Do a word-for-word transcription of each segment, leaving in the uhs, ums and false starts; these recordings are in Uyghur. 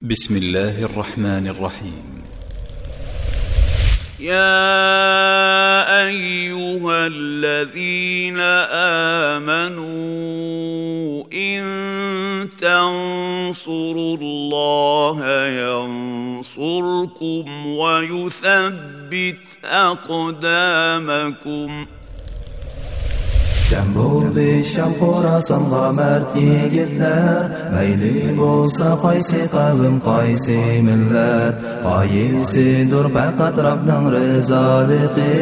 بسم الله الرحمن الرحيم. يا أيها الذين آمنوا إن تنصروا الله ينصركم ويثبت أقدامكم. جەم بولدى شام خوراسانغا مەرد يىگىتلەر، مەيلى بولسا قايسى قەۋم، قايسى مىللەت، غايىسىدۇر پەقەت رەبنىڭ رىزالىقى.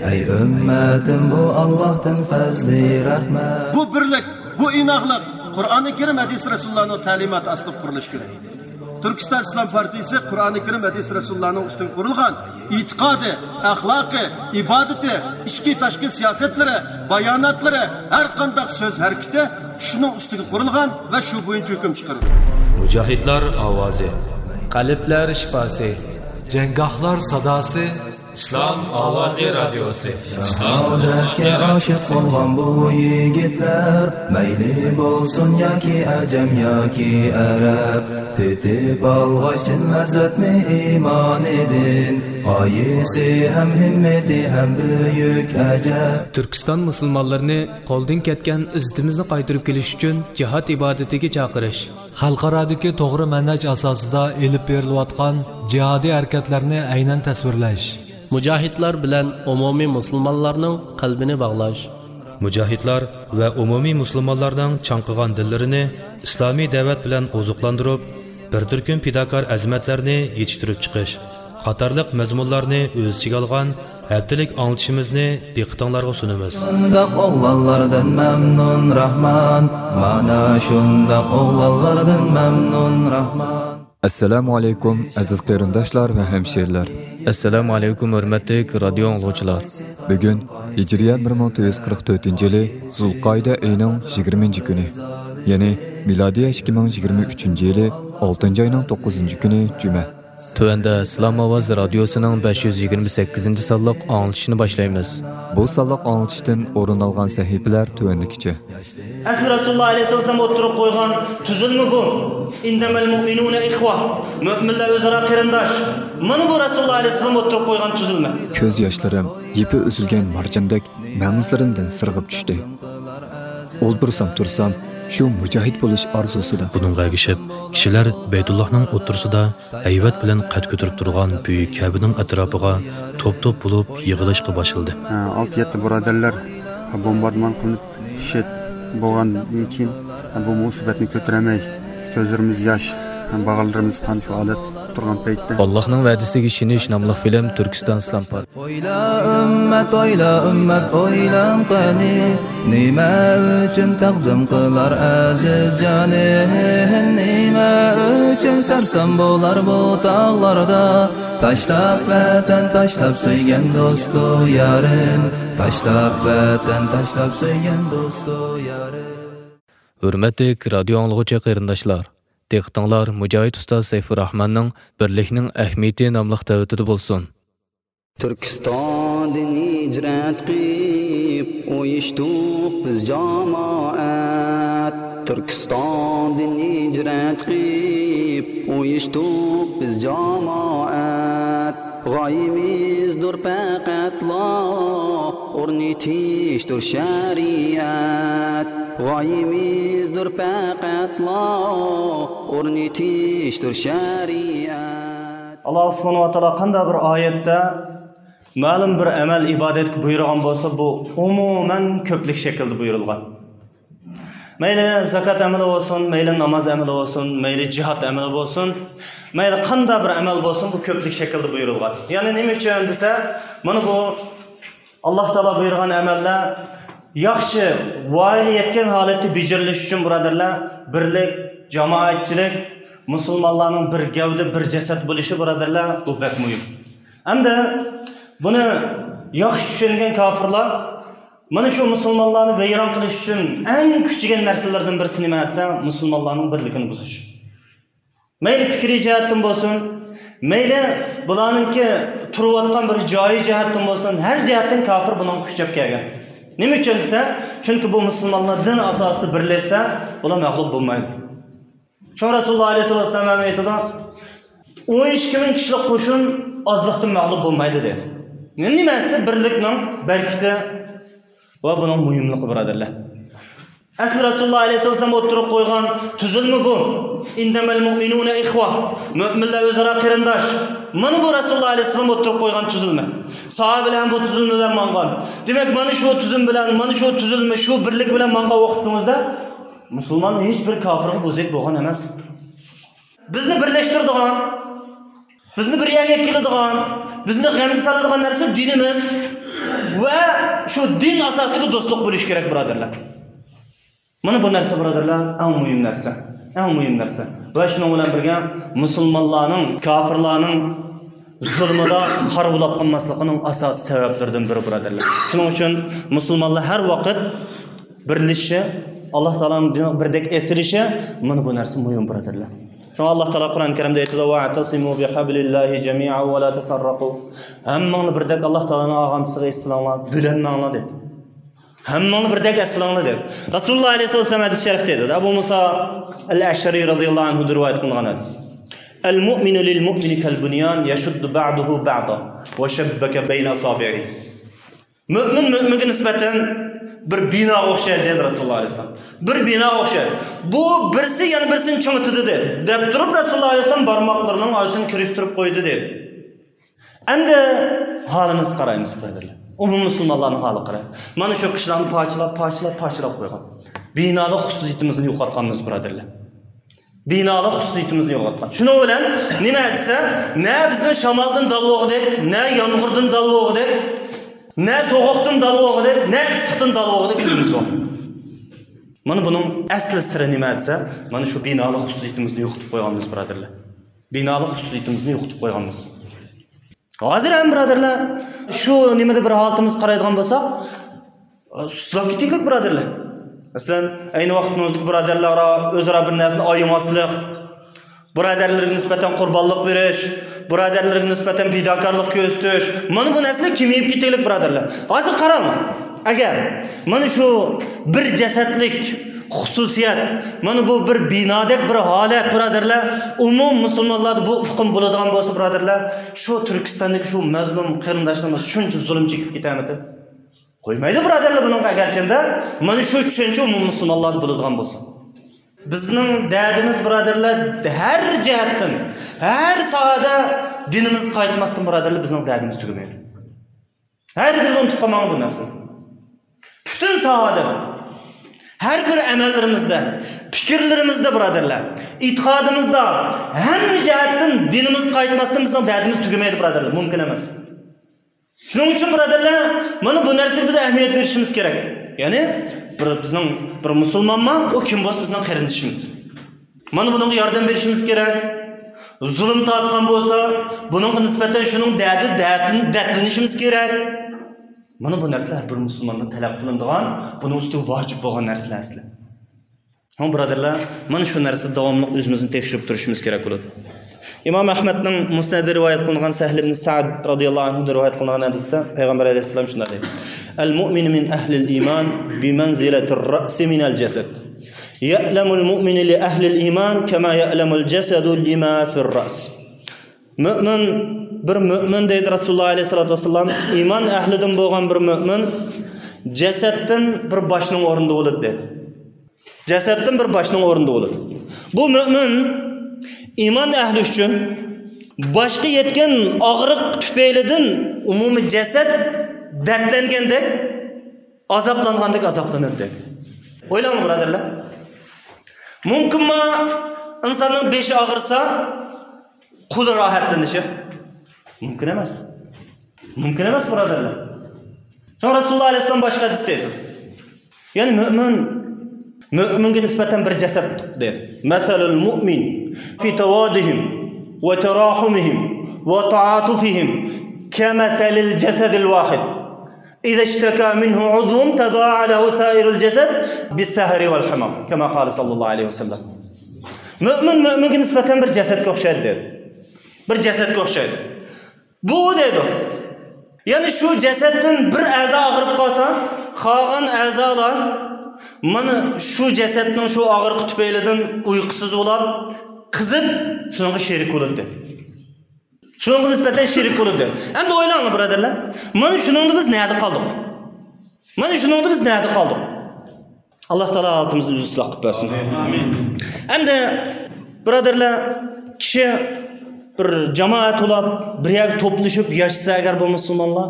ئەي ئۈممەتىم، بۇ ئاللاھتىن پەزلى رەھمەت. بۇ بىرلىك، بۇ ئىناقلىق قۇرئانى كەرىم، ھەدىس رەسۇلۇللانىڭ تەلىماتى ئاستىدا قۇرۇلۇشى كېرەك. تۈركىستان ئىسلام پارتىيىسى قۇرئانى كەرىم، ھەدىس رەسۇلۇللانىڭ ئۈستىگە قۇرۇلغان ئېتىقادى، ئەخلاقى، ئىبادىتى، ئىچكى تاشقى سىياسەتلىرى، باياناتلىرى، ھەر قانداق سۆز ھەرىكىتى شۇنىڭ ئۈستىگە قۇرۇلغان ۋە شۇ بويىچە ھۆكۈم چىقىرىدۇ. مۇجاھىدلار ئاۋازى. قەلبلەر شىپاسى. جەڭگاھلار ساداسى. ئىسلام ئاۋازى رادىيوسى. شاھادەتكە ئاشىق بولغان بۇ يىگىتلەر، مەيلى بولسۇن ياكى ئەجەم ياكى ئەرەب، تېتىپ ئالغاچ چىن لەززەتنى ئىمانىدىن، غايىسى ھەم ھىممىتى ھەم بۈيۈك ئەجەب. تۈركىستان مۇسۇلمانلىرىنى قولدىن كەتكەن ئىززىتىمىزنى قايتۇرۇپ كېلىش ئۈچۈن جىھاد ئىبادىتىگە چاقىرىش. خەلقئارادىكى توغرا مەنھەج ئاساسىدا ئېلىپ بېرىلىۋاتقان جىھادىي ھەرىكەتلەرنى ئەينەن تەسۋىرلەش. مۇجاھىدلار بىلەن ئومۇمىي مۇسۇلمانلارنىڭ قەلبىنى باغلاش. مۇجاھىدلار ۋە ئومۇمىي مۇسۇلمانلارنىڭ چاڭقىغان دىللىرىنى ئىسلامىي دەۋەت بىلەن ئوزۇقلاندۇرۇپ، بىر تۈركۈم پىداكار ئەزىمەتلەرنى يېتىشتۈرۈپ چىقىش قاتارلىق مەزمۇنلارنى ئۆز ئىچىگە ئالغان ھەپتىلىك ئاڭلىتىشىمىزنى دىققىتىڭلارغا سۇنىمىز. شۇنداق ئوغلانلاردىن مەمنۇن راھمان، مانا شۇنداق ئوغلانلاردىن مەمنۇن راھمان. ئەسسالامۇ ئەلەيكۇم، ئەزىز قېرىنداشلار ۋە ھەمشىرىلەر. ئەسسالامۇ ئەلەيكۇم، ھۆرمەتلىك رادىيو ئاڭلىغۇچىلار. بۈگۈن ھىجرىيە بىر مىڭ تۆت يۈز قىرىق تۆتىنچى يىلى زۇلقائىدە ئېيىنىڭ يىگىرمىنچى كۈنى، يەنى مىلادىيە ئىككى مىڭ يىگىرمە ئۈچىنچى يىلى ئالتىنچى ئاينىڭ توققۇزىنچى كۈنى جۈمە. تۆۋەندە ئىسلام ئاۋازى رادىيوسىنىڭ بەش يۈز يىگىرمە سەككىزىنچى سانلىق ئاڭلىتىشنى باشلايمىز. بۇ سانلىق ئاڭلىتىشتىن ئورۇن ئالغان سەھىپىلەر تۆۋەندىكىچە. ئەسلى رەسۇلۇللا ئەلەيھىسسالام ئوتتۇرىغا قويغان تۈزۈلمە بۇ. ئىننەمەل مۇئمىنۇنە ئىخۋە. مۆمىنلەر ئۆزئارا قېرىنداش. مانا بۇ رەسۇلۇللا ئەلەيھىسسالام ئوتتۇرىغا قويغان تۈزۈلمە. كۆز ياشلىرىم يىپى ئۈزۈلگەن مارجاندەك مەڭزلىرىمدىن سىرغىپ چۈشتى. ئولتۇرسام تۇرسام، شۇ مۇجاھىد بولۇش ئارزۇسىدا. بۇنىڭغا ئەگىشىپ، كىشىلەر بەيتۇللاھنىڭ ئوتتۇرىسىدا ھەيۋەت بىلەن قەد كۆتۈرۈپ تۇرغان بۈيۈك كەبىنىڭ ئەتراپىغا توپ-توپ بولۇپ يىغىلىشقا باشلىدى. ئالتە-يەتتە بۇرادەرلەر بومباردىمان قىلىنىپ شېھىت بولغاندىن كېيىن، بۇ مۇسىبەتنى كۆتۈرەلمەي، كۆزلىرىمىز ياش، باغرىمىز قان شۇ ھالەتتە تۇرغان پەيتتە. ئاللاھنىڭ ۋەدىسىگە ئىشىنىش ناملىق فىلىم تۈركىستان ئىسلام پارتىيە. ئويلا ئۈممەت، ئويلا ئۈممەت، ئويلاڭ قېنى، نېمە ئۈچۈن تەقدىم قىلار ئەزىز جانى؟ نېمە ئۈچۈن سەرسان بولار بۇ تاغلاردا؟ تاشلاپ ۋەتەن، تاشلاپ سۆيگەن دوستۇ يارىن، تاشلاپ ۋەتەن، تاشلاپ سۆيگەن دوستۇ يارىن. ھۆرمەتلىك رادىيو ئاڭلىغۇچى قېرىنداشلار، دىققىتىڭلار مۇجاھىد ئۇستاز سەيپۇرراھماننىڭ بىرلىكنىڭ ئەھمىيىتى ناملىق دەۋىتىدە بولسۇن. تۈركىستاندىن ھىجرەت قىلىپ ئۇيۇشتۇق بىز جامائەت. تۈركىستاندىن ھىجرەت قىلىپ ئۇيۇشتۇق بىز جامائەت. غايىمىزدۇر پەقەتلا ئورنىتىشتۇر شەرىئەت. غايىمىزدۇر پەقەتلا ئورنىتىشتۇر شەرىئەت. ئاللا سۇبھانەھۇ ۋە تائالا قانداق بىر ئايەتتە مەلۇم بىر ئەمەل ئىبادەتكە بۇيرۇغان بولسا، بۇ ئومۇمەن كۆپلۈك شەكىلدە بۇيرۇلغان. مەيلى زاكات ئەمىلى بولسۇن، مەيلى ناماز ئەمىلى بولسۇن، مەيلى جىھاد ئەمىلى بولسۇن، مەيلى قانداق بىر ئەمەل بولسۇن، بۇ كۆپلۈك شەكىلدە بۇيرۇلغان. يەنى نېمە ئۈچۈن دېسە، مانا بۇ ئاللا تائالا بۇيرۇغان ئەمەللەر ياخشى ۋايىگە يەتكەن ھالەتتە بېجىرىلىش ئۈچۈن، بۇرادەرلەر، بىرلىك، جامائەتچىلىك، مۇسۇلمانلارنىڭ بىر گەۋدە، بىر جەسەت بولۇشى، بۇرادەرلەر، بۇ بەك مۇھىم. ئەمدى بۇنى ياخشى چۈشەنگەن كاپىرلار مانا شۇ مۇسۇلمانلارنى ۋەيران قىلىش ئۈچۈن ئەڭ كۈچىگەن نەرسىلەردىن بىرسى نېمە دېسە، مۇسۇلمانلارنىڭ بىرلىكىنى بۇزۇش. مەيلى پىكرىي جەھەتتىن بولسۇن، مەيلى بۇلارنىڭكى تۇرۇۋاتقان بىر جايى جەھەتتىن بولسۇن، ھەر جەھەتتىن كاپىر بۇنىڭغا كۈچەپ كەلگەن. نېمە ئۈچۈن دېسە، چۈنكى بۇ مۇسۇلمانلار دىن ئاساسىدا بىرلەشسە، بۇلار مەغلۇپ بولمايدۇ. شۇڭا رەسۇلۇللاھ ئەلەيھىسسالاتۇ ۋەسسالام ئېيتىدۇ، «ئون ئىككى مىڭ كىشىلىك قوشۇن ئازلىقتىن مەغلۇپ بولمايدۇ» دېدى. نېمە دېسە، بىرلىكنىڭ بەرىكىتى ۋە بۇنىڭ مۇھىملىقى، بۇرادەرلەر. ئەسلى رەسۇلۇللاھ ئەلەيھىسسالام ئولتۇرۇپ قويغان تۈزۈلمە بۇ. «ئىننەمەل مۇئمىنۇنە ئىخۋە.» مۆمىنلەر ئۆزئارا قېرىنداش. مانا بۇ رەسۇلۇللاھ ئەلەيھىسسالام ئولتۇرۇپ قويغان تۈزۈلمە. ساھابىلەر ھەم بۇ تۈزۈلمە بىلەن ماڭغان. دېمەك، مانا شۇ تۈزۈلمە بىلەن، مانا شۇ تۈزۈلمە، شۇ بىرلىك بىلەن ماڭغان ۋاقتىمىزدا مۇسۇلمان ھېچ بىر كافىرغا بوزەك بولغان ئەمەس. بىزنى بىرلەشتۈرىدىغان، بىزنى بىر يەرگە كېلىدىغان، بىزنى غەمگە سالىدىغان نەرسە دىنىمىز ۋە شۇ دىن ئاساسىدىكى دوستلۇق بولۇشى كېرەك، بۇرادەرلەر. مانا بۇ نەرسە، بۇرادەرلەر، ئەڭ مۇھىم نەرسە. ئەڭ مۇھىم نەرسە. ۋە شۇنىڭ بىلەن بىرگە، مۇسۇلمانلارنىڭ كافىرلارنىڭ زۇلمىدا خار بولاپ قالماسلىقىنىڭ ئاساسىي سەۋەبلىرىدىن بىرى، بۇرادەرلەر. شۇنىڭ ئۈچۈن مۇسۇلمانلار ھەر ۋاقىت بىرلىشىشى، ئاللاھ تائالانىڭ دىنىغا بىردەك ئېسىلىشى، مانا بۇ نەرسە مۇھىم، بۇرادەرلەر. شۇڭا ئاللاھ تائالا قۇرئان كەرىمدە ئېيتىدۇ، «ۋەئتەسىمۇ بىھەبلىللاھى جەمىئەن ۋە لا تەفەررەقۇ.» ھەممىڭلار بىردەك ئاللاھ تائالانىڭ ئالغامچىسىغا ئېسىلىڭلار، بۆلەنمەڭلار دېدى. ھەممىڭلار بىردەك ئېسىلىڭلار دېدى. رەسۇلۇللاھ ئەلەيھىسسالام ھەدىس شەرىفتە ئېيتىدۇ. ئەبۇ مۇسا ئەل ئەشئەرى رەزىياللاھۇ ئەنھۇدىن رىۋايەت قىلىنغان ھەدىس. «ئەل مۇئمىنۇ لىل مۇئمىنى كەل بۇنيان يەشۇددۇ بەئدۇھۇ بەئدەن ۋە شەببەكە بەينە ئەسابىئىھى.» مۆمىن مۆمىنگە نىسبەتەن بىر بىناغا ئوخشايدۇ، دېدى رەسۇلۇللاھ ئەلەيھىسسالام. بىر بىناغا ئوخشايدۇ. بۇ بىرسى يەنە بىرسىنى چىڭىتىدۇ، دېدى. دەپ تۇرۇپ رەسۇلۇللاھ ئەلەيھىسسالام بارماقلىرىنىڭ ئارىسىنى كىرىشتۈرۈپ قويدى، دېدى. ئەمدى ھالىمىزغا قارايمىز، بۇرادەرلەر. ئومۇمىي مۇسۇلمانلارنىڭ ھالىغا قارايلى. مانا شۇ قىشلارنى پارچىلاپ، پارچىلاپ، پارچىلاپ قويغان. بىنالىق خۇسۇسىيىتىمىزنى يوقاتقانمىز، بۇرادەرلەر. بىنالىق خۇسۇسىيىتىمىزنى يوقاتقان. شۇنىڭ بىلەن نېمە دېسە، نە بىزنى شامالدىن دال بولغۇدەك، نە يامغۇردىن دال بولغۇدەك، نە سوغۇقتىن دال بولغۇدەك، نە ئىسسىقتىن دال بولغۇدەك ئۆيىمىز بار. مانا بۇنىڭ ئەسلى سىرى نېمە دېسە، مانا شۇ بىنالىق خۇسۇسىيىتىمىزنى يوقىتىپ قويغانمىز، بۇرادەرلەر. بىنالىق خۇسۇسىيىتىمىزنى يوقىتىپ قويغانمىز. ھازىر ھەم، بۇرادەرلەر، شۇ نېمىدە بىر ھالىتىمىزگە قارايدىغان بولساق، سۇسلاپ كېتىكلىك، بۇرادەرلەر. مەسىلەن، ئەينى ۋاقىتنىڭ ئۆزىدىكى بۇرادەرلەر ئارا ئۆزئارا بىر نەرسىنى ئايىماسلىق، بۇرادەرلىرىگە نىسبەتەن قۇربانلىق بېرىش، بۇرادەرلىرىگە نىسبەتەن پىداكارلىق كۆرسىتىش، مانا بۇ نەرسىلەر كېمىيىپ كېتىكلىك، بۇرادەرلەر. ھازىر قاراڭ، ئەگەر مانا شۇ بىر جەسەتلىك خۇسۇسىيەت، مانا بۇ بىر بىنادەك بىر ھالەت، بۇرادەرلەر، ئومۇم مۇسۇلمانلاردا بۇ ئۇقۇم بولىدىغان بولسا، بۇرادەرلەر، شۇ تۈركىستاندىكى شۇ مەزلۇم قېرىنداشلىرىمىز شۇنچە زۇلۇم چېكىپ كېتەرمىدى؟ قويمايدۇ، بۇرادەرلەر، بۇنىڭغا ئەگەرچەندە مانا شۇ چۈشەنچە ئومۇم مۇسۇلمانلاردا بولىدىغان بولسا. بىزنىڭ دەردىمىز، بۇرادەرلەر، ھەر جەھەتتىن، ھەر ساھەدە دىنىمىزغا قايتماستىن، بۇرادەرلەر، بىزنىڭ دەردىمىز تۈگىمەيدۇ. ھەرگىز ئۇنتۇپ قالماڭ بۇ نەرسىنى. پۈتۈن ساھەدە، ھەر بىر ئەمەللىرىمىزدە، پىكىرلىرىمىزدە، بۇرادەرلەر، ئېتىقادىمىزدا، ھەممە جەھەتتىن دىنىمىزغا قايتماستىن بىزنىڭ دەردىمىز تۈگىمەيدۇ، بۇرادەرلەر، مۇمكىن ئەمەس. شۇنىڭ ئۈچۈن، بۇرادەرلەر، مانا بۇ نەرسىگە بىز ئەھمىيەت بېرىشىمىز كېرەك. يەنى بىر، بىزنىڭ بىر مۇسۇلمانما، ئۇ كىم بولسا بىزنىڭ قېرىندىشىمىز. مانا بۇنىڭغا ياردەم بېرىشىمىز كېرەك. زۇلۇم تارتقان بولسا، بۇنىڭغا نىسبەتەن شۇنىڭ دەردىدىن دەتلىنىشىمىز كېرەك. مانا بۇ نەرسىلەر ھەر بىر مۇسۇلماندىن تەلەپ قىلىنىدىغان، بۇنىڭ ئۈستىگە ۋاجىپ بولغان نەرسىلەر ئەسلى. ھە، بۇرادەرلەر، مانا شۇ نەرسىدە داۋاملىق ئۆزىمىزنى تەكشۈرۈپ تۇرۇشىمىز كېرەك بولىدۇ. ئىمام ئەھمەدنىڭ مۇسنەدىدە رىۋايەت قىلىنغان سەھل ئىبن سەئد رەزىياللاھۇ ئەنھۇدىن رىۋايەت قىلىنغان ھەدىستە پەيغەمبەر ئەلەيھىسسالام شۇنداق دەيدۇ: «ئەل مۇئمىنۇ مىن ئەھلىل ئىمان بىمەنزىلەتىر رەئسى مىنەل جەسەد. يەئلەمۇل مۇئمىنۇ لىئەھلىل ئىمان كەما يەئلەمۇل جەسەدۇ لىما فىر رەئس.» مۆمىن، بىر مۆمىن دەيدۇ رەسۇلۇللاھ ئەلەيھىسسالاتۇ ۋەسسالام، ئىمان ئەھلىدىن بولغان بىر مۆمىن جەسەتتىن بىر باشنىڭ ئورنىدا بولىدۇ دەيدۇ. جەسەتتىن بىر باشنىڭ ئورنىدا بولىدۇ. بۇ مۆمىن ئىمان ئەھلى ئۈچۈن باشقا يەتكەن ئاغرىق تۈپەيلىدىن ئومۇمىي جەسەت دەردلەنگەندەك، ئازابلانغاندەك ئازابلىنىدۇ دەيدۇ. ئويلاڭلار، بۇرادەرلەر. مۇمكىنما ئىنساننىڭ بېشى ئاغرىسا، قولى راھەتلىنىشى؟ مۇمكىن ئەمەس. مۇمكىن ئەمەس، بۇرادەرلەر. شۇڭا رەسۇلۇللاھ ئەلەيھىسسالام باشقا ھەدىستە ئېيتىدۇ. يەنى مۆمىن، مۆمىنگە نىسبەتەن بىر جەسەت دەيدۇ. مەسەلۇل مۇئمىن فى تەۋادىھىم ۋە تەراھۇمىھىم ۋە تەئاتۇفىھىم كەمەسەلىل جەسەدىل ۋاھىد. إذا اشتكى منه عضو تداعى له سائر الجسد بالسهر والحمى، كما قال صلى الله عليه وسلم. مۆمىن مۆمىنگە نىسبەتەن بىر جەسەتكە ئوخشايدۇ دېدى. بىر جەسەتكە ئوخشايدۇ. بۇ دەيدۇ. يەنى شۇ جەسەتتىن بىر ئەزا ئاغرىپ قالسا، قالغان ئەزالار مانا شۇ جەسەتنىڭ شۇ ئاغرىقى تۈپەيلىدىن ئۇيقۇسىز بولاپ، قىزىپ، شۇنىڭغا شېرىك بولىدۇ. شۇنىڭغا نىسبەتەن شېرىك بولىدۇ. ئەمدى ئويلاڭلار، بۇرادەرلەر. مانا شۇنىڭدا بىز نەدە قالدۇق؟ مانا شۇنىڭدا بىز نەدە قالدۇق؟ ئاللا تائالا ھالىتىمىزنى ئىسلاھ قىلىپ بەرسۇن. ئەمدى، بۇرادەرلەر، كىشى بىر جامائەت بولاپ، بىر يەرگە توپلىشىپ ياشىسا ئەگەر بۇ مۇسۇلمانلار،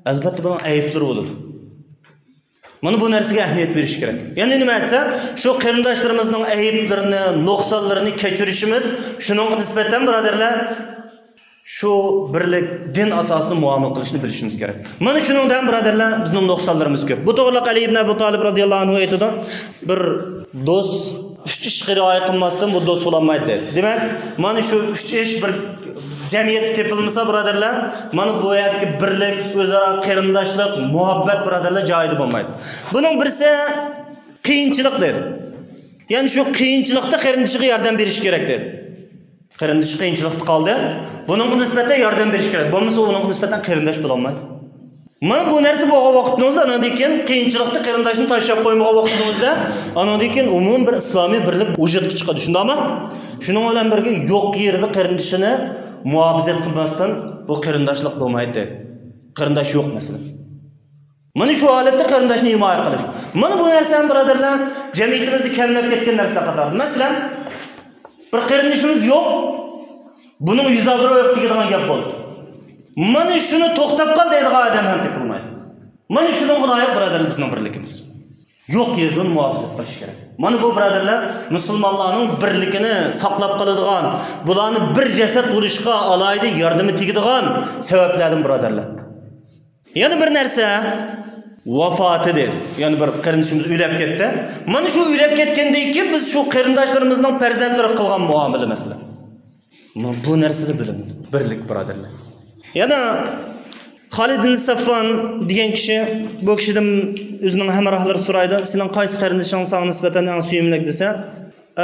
ئەلۋەتتە بۇنىڭ ئەيىبلىرى بولىدۇ. مانا بۇ نەرسىگە ئەھمىيەت بېرىش كېرەك. يەنى نېمە دېسە، شۇ قېرىنداشلىرىمىزنىڭ ئەيىبلىرىنى، نۇقسانلىرىنى كەچۈرۈشىمىز، شۇنىڭغا نىسبەتەن، بۇرادەرلەر، شۇ بىرلىك دىن ئاساسىدا مۇئامىلە قىلىشنى بىلىشىمىز كېرەك. مانا شۇنىڭدا ھەم، بۇرادەرلەر، بىزنىڭ نۇقسانلىرىمىز كۆپ. بۇ توغرىلىق ئەلى ئىبن ئەبۇ تالىپ رازىياللاھۇ ئەنھۇ ئېيتىدۇ، بىر دوست ئۈچ ئىشقا رىئايە قىلماستىن بۇ دوست بولالمايدۇ دەيدۇ. دېمەك، مانا شۇ ئۈچ ئىش بىر جەمئىيەتتە تېپىلمىسا، بۇرادەرلەر، مانا بۇ يەردىكى بىرلىك، ئۆزئارا قېرىنداشلىق، مۇھەببەت، بۇرادەرلەر، جايىدا بولمايدۇ. بۇنىڭ بىرسى، قىيىنچىلىق دېدى. يەنى شۇ قىيىنچىلىقتا قېرىندىشىغا ياردەم بېرىش كېرەك دېدى. قېرىندىشى قىيىنچىلىقتا قالدى. بۇنىڭغا نىسبەتەن ياردەم بېرىش كېرەك. بولمىسا ئۇنىڭغا نىسبەتەن قېرىنداش بولالمايدۇ. مانا بۇ نەرسە بولغان ۋاقىتنىڭىزدا، ئانىڭدىن كېيىن قىيىنچىلىقتا قېرىنداشنى تاشلاپ قويمىغان ۋاقتىڭىزدا، ئانىڭدىن كېيىن ئومۇمىي بىر ئىسلامىي بىرلىك ۋۇجۇدقا چىقىدۇ. شۇنداقمۇ؟ شۇنىڭ بىلەن بىرگە يوق يېرىدە قېرىندىشىنى مۇھاپىزەت قىلماستىن بۇ قېرىنداشلىق بولمايدۇ. قېرىنداش يوق مەسىلەن. مانا شۇ ھالەتتە قېرىنداشنى ھىمايە قىلىش. مانا بۇ نەرسە ھەم، بۇرادەرلەر، جەمئىيىتىمىزدە كەملەپ كەتكەن نەرسىلەر قاتارىدا. مەسىلەن، بىر قېرىندىشىمىز يوق، بۇنىڭ يۈز ئابرۇيى يوق دېگەن گەپ بولدى. مانا شۇنى توختاپ قال دەيدىغان ئادەم ھەم تېپىلمايدۇ. مانا شۇنىڭغا لايىق، بۇرادەرلەر، بىزنىڭ بىرلىكىمىز. يوق يېرىدىن مۇھاپىزەت قىلىش كېرەك. مانا بۇ، بۇرادەرلەر، مۇسۇلمانلارنىڭ بىرلىكىنى ساقلاپ قالىدىغان، بۇلارنى بىر جەسەت بولۇشقا ئالاھىدە ياردىمى تېگىدىغان سەۋەبلەردىن، بۇرادەرلەر. يەنە بىر نەرسە، ۋاپاتى دېدى. يەنى بىر قېرىندىشىمىز ئۆلۈپ كەتتى. مانا شۇ ئۆلۈپ كەتكەندىن كېيىن بىز شۇ قېرىنداشلىرىمىزنىڭ پەرزەنتلىرىگە قىلغان مۇئامىلە مەسىلەن. مانا بۇ نەرسىدە بىلىنىدۇ. بىرلىك، بۇرادەرلەر. يەنە خالىد بىن سەفۋان دېگەن كىشى، بۇ كىشىدىن ئۆزىنىڭ ھەمراھلىرى سورايدۇ، سېنىڭ قايسى قېرىندىشىڭ ساڭا نىسبەتەن ئەڭ سۆيۈملۈك دېسە،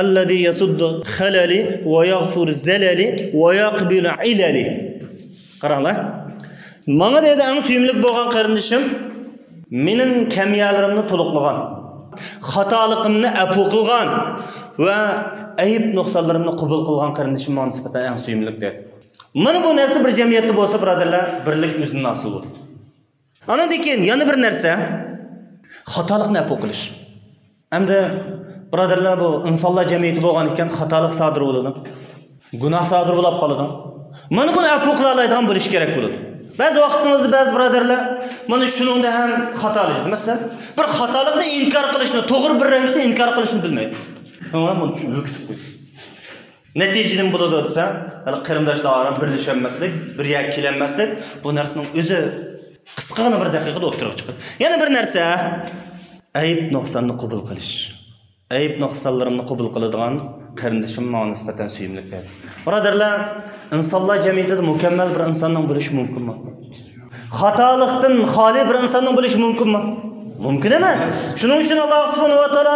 الذي يسد خللي ويغفر زللي ويقبل عللي. قاراڭلار. ماڭا دەيدۇ، ئەڭ سۆيۈملۈك بولغان قېرىندىشىم مېنىڭ كەم يەرلىرىمنى تولۇقلىغان، خاتالىقىمنى ئەپۇ قىلغان ۋە ئەيىب نۇقسانلىرىمنى قوبۇل قىلغان قېرىندىشىم ماڭا نىسبەتەن ئەڭ سۆيۈملۈك دەيدۇ. مانا بۇ نەرسە بىر جەمئىيەتتە بولسا، بۇرادەرلەر، بىرلىك ئۆزىدىن ھاسىل بولىدۇ. ئاندىن كېيىن يەنە بىر نەرسە، خاتالىقنى ئەپۇ قىلىش. ئەمدى، بۇرادەرلەر، بۇ ئىنسانلار جەمئىيىتى بولغان ئىكەن، خاتالىق سادىر بولىدۇ. گۇناھ سادىر بولۇپ قالىدۇ. مانا بۇنى ئەپۇ قىلالايدىغان بولۇش كېرەك بولىدۇ. بەزى ۋاقىتىمىزدا بەزى بۇرادەرلەر مانا شۇنىڭدا ھەم خاتالىق. مەسىلەن، بىر خاتالىقنى ئىنكار قىلىشنى، توغرا بىر رەۋىشتە ئىنكار قىلىشنى بىلمەيدۇ. شۇڭا بۇنى چۈ-، ھۆكۈتۈپ قويىدۇ. نەتىجىدە نېمە بولىدۇ دېسە، ھېلى قېرىنداشلار ئارا بىرلىشەلمەسلىك، بىر يەرگە كېلەلمەسلىك، بۇ نەرسىنىڭ ئۆزى قىسقىغىنە بىر دەقىقىدە ئوتتۇرىغا چىقىدۇ. يەنە بىر نەرسە، ئەيىب نۇقساننى قوبۇل قىلىش. ئەيىب نۇقسانلىرىمنى قوبۇل قىلىدىغان قېرىندىشىم ماڭا نىسبەتەن سۆيۈملۈك دەيدۇ. بۇرادەرلەر، ئىنسانلار جەمئىيىتىدە مۇكەممەل بىر ئىنساننىڭ بولۇشى مۇمكىنمۇ؟ خاتالىقتىن خالىي بىر ئىنساننىڭ بولۇشى مۇمكىنمۇ؟ مۇمكىن ئەمەس. شۇنىڭ ئۈچۈن ئاللا سۇبھانەھۇ ۋە تائالا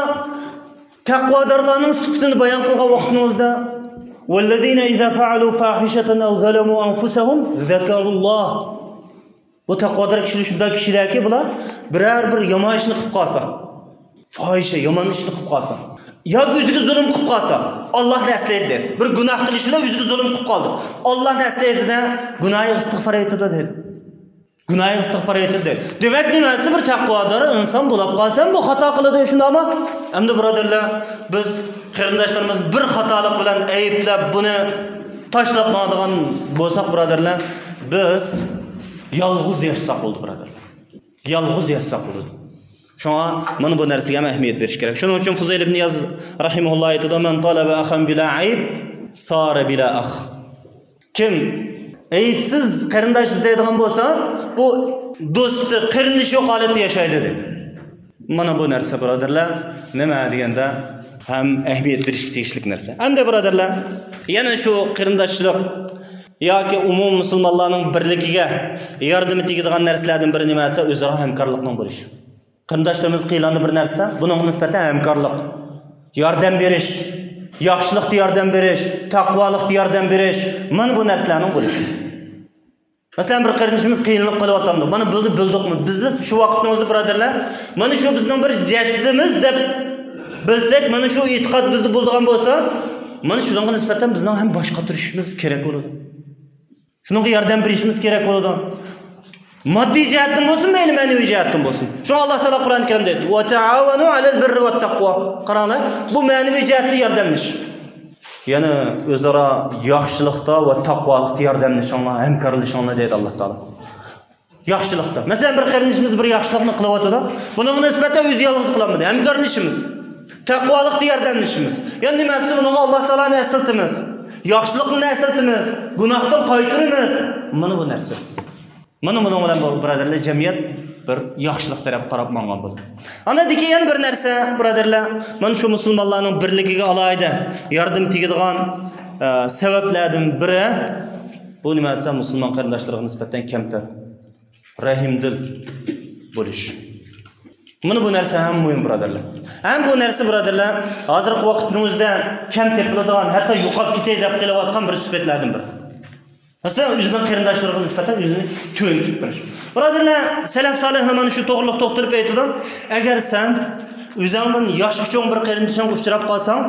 تەقۋادارلارنىڭ سۈپىتىنى بايان قىلغان ۋاقتىمىزدا، والذين إذا فعلوا فاحشة أو ظلموا أنفسهم ذكروا الله. بۇ تەقۋادار كىشىلەر شۇنداق كىشىلەركى، بۇلار بىرەر بىر يامان ئىشنى قىلىپ قالسا، پاھىشە، يامان ئىشنى قىلىپ قالسا، ياكى ئۆزىگە زۇلۇم قىلىپ قالسا، ئاللاھنى ئەسلەيدۇ دەيدۇ. بىر گۇناھ قىلىش بىلەن ئۆزىگە زۇلۇم قىلىپ قالدى. ئاللاھنى ئەسلەيدۇ-دە، گۇناھىغا ئىستىغپار ئېيتىدۇ دەيدۇ. گۇناھىغا ئىستىغپار ئېيتىدۇ دەيدۇ. دېمەك، نېمە دېسە، بىر تەقۋادار ئىنسان بولاپ قالسا، بۇ خاتا قىلىدۇ، شۇنداقمۇ؟ ئەمدى، بۇرادەرلەر، بىز قېرىنداشلىرىمىزنى بىر خاتالىق بىلەن ئەيىبلەپ، بۇنى تاشلاپ ماڭىدىغان بولساق، بۇرادەرلەر، بىز يالغۇز ياشىساق بولدى، بۇرادەرلەر. يالغۇز ياشىساق بولىدۇ. شۇڭا مانا بۇ نەرسىگە ھەم ئەھمىيەت بېرىش كېرەك. شۇنىڭ ئۈچۈن فۇزەيل ئىبن ئىياز رەھىمەھۇللا ئېيتىدۇ، من طلب أخا بلا عيب صار بلا أخ. كىم ئەيىبسىز قېرىنداش ئىزدەيدىغان بولسا، بۇ دوستى، قېرىندىشى يوق ھالەتتە ياشايدۇ، دېدى. مانا بۇ نەرسە، بۇرادەرلەر، نېمە دېگەندە، ھەم ئەھمىيەت بېرىشكە تېگىشلىك نەرسە. ئەمدى، بۇرادەرلەر، يەنە شۇ قېرىنداشلىق ياكى ئومۇمىي مۇسۇلمانلارنىڭ بىرلىكىگە ياردىمى تېگىدىغان نەرسىلەردىن بىرى نېمە دېسە، ئۆزئارا ھەمكارلىقنىڭ بولۇشى. قېرىنداشلىرىمىز قىينالدى بىر نەرسىدە، بۇنىڭغا نىسبەتەن ھەمكارلىق، ياردەم بېرىش، ياخشىلىقتا ياردەم بېرىش، تەقۋالىقتا ياردەم بېرىش، مانا بۇ نەرسىلەرنىڭ بولۇشى. مەسىلەن، بىر قېرىندىشىمىز قىينىلىپ قېلىۋاتامدۇ؟ مانا بۇنى بىلدۇقمۇ؟ بىز شۇ ۋاقىتنىڭ ئۆزىدە، بۇرادەرلەر، مانا شۇ بىزنىڭ بىر جەسىتىمىز دەپ بىلسەك، مانا شۇ ئېتىقاد بىزدە بولىدىغان بولسا، مانا شۇنىڭغا نىسبەتەن بىزنىڭ ھەم باش قاتۇرۇشىمىز كېرەك بولىدۇ. شۇنىڭغا ياردەم بېرىشىمىز كېرەك بولىدۇ. ماددىي جەھەتتىن بولسۇن، مەيلى مەنىۋى جەھەتتىن بولسۇن. شۇڭا ئاللا تائالا قۇرئان كەرىمدە ئېيتتى، «ۋەتەئاۋەنۇ ئەلەل بىررى ۋەتتەقۋا». قاراڭلار، بۇ مەنىۋى جەھەتتە ياردەملىشىش. يەنى ئۆزئارا ياخشىلىقتا ۋە تاقۋالىقتا ياردەملىشىڭلار، ھەمكارلىشىڭلار دەيدۇ ئاللا تائالا. ياخشىلىقتا. مەسىلەن، بىر قېرىندىشىمىز بىر ياخشىلىقنى قىلىۋاتىدۇ. بۇنىڭغا نىسبەتەن ئۆزى يالغۇز قىلالمىدى. ھەمكارلىشىمىز. تەقۋالىقتا ياردەملىشىمىز. يەنە نېمە دېسە، بۇنىڭغا ئاللا تائالانى ئەسلىتىمىز. ياخشىلىقنى ئەسلىتىمىز. گۇناھتىن قايتۇرىمىز. مانا بۇ نەرسە. مانا بۇنىڭ بىلەن بۇ، بۇرادەرلەر، جەمئىيەت بىر ياخشىلىق تەرەپ قاراپ ماڭغان بولىدۇ. ئاندىن كېيىن يەنە بىر نەرسە، بۇرادەرلەر، مانا شۇ مۇسۇلمانلارنىڭ بىرلىكىگە ئالاھىدە ياردىمى تېگىدىغان، ئە، سەۋەبلەردىن بىرى، بۇ نېمە دېسە، مۇسۇلمان قېرىنداشلىرىغا نىسبەتەن كەمتەر، رەھىمدىل بولۇش. مانا بۇ نەرسە ھەم مۇھىم، بۇرادەرلەر. ھەم بۇ نەرسە، بۇرادەرلەر، ھازىرقى ۋاقىتنىڭ ئۆزىدە كەم تېپىلىدىغان، ھەتتا يوقاپ كېتەي دەپ قېلىۋاتقان بىر سۈپەتلەردىن بىرى. مەسىلەن، ئۆزىنىڭ قېرىنداشلىرىغا نىسبەتەن ئۆزىنى تۆۋەن تۇتۇپ بېرىش. بۇرادەرلەر، سەلەف سالىھلار مانا شۇ توغرىلىق توختىلىپ ئېيتىدۇ، ئەگەر سەن ئۆزۈڭدىن ياشقا چوڭ بىر قېرىندىشىڭغا ئۇچراپ قالساڭ،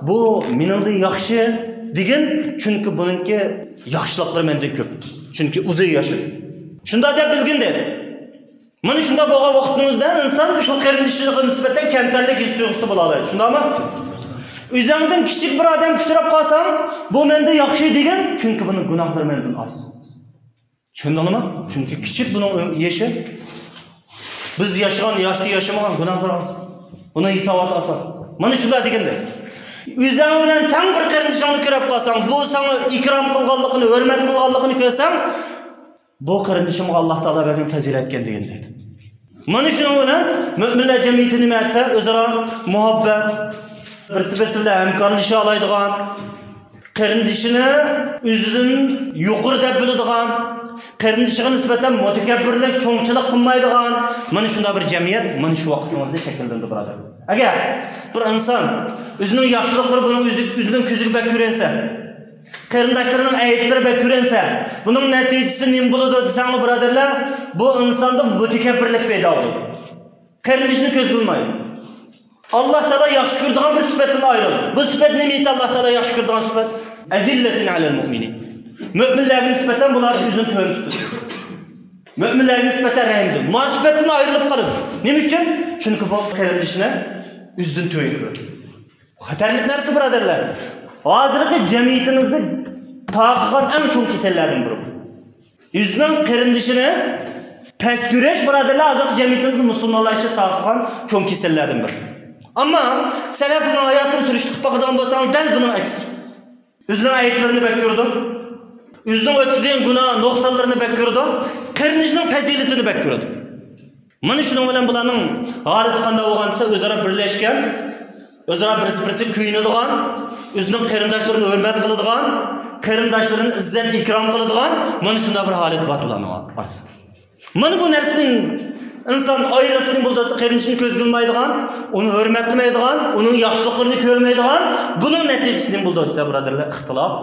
بۇ مېنىڭدىن ياخشى دېگىن، چۈنكى بۇنىڭكى ياخشىلىقلىرى مەندىن كۆپ. چۈنكى ئۇزۇن ياشىدى. شۇنداق دەپ بىلگىن دېدى. مانا شۇنداق بولغان ۋاقىتنىڭ ئۆزىدە ئىنسان شۇ قېرىندىشىغا نىسبەتەن كەمتەرلىك ھېس تۇيغۇسىدا بولالايدۇ. شۇنداقمۇ؟ ئۆزۈڭدىن كىچىك بىر ئادەم ئۇچراپ قالساڭ، بۇ مەندىن ياخشى دېگىن، چۈنكى بۇنىڭ گۇناھلىرى مەندىن ئاز. چۈشەندىڭلارمۇ؟ چۈنكى كىچىك بۇنىڭ يېشى. بىز ياشىغان ياشتا ياشىمىغان گۇناھلار ئاز. بۇنىڭ ھېساباتى ئاسان. مانا شۇنداق دېگەندەك. ئۆزۈڭ بىلەن تەڭ بىر قېرىندىشىڭنى كۆرۈپ قالساڭ، بۇ ساڭا ئىكرام قىلغانلىقىنى، ھۆرمەت قىلغانلىقىنى كۆرسەڭ، بۇ قېرىندىشىمغا ئاللا تائالا بەرگەن پەزىلەتكەن دېگەن دەيدۇ. مانا شۇنىڭ بىلەن مۆمىنلەر جەمئىيىتى نېمە دېسە، ئۆزئارا مۇھەببەت، بىرسى بىرسى بىلەن ھەمكارلىشالايدىغان، قېرىندىشىنى ئۆزىدىن يۇقىرى دەپ بىلىدىغان، قېرىندىشىغا نىسبەتەن مۇتەكەببىرلىك، چوڭچىلىق قىلمايدىغان، مانا شۇنداق بىر جەمئىيەت مانا شۇ ۋاقىتنىڭ ئۆزىدە شەكىللىنىدۇ، بۇرادەر. ئەگەر بىر ئىنسان ئۆزىنىڭ ياخشىلىقلىرى بۇنىڭ ئۆزى، ئۆزىنىڭ كۆزىگە بەك كۆرۈنسە، قېرىنداشلىرىنىڭ ئەيىبلىرى بەك كۆرۈنسە، بۇنىڭ نەتىجىسى نېمە بولىدۇ دېسەڭلار، بۇرادەرلەر، بۇ ئىنساندا مۇتەكەببىرلىك پەيدا بولىدۇ. قېرىندىشىنى كۆزگە ئىلمايدۇ. ئاللا تائالا ياخشى كۆرىدىغان بىر سۈپەتتىن ئايرىلىدۇ. بۇ سۈپەت نېمە ئىدى، ئاللا تائالا ياخشى كۆرىدىغان سۈپەت؟ ئەزىللەتىن ئەلەل مۇئمىنىن. مۆمىنلەرگە نىسبەتەن بۇلار ئۆزىنى تۆۋەن تۇتىدۇ. مۆمىنلەرگە نىسبەتەن رەھىمدىل. ما سۈپەتتىن ئايرىلىپ قالىدۇ. نېمە ئۈچۈن؟ چۈنكى بۇ قېرىندىشىنى ئۆزىدىن تۆۋەن كۆرىدۇ. خەتەرلىك نەرسە، بۇرادەرلەر. ھازىرقى جەمئىيىتىمىزنى تارقىغان ئەڭ چوڭ كېسەللەردىن بىرى بۇ. ئۆزىنىڭ قېرىندىشىنى پەس كۆرۈش، بۇرادەرلەر، ھازىرقى جەمئىيىتىمىزدە مۇسۇلمانلار ئىچىدە تارقىغان چوڭ كېسەللەردىن بىرى. ئەمما سەلەفنىڭ ھاياتىنى سۈرۈشتۈرۈپ باقىدىغان بولساڭ، دەل بۇنىڭ ئەكسىچە. ئۆزىنىڭ ئەيىبلىرىنى بەك كۆرىدۇ. ئۆزىنىڭ ئۆتكۈزگەن گۇناھ، نۇقسانلىرىنى بەك كۆرىدۇ. قېرىندىشىنىڭ پەزىلىتىنى بەك كۆرىدۇ. مانا شۇنىڭ بىلەن بۇلارنىڭ ھالىتى قانداق بولغان دېسە، ئۆزئارا بىرلەشكەن، ئۆزئارا بىرسى-بىرسىگە كۆيۈنىدىغان، ئۆزىنىڭ قېرىنداشلىرىنى ھۆرمەت قىلىدىغان، قېرىنداشلىرىنى ئىززەت-ئىكرام قىلىدىغان، مانا شۇنداق بىر ھالەت بار بۇلارنىڭ ئارىسىدا. مانا بۇ نەرسىدىن ئىنسان ئايرىلسا نېمە بولىدۇ دېسە، قېرىندىشىنى كۆزگە ئىلمايدىغان، ئۇنى ھۆرمەتلىمەيدىغان، ئۇنىڭ ياخشىلىقلىرىنى كۆرمەيدىغان، بۇنىڭ نەتىجىسى نېمە بولىدۇ دېسە، بۇرادەرلەر، ئىختىلاپ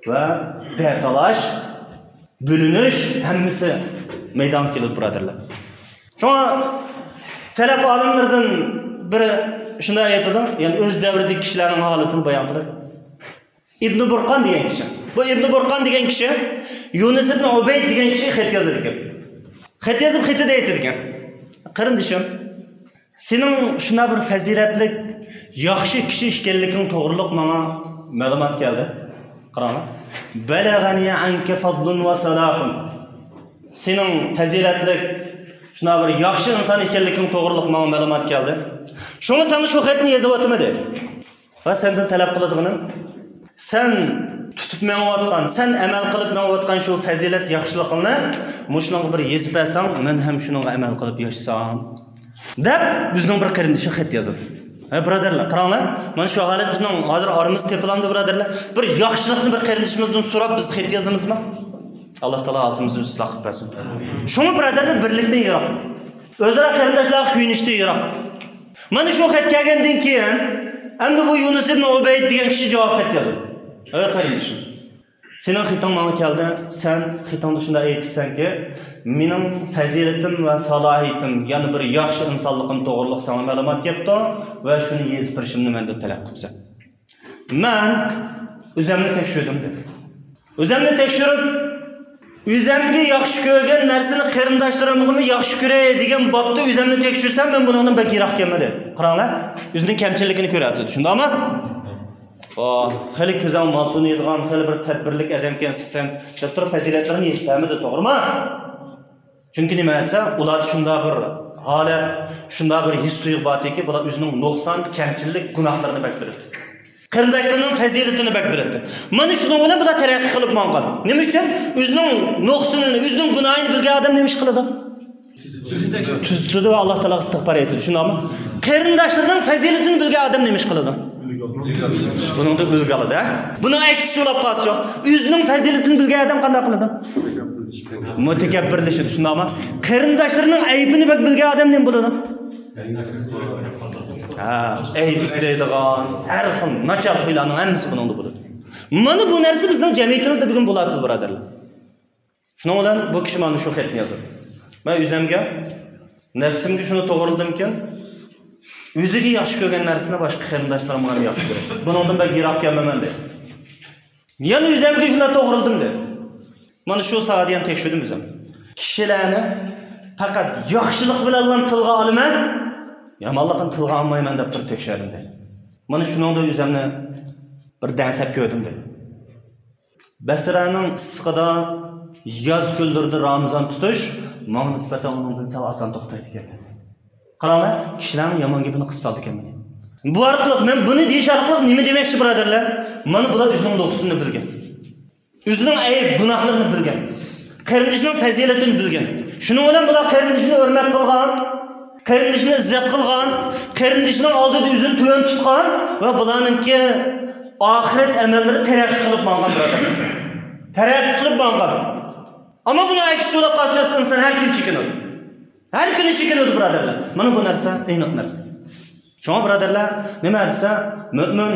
ۋە بەتالاش، بۆلۈنۈش، ھەممىسى مەيدانغا كېلىدۇ، بۇرادەرلەر. شۇڭا سەلەف ئالىملىرىدىن بىرى شۇنداق ئېيتىدۇ، يەنى ئۆز دەۋرىدىكى كىشىلەرنىڭ ھالىتىنى بايان قىلىپ. ئىبنى بۇرقان دېگەن كىشى. بۇ ئىبنى بۇرقان دېگەن كىشى يۇنۇس ئىبنى ئۇبەيد دېگەن كىشىگە خەت يازىدىكەن. خەت يېزىپ، خېتىدە ئېيتىدىكەن، قېرىندىشىم، سېنىڭ شۇنداق بىر پەزىلەتلىك، ياخشى كىشى ئىكەنلىكىڭ توغرۇلۇق ماڭا مەلۇمات كەلدى. قاراڭلار. بەلەغەنى ئەنكە فەزلۇن ۋە سالاھۇن. سېنىڭ پەزىلەتلىك، شۇنداق بىر ياخشى ئىنسان ئىكەنلىكىڭ توغرۇلۇق ماڭا مەلۇمات كەلدى. شۇڭا ساڭا شۇ خەتنى يېزىۋاتىمەن دېدى. ۋە سەندىن تەلەپ قىلىدىغىنىم، سەن تۇتۇپ مېڭىۋاتقان، سەن ئەمەل قىلىپ مېڭىۋاتقان شۇ پەزىلەت ياخشىلىقىڭنى مۇشۇنىڭغا بىر يېزىپ بەرسەڭ، مەن ھەم شۇنىڭغا ئەمەل قىلىپ ياشىسام، دەپ بىزنىڭ بىر قېرىندىشىغا خەت يازىدۇ. ھە، بۇرادەرلەر، قاراڭلار، مانا شۇ ھالەت بىزنىڭ ھازىر ئارىمىزدا تېپىلامدۇ، بۇرادەرلەر؟ بىر ياخشىلىقنى بىر قېرىندىشىمىزدىن سوراپ بىز خەت يازىمىزمۇ؟ ئاللا تائالا ھالىتىمىزنى ئىسلاھ قىلىپ بەرسۇن. شۇڭا، بۇرادەرلەر، بىرلىكتىن يىراق، ئۆزئارا قېرىنداشلارغا كۆيۈنۈشتىن يىراق. مانا شۇ خەت كەلگەندىن كېيىن، ئەمدى بۇ يۇنۇس ئىبن ئۇبەيد دېگەن كىشى جاۋاب خەت يازدى. ئەي قېرىندىشىم، سېنىڭ خېتىڭ ماڭا كەلدى، سەن خېتىڭدا شۇنداق ئېيتىپسەنكى، مېنىڭ پەزىلىتىم ۋە سالاھىيىتىم، يەنە بىر ياخشى ئىنسانلىقىم توغرۇلۇق ساڭا مەلۇمات كەپتۇ ۋە شۇنى يېزىپ بېرىشىمنى مەندىن تەلەپ قىپسەن. مەن ئۆزەمنى تەكشۈردۈم، دېدى. ئۆزەمنى تەكشۈرۈپ، ئۆزەمگە ياخشى كۆرگەن نەرسىنى قېرىنداشلىرىمغىمۇ ياخشى كۆرەي دېگەن بابتا ئۆزەمنى تەكشۈرسەم، مەن بۇنىڭدىن بەك يىراق ئىكەنمەن، دېدى. قاراڭلار، ئۆزىنىڭ كەمچىلىكىنى كۆرۈۋاتىدۇ، شۇنداقمۇ؟ ئۇ خېلى كۆزۈڭ مال تونۇيدىغان، خېلى بىر تەدبىرلىك ئادەمكەنسەن، دەپ تۇرۇپ پەزىلەتلىرىنى يېزىپ بەرمىدى، توغرىمۇ؟ چۈنكى نېمە دېسە، ئۇلاردا شۇنداق بىر ھالەت، شۇنداق بىر ھېس-تۇيغۇ باردىكى، بۇلار ئۆزىنىڭ نۇقسان، كەمچىلىك، گۇناھلىرىنى بەك بىلىدۇ. قېرىنداشلىرىنىڭ پەزىلىتىنى بەك بىلىدۇ. مانا شۇنىڭ بىلەن بۇلار تەرەققىي قىلىپ ماڭغان. نېمە ئۈچۈن؟ ئۆزىنىڭ نۇقسىنىنى، ئۆزىنىڭ گۇناھىنى بىلگەن ئادەم نېمە ئىش قىلىدۇ؟ تۈزىتىدۇ ۋە ئاللا تائالاغا ئىستىغپار ئېيتىدۇ. شۇنداقمۇ؟ قېرىنداشلىرىنىڭ پەزىلىتىنى بىلگەن ئادەم نېمە ئىش قىلىدۇ؟ بۇنىڭدا ئۈلگە ئالىدۇ. بۇنىڭ ئەكسىچە بولۇپ قالسىچۇ؟ ئۆزىنىڭ پەزىلىتىنى بىلگەن ئادەم قانداق قىلىدۇ؟ مۇتەكەببىرلىشىدۇ، شۇنداقمۇ؟ قېرىنداشلىرىنىڭ ئەيىبىنى بەك بىلگەن ئادەم نېمە بولىدۇ؟ ھە، ئەيىب ئىزدەيدىغان، ھەر خىل ناچار خۇيلارنىڭ ھەممىسى بۇنىڭدا بولىدۇ. مانا بۇ نەرسە بىزنىڭ جەمئىيىتىمىزدە بۈگۈن بولۇۋاتىدۇ، بۇرادەرلەر. شۇنىڭ بىلەن بۇ كىشى مانا شۇ خەتنى يازدى. مەن ئۆزەمگە، نەپسىمگە شۇنى توغرىلىدىمكىن، ئۆزىگە ياخشى كۆرگەن نەرسىنى باشقا قېرىنداشلىرىمغا ھەم ياخشى كۆرۈش. بۇنىڭدىن بەك يىراق كەلمەيمەن، دەيدۇ. يەنە ئۆزەمگە شۇنداق توغرىلىدىم، دەيدۇ. مانا شۇ ساھەدە يەنە تەكشۈردۈم ئۆزۈم. كىشىلەرنى پەقەت ياخشىلىق بىلەنلا تىلغا ئالىمەن، يامانلىقنى تىلغا ئالمايمەن، دەپ تۇرۇپ تەكشۈردۈم، دەيدۇ. مانا شۇنىڭدا ئۆزەمنى بىر دەڭسەپ كۆردۈم، دەيدۇ. بەسرەنىڭ ئىسسىقىدا ياز كۈنلىرىدە رامىزان تۇتۇش ماڭا نىسبەتەن ئۇنىڭدىن سەل ئاسان توختايدىكەن. قاراڭلار، كىشىلەرنىڭ يامان گېپىنى قىلىپ سالىدىكەنمەن. بۇ ئارقىلىق، مەن بۇنى دېيىش ئارقىلىق نېمە دېمەكچى، بۇرادەرلەر؟ مانا بۇلار ئۆزىنىڭ نۇقسىنىنى بىلگەن. ئۆزىنىڭ ئەيىب گۇناھلىرىنى بىلگەن. قېرىندىشىنىڭ پەزىلىتىنى بىلگەن. شۇنىڭ بىلەن بۇلار قېرىندىشىنى ھۆرمەت قىلغان، قېرىندىشىنى ئىززەت قىلغان، قېرىندىشىنىڭ ئالدىدا ئۆزىنى تۆۋەن تۇتقان ۋە بۇلارنىڭكى ئاخىرەت ئەمەللىرى تەرەققىي قىلىپ ماڭغان، بۇرادەر. تەرەققىي قىلىپ ماڭغان. ئەمما بۇنىڭ ئەكسىچە بولۇپ قالسا، ئىنسان ھەر كۈنى چېكىنىدۇ. ھەر كۈنى چېكىنىدۇ، بۇرادەرلەر. مانا بۇ نەرسە ئېنىق نەرسە. شۇڭا، بۇرادەرلەر، نېمە دېسە، مۆمىن،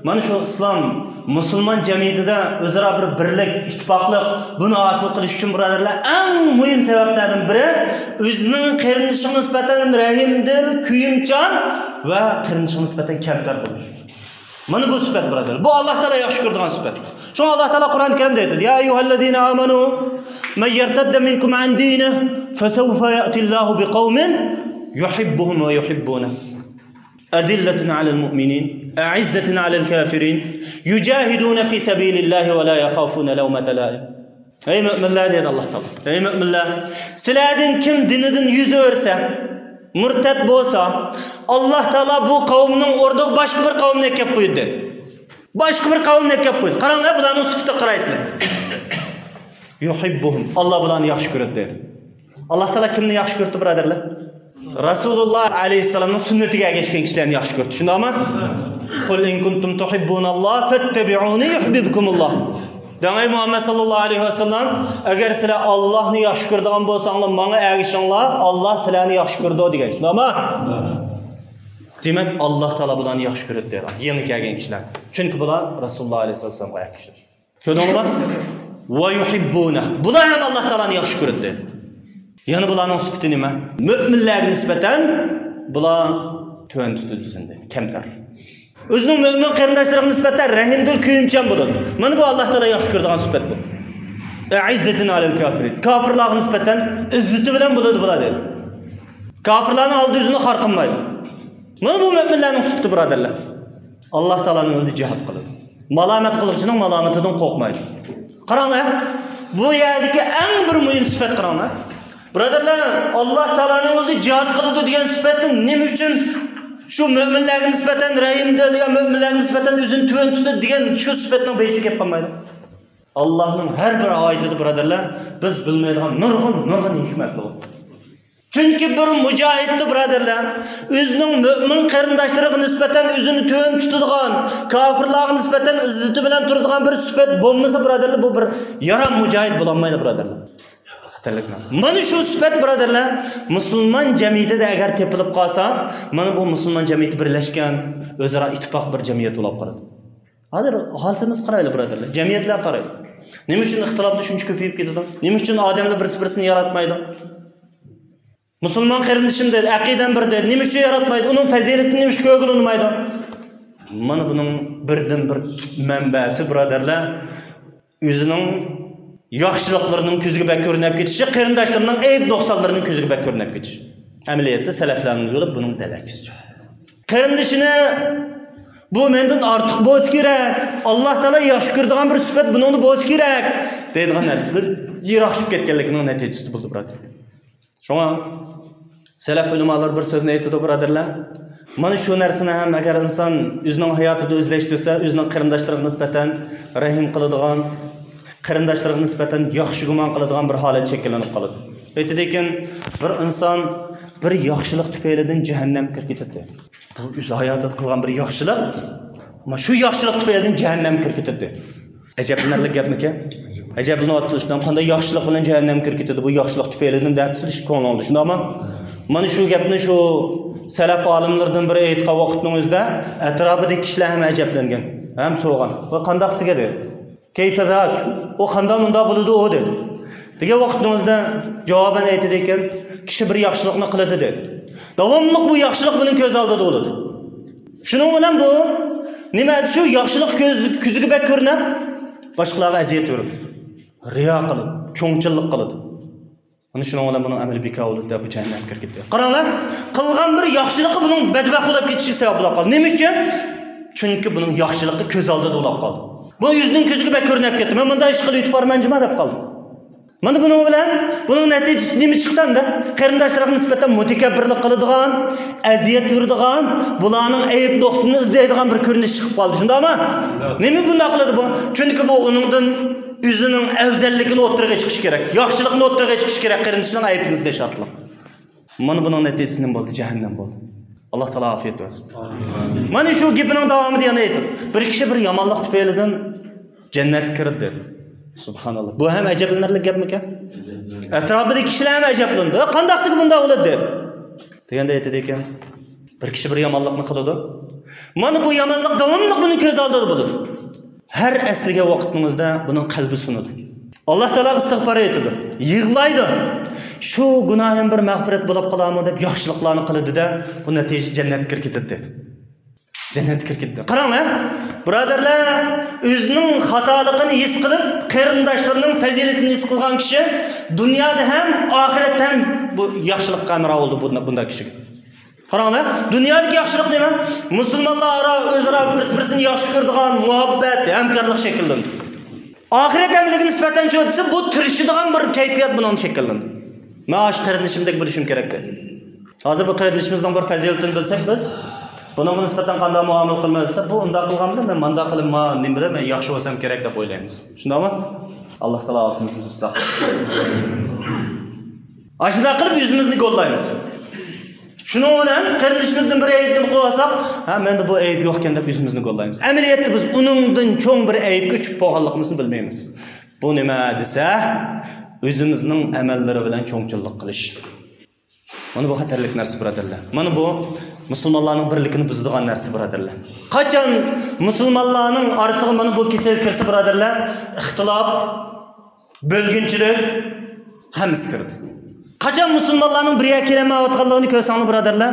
مانا شۇ ئىسلام، مۇسۇلمان جەمئىيىتىدە ئۆزئارا بىر بىرلىك، ئىتتىپاقلىق، بۇنى ھاسىل قىلىش ئۈچۈن، بۇرادەرلەر، ئەڭ مۇھىم سەۋەبلەردىن بىرى، ئۆزىنىڭ قېرىندىشىغا نىسبەتەن رەھىمدىل، كۆيۈمچان ۋە قېرىندىشىغا نىسبەتەن كەمتەر بولۇش. مانا بۇ سۈپەت، بۇرادەر. بۇ ئاللا تائالا ياخشى كۆرىدىغان سۈپەت. شۇڭا ئاللا تائالا قۇرئان كەرىمدە ئېيتىدۇ، يا أيها الذين آمنوا من يرتد منكم عن دينه فسوف يأتي الله بقوم يحبهم ويحبونه أذلة على المؤمنين أعزة على الكافرين يجاهدون في سبيل الله ولا يخافون لومة لائم. ئەي مۆمىنلەر، دېدى ئاللا تائالا. ئەي مۆمىنلەر، سىلەردىن كىم دىنىدىن يۈز ئۆرسە، مۇرتەت بولسا، ئاللا تائالا بۇ قەۋمنىڭ ئورنىغا باشقا بىر قەۋمنى ئەكەپ قويىدۇ، دېدى. باشقا بىر قەۋمنى ئەكەپ قويىدۇ. قاراڭلار، بۇلارنىڭ سۈپىتىگە قارايسىلەر. يۇھىببۇھۇم. ئاللا بۇلارنى ياخشى كۆرىدۇ، دېدى. ئاللا تائالا كىمنى ياخشى كۆرىدۇ، بۇرادەرلەر؟ رەسۇلۇللا ئەلەيھىسسالامنىڭ سۈننىتىگە ئەگەشكەن كىشىلەرنى ياخشى كۆرىدۇ. شۇنداقمۇ؟ قۇل ئىن كۇنتۇم تۇھىببۇناللا فەتتەبىئۇنى يۇھبىبكۇمۇللا. دەڭ، ئەي مۇھەممەد ساللاللاھۇ ئەلەيھى ۋەسەللەم، ئەگەر سىلەر ئاللانى ياخشى كۆرىدىغان بولساڭلار، ماڭا ئەگىشىڭلار، ئاللا سىلەرنى ياخشى كۆرىدۇ، دېگەن. شۇنداقمۇ؟ دېمەك، ئاللا تائالا بۇلارنى ياخشى كۆرىدۇ، دەيدۇ. يېڭى كەلگەن كىشىلەر. چۈنكى بۇلار رەسۇلۇللا ئەلەيھىسسالامغا ئەگىشىدۇ. كۆردۈڭلارمۇ؟ ۋە يۇھىببۇنە. بۇلار ھەم ئاللا تائالانى ياخشى كۆرىدۇ. يەنە بۇلارنىڭ سۈپىتى نېمە؟ مۆمىنلەرگە نىسبەتەن بۇلار تۆۋەن تۇتىدۇ ئۆزىنى، كەمتەر. ئۆزىنىڭ مۆمىن قېرىنداشلىرىغا نىسبەتەن رەھىمدىل، كۆيۈمچان بولىدۇ. مانا بۇ ئاللا تائالا ياخشى كۆرىدىغان سۈپەت بۇ. ئەئىززەتىن ئەلەل كافىرىن. كاپىرلارغا نىسبەتەن ئىززىتى بىلەن بولىدۇ بۇلار، دەيدۇ. كاپىرلارنىڭ ئالدىدا ئۆزىنى خار قىلمايدۇ. مانا بۇ مۆمىنلەرنىڭ سۈپىتى، بۇرادەرلەر. ئاللا تائالانىڭ يولىدا جىھاد قىلىدۇ. مالامەت قىلغۇچىنىڭ مالامىتىدىن قورقمايدۇ. قاراڭلار، بۇ يەردىكى ئەڭ بىر مۇھىم سۈپەت، قاراڭلار. بۇرادەرلەر، ئاللا تائالانىڭ يولىدا جىھاد قىلىدۇ دېگەن سۈپەتنى نېمە ئۈچۈن شۇ مۆمىنلەرگە نىسبەتەن رەھىمدىل يا مۆمىنلەرگە نىسبەتەن ئۆزىنى تۆۋەن تۇتىدۇ دېگەن شۇ سۈپەتنىڭ بېشىدا كەپ قالمايدۇ؟ ئاللانىڭ ھەر بىر ئايىتىدە، بۇرادەرلەر، بىز بىلمەيدىغان نۇرغۇن، نۇرغۇن ھېكمەتلەر بار. چۈنكى بىر مۇجاھىدتە، بۇرادەرلەر، ئۆزىنىڭ مۆمىن قېرىنداشلىرىغا نىسبەتەن ئۆزىنى تۆۋەن تۇتىدىغان، كاپىرلارغا نىسبەتەن ئىززىتى بىلەن تۇرىدىغان بىر سۈپەت بولمىسا، بۇرادەرلەر، بۇ بىر يارام مۇجاھىد بولالمايدۇ، بۇرادەرلەر. خەتەرلىك نەرسە. مانا شۇ سۈپەت، بۇرادەرلەر، مۇسۇلمان جەمئىيىتىدە ئەگەر تېپىلىپ قالسا، مانا بۇ مۇسۇلمان جەمئىيىتى بىرلەشكەن، ئۆزئارا ئىتتىپاق بىر جەمئىيەت بولۇپ قالىدۇ. ھازىر ھالىتىمىزگە قارايلى، بۇرادەرلەر. جەمئىيەتلەرگە قارايلى. نېمە ئۈچۈن ئىختىلاپلار شۇنچە كۆپىيىپ كېتىدۇ؟ نېمە ئۈچۈن ئادەملەر بىرسى-بىرسىنى ياراتمايدۇ؟ مۇسۇلمان قېرىندىشىم دەيدۇ، ئەقىدەم بىر دەيدۇ. نېمە ئۈچۈن ياراتمايدۇ؟ ئۇنىڭ پەزىلىتىنى نېمە ئۈچۈن كۆرگىلى ئۇنىمايدۇ؟ مانا بۇنىڭ بىردىنبىر تۈپ مەنبەسى، بۇرادەرلەر، ئۆزىنىڭ ياخشىلىقلىرىنىڭ كۆزىگە بەك كۆرۈنۈپ كېتىشى، قېرىنداشلىرىنىڭ ئەيىب نۇقسانلىرىنىڭ كۆزىگە بەك كۆرۈنۈپ كېتىشى. ئەمەلىيەتتە سەلەفلەرنىڭ يولى بۇنىڭ دەل ئەكسىچە. قېرىندىشىنى، بۇ مەندىن ئارتۇق بولسا كېرەك، ئاللا تائالا ياخشى كۆرىدىغان بىر سۈپەت بۇنىڭدا بولسا كېرەك دەيدىغان نەرسىلەر يىراقلىشىپ كەتكەنلىكىنىڭ نەتىجىسىدە بولدى، بۇرادەر. شۇڭا سەلەف ئۆلىمالار بىر سۆزنى ئېيتىدۇ، بۇرادەرلەر. مانا شۇ نەرسىنى ھەم ئەگەر ئىنسان ئۆزىنىڭ ھاياتىدا ئۆزلەشتۈرسە، ئۆزىنىڭ قېرىنداشلىرىغا نىسبەتەن رەھىم قىلىدىغان، قېرىنداشلىرىغا نىسبەتەن ياخشى گۇمان قىلىدىغان بىر ھالەت شەكىللىنىپ قالىدۇ. ئېيتىدىكەن، بىر ئىنسان بىر ياخشىلىق تۈپەيلىدىن جەھەننەمگە كىرىپ كېتىدۇ. بۇ ئۆز ھاياتىدا قىلغان بىر ياخشىلىق، ئەمما شۇ ياخشىلىق تۈپەيلىدىن جەھەننەمگە كىرىپ كېتىدۇ. ئەجەبلىنەرلىك گەپمىكەن؟ ئەجەبلىنىۋاتىسىلەر، شۇنداق، قانداق ياخشىلىق بىلەن جەھەننەمگە كىرىپ كېتىدۇ، بۇ ياخشىلىق تۈپەيلىدىن دەۋاتىسىلەر ئىككى كۆڭلۈڭدە، شۇنداقمۇ؟ مانا شۇ گەپنى شۇ سەلەف ئالىملىرىدىن بىرى ئېيتقان ۋاقىتنىڭ ئۆزىدە ئەتراپىدىكى كىشىلەر ھەم ئەجەبلەنگەن، ھەم سورىغان، ۋە قانداق سىزگە دېدى. كەيفە زاك؟ ئۇ قانداق مۇنداق بولىدۇ ئۇ؟ دېدى. دېگەن ۋاقىتنىڭ ئۆزىدە جاۋابەن ئېيتىدىكەن، كىشى بىر ياخشىلىقنى قىلىدۇ دېدى. داۋاملىق بۇ ياخشىلىق بۇنىڭ كۆز ئالدىدا بولىدۇ. شۇنىڭ بىلەن بۇ نېمە، شۇ ياخشىلىق كۆز، كۆزىگە بەك كۆرۈنۈپ، باشقىلارغا ئەزىيەت بېرىدۇ. رىيا قىلىدۇ، چوڭچىللىق قىلىدۇ. مانا شۇنىڭ بىلەن بۇنىڭ ئەمەلى بىكار بولىدۇ دەپ بۇ جەھەننەمگە كىرىپ كېتىدۇ. قاراڭلار، قىلغان بىر ياخشىلىقى بۇنىڭ بەدبەخت بولۇپ كېتىشىگە سەۋەب بولۇپ قالدى. نېمە ئۈچۈن؟ چۈنكى بۇنىڭ ياخشىلىقى كۆز ئالدىدا بولۇپ قالدى. بۇ ئۆزىنىڭ كۆزىگە بەك كۆرۈنۈپ كەتتى. مەن مۇنداق ئىش قىلىۋېتىپ بارىمەن جۇما دەپ قالدى. مانا بۇنىڭ بىلەن بۇنىڭ نەتىجىسى نېمە چىقتى ئەمدى؟ قېرىنداشلىرىغا نىسبەتەن مۇتەكەببىرلىك قىلىدىغان، ئەزىيەت بېرىدىغان، بۇلارنىڭ ئەيىب نۇقسىنى ئىزدەيدىغان بىر كۆرۈنۈش چىقىپ قالدى. شۇنداقمۇ؟ نېمە بۇنداق قىلىدۇ بۇ؟ چۈنكى بۇ ئۇنىڭدىن ئۆزىنىڭ ئەۋزەللىكىنى ئوتتۇرىغا چىقىشى كېرەك، ياخشىلىقىنى ئوتتۇرىغا چىقىشى كېرەك، قېرىندىشىنىڭ ئەيىبىنى ئىزدەش ئارقىلىق. مانا بۇنىڭ نەتىجىسى نېمە بولدى؟ جەھەننەم بولدى. ئاللا تائالا ئافىيەت بەرسۇن. مانا شۇ گېپىنىڭ داۋامىدا يەنە ئېيتىپ، بىر كىشى بىر يامانلىق تۈپەيلىدىن جەننەتكە كىردى. سۇبھاناللا. بۇ ھەم ئەجەبلىنەرلىك گەپمىكەن؟ ئەتراپىدىكى كىشىلەر ھەم ئەجەبلىنىدۇ. «قانداقسىگە بۇنداق بولىدۇ؟» دېگەندە ئېيتىدىكەن، بىر كىشى بىر يامانلىقنى قىلىدۇ. مانا بۇ يامانلىق داۋاملىق بۇنىڭ كۆز ئالدىدا بولىدۇ. ھەر ئەسلىگەن ۋاقىتنىڭ ئۆزىدە بۇنىڭ قەلبى سۇنىدۇ. ئاللا تائالاغا ئىستىغپار ئېيتىدۇ. يىغلايدۇ. «شۇ گۇناھىم بىر مەغپىرەت بولۇپ قالارمۇ؟» دەپ ياخشىلىقلارنى قىلىدۇ-دە، بۇ نەتىجە جەننەتكە كىرىپ كېتىدۇ دەيدۇ. جەننەتكە كىرىپ كېتىدۇ. قاراڭلار، بۇرادەرلەر، ئۆزىنىڭ خاتالىقىنى ھېس قىلىپ، قېرىنداشلىرىنىڭ پەزىلىتىنى ھېس قىلغان كىشى دۇنيادا ھەم، ئاخىرەتتە ھەم بۇ ياخشىلىققا ھەمراھ بولىدۇ بۇ، بۇنداق كىشىگە. قاراڭلار، دۇنيادىكى ياخشىلىق نېمە؟ مۇسۇلمانلار ئارا، ئۆزئارا بىرسى-بىرسىنى ياخشى كۆرىدىغان مۇھەببەت، ھەمكارلىق شەكىللىنىدۇ. ئاخىرەت ئەمىلىگە نىسبەتەن چۆتىسى بۇ تىرىشىدىغان بىر كەيپىيات بۇنىڭدا شەكىللىنىدۇ. مەن ئاشۇ قېرىندىشىمدەك بولۇشۇم كېرەك دەيدۇ. ھازىر بۇ قېرىندىشىمىزنىڭ بىر پەزىلىتىنى بىلسەك بىز، بۇنىڭغا نىسبەتەن قانداق مۇئامىلە قىلىمىز دېسە، بۇ ئۇنداق قىلغان بىلەن مەن مۇنداق قىلىپ، ما، نېمە بىلەن مەن ياخشى بولسام كېرەك دەپ ئويلايمىز. شۇنداقمۇ؟ ئاللا تائالا ئالدىمىزنى ئىسلاھ قىلسۇن. ئاشۇنداق قىلىپ ئۆزىمىزنى گوللايمىز. شۇنىڭ بىلەن قېرىندىشىمىزدىن بىر ئەيىبنى قىلىۋالساق، ھە، مەندە بۇ ئەيىب يوقكەن دەپ ئۆزىمىزنى گوللايمىز. ئەمەلىيەتتە بىز ئۇنىڭدىن چوڭ بىر ئەيىبكە چۈشۈپ بولغانلىقىمىزنى بىلمەيمىز. بۇ نېمە دېسە، ئۆزىمىزنىڭ ئەمەللىرى بىلەن چوڭچىللىق قىلىش. مانا بۇ خەتەرلىك نەرسە، بۇرادەرلەر. مانا بۇ مۇسۇلمانلارنىڭ بىرلىكىنى بۇزىدىغان نەرسە، بۇرادەرلەر. قاچان مۇسۇلمانلارنىڭ ئارىسىغا مانا بۇ كېسەل كىرسە، بۇرادەرلەر، ئىختىلاپ، بۆلگۈنچىلىك ھەممىسى كىرىدۇ. قاچان مۇسۇلمانلارنىڭ بىر يەرگە كېلەلمەيۋاتقانلىقىنى كۆرسەڭلار، بۇرادەرلەر،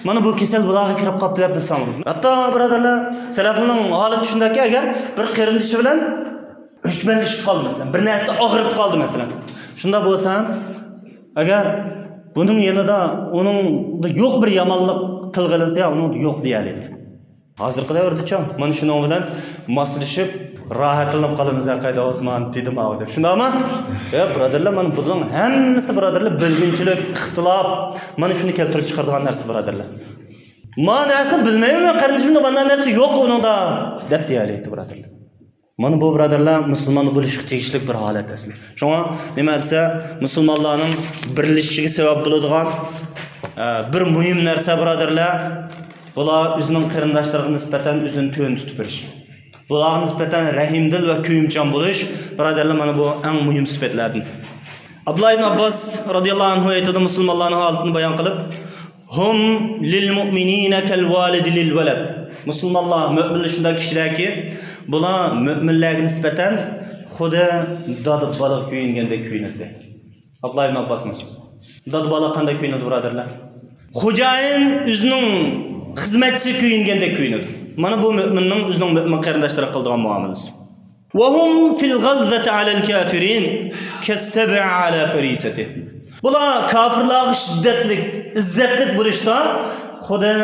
مانا بۇ كېسەل بۇلارغا كىرىپ قاپتۇ دەپ بىلسەڭلار. ھەتتا، بۇرادەرلەر، سەلەفنىڭ ھالىتى شۇنداككى، ئەگەر بىر قېرىندىشى بىلەن ئۆچمەنلىشىپ قالدى، مەسىلەن، بىر نەرسىدە ئاغرىپ قالدى، مەسىلەن. شۇنداق بولسا، ئەگەر بۇنىڭ يېنىدا ئۇنىڭدا يوق بىر يامانلىق تىلغا ئېلىنسا، يا ئۇنىڭدا يوق دېيەلەيدۇ. ھازىرقى دەۋردىچۇ، مانا شۇنىڭ بىلەن ماسلىشىپ، راھەتلىنىپ قالىمىز، ھە، قايدا ئوسمان، دېدىم ئاۋۇ دەپ. شۇنداقمۇ؟ يا، بۇرادەرلەر، مانا بۇنىڭ ھەممىسى، بۇرادەرلەر، بۆلگۈنچىلىك، ئىختىلاپ، مانا شۇنى كەلتۈرۈپ چىقىرىدىغان نەرسە، بۇرادەرلەر. ما نەرسىنى بىلمەيمەن مەن، قېرىندىشىم، مانا نەرسە يوق ئۇنىڭدا، دەپ دېيەلەيدۇ، بۇرادەرلەر. مانا بۇ، بۇرادەرلەر، مۇسۇلمان بولۇشقا تېگىشلىك بىر ھالەت ئەسلى. شۇڭا نېمە دېسە، مۇسۇلمانلارنىڭ بىرلىشىشىگە سەۋەب بولىدىغان، ئە، بىر مۇھىم نەرسە، بۇرادەرلەر، بۇلار ئۆزىنىڭ قېرىنداشلىرىغا نىسبەتەن ئۆزىنى تۆۋەن تۇتۇپ بېرىش. بۇلارغا نىسبەتەن رەھىمدىل ۋە كۆيۈمچان بولۇش، بۇرادەرلەر، مانا بۇ ئەڭ مۇھىم سۈپەتلەردىن. ئابدۇللا ئىبن ئابباس رازىياللاھۇ ئەنھۇ ئېيتىدۇ، مۇسۇلمانلارنىڭ ھالىتىنى بايان قىلىپ، ھۇم لىل مۇئمىنىنە كەل ۋالىدى لىل ۋەلەد. مۇسۇلمانلار، مۆمىنلەر شۇنداق كىشىلەركى، بۇلار مۆمىنلەرگە نىسبەتەن خۇددى دادا بالىغا كۆيۈنگەندەك كۆيۈنىدۇ. ئابدۇللا ئىبن ئابباسنىڭ سۆزى. دادا بالا قانداق كۆيۈنىدۇ، بۇرادەرلەر؟ خوجايىن ئۆزىنىڭ خىزمەتچىسىگە كۆيۈنگەندەك كۆيۈنىدۇ. مانا بۇ مۆمىننىڭ ئۆزىنىڭ مۆمىن قېرىنداشلىرىغا قىلىدىغان مۇئامىلىسى. وهم في الغلظة على الكافرين كالسبع على فريسته. بۇلار كاپىرلارغا شىددەتلىك، ئىززەتلىك بولۇشتا خۇددى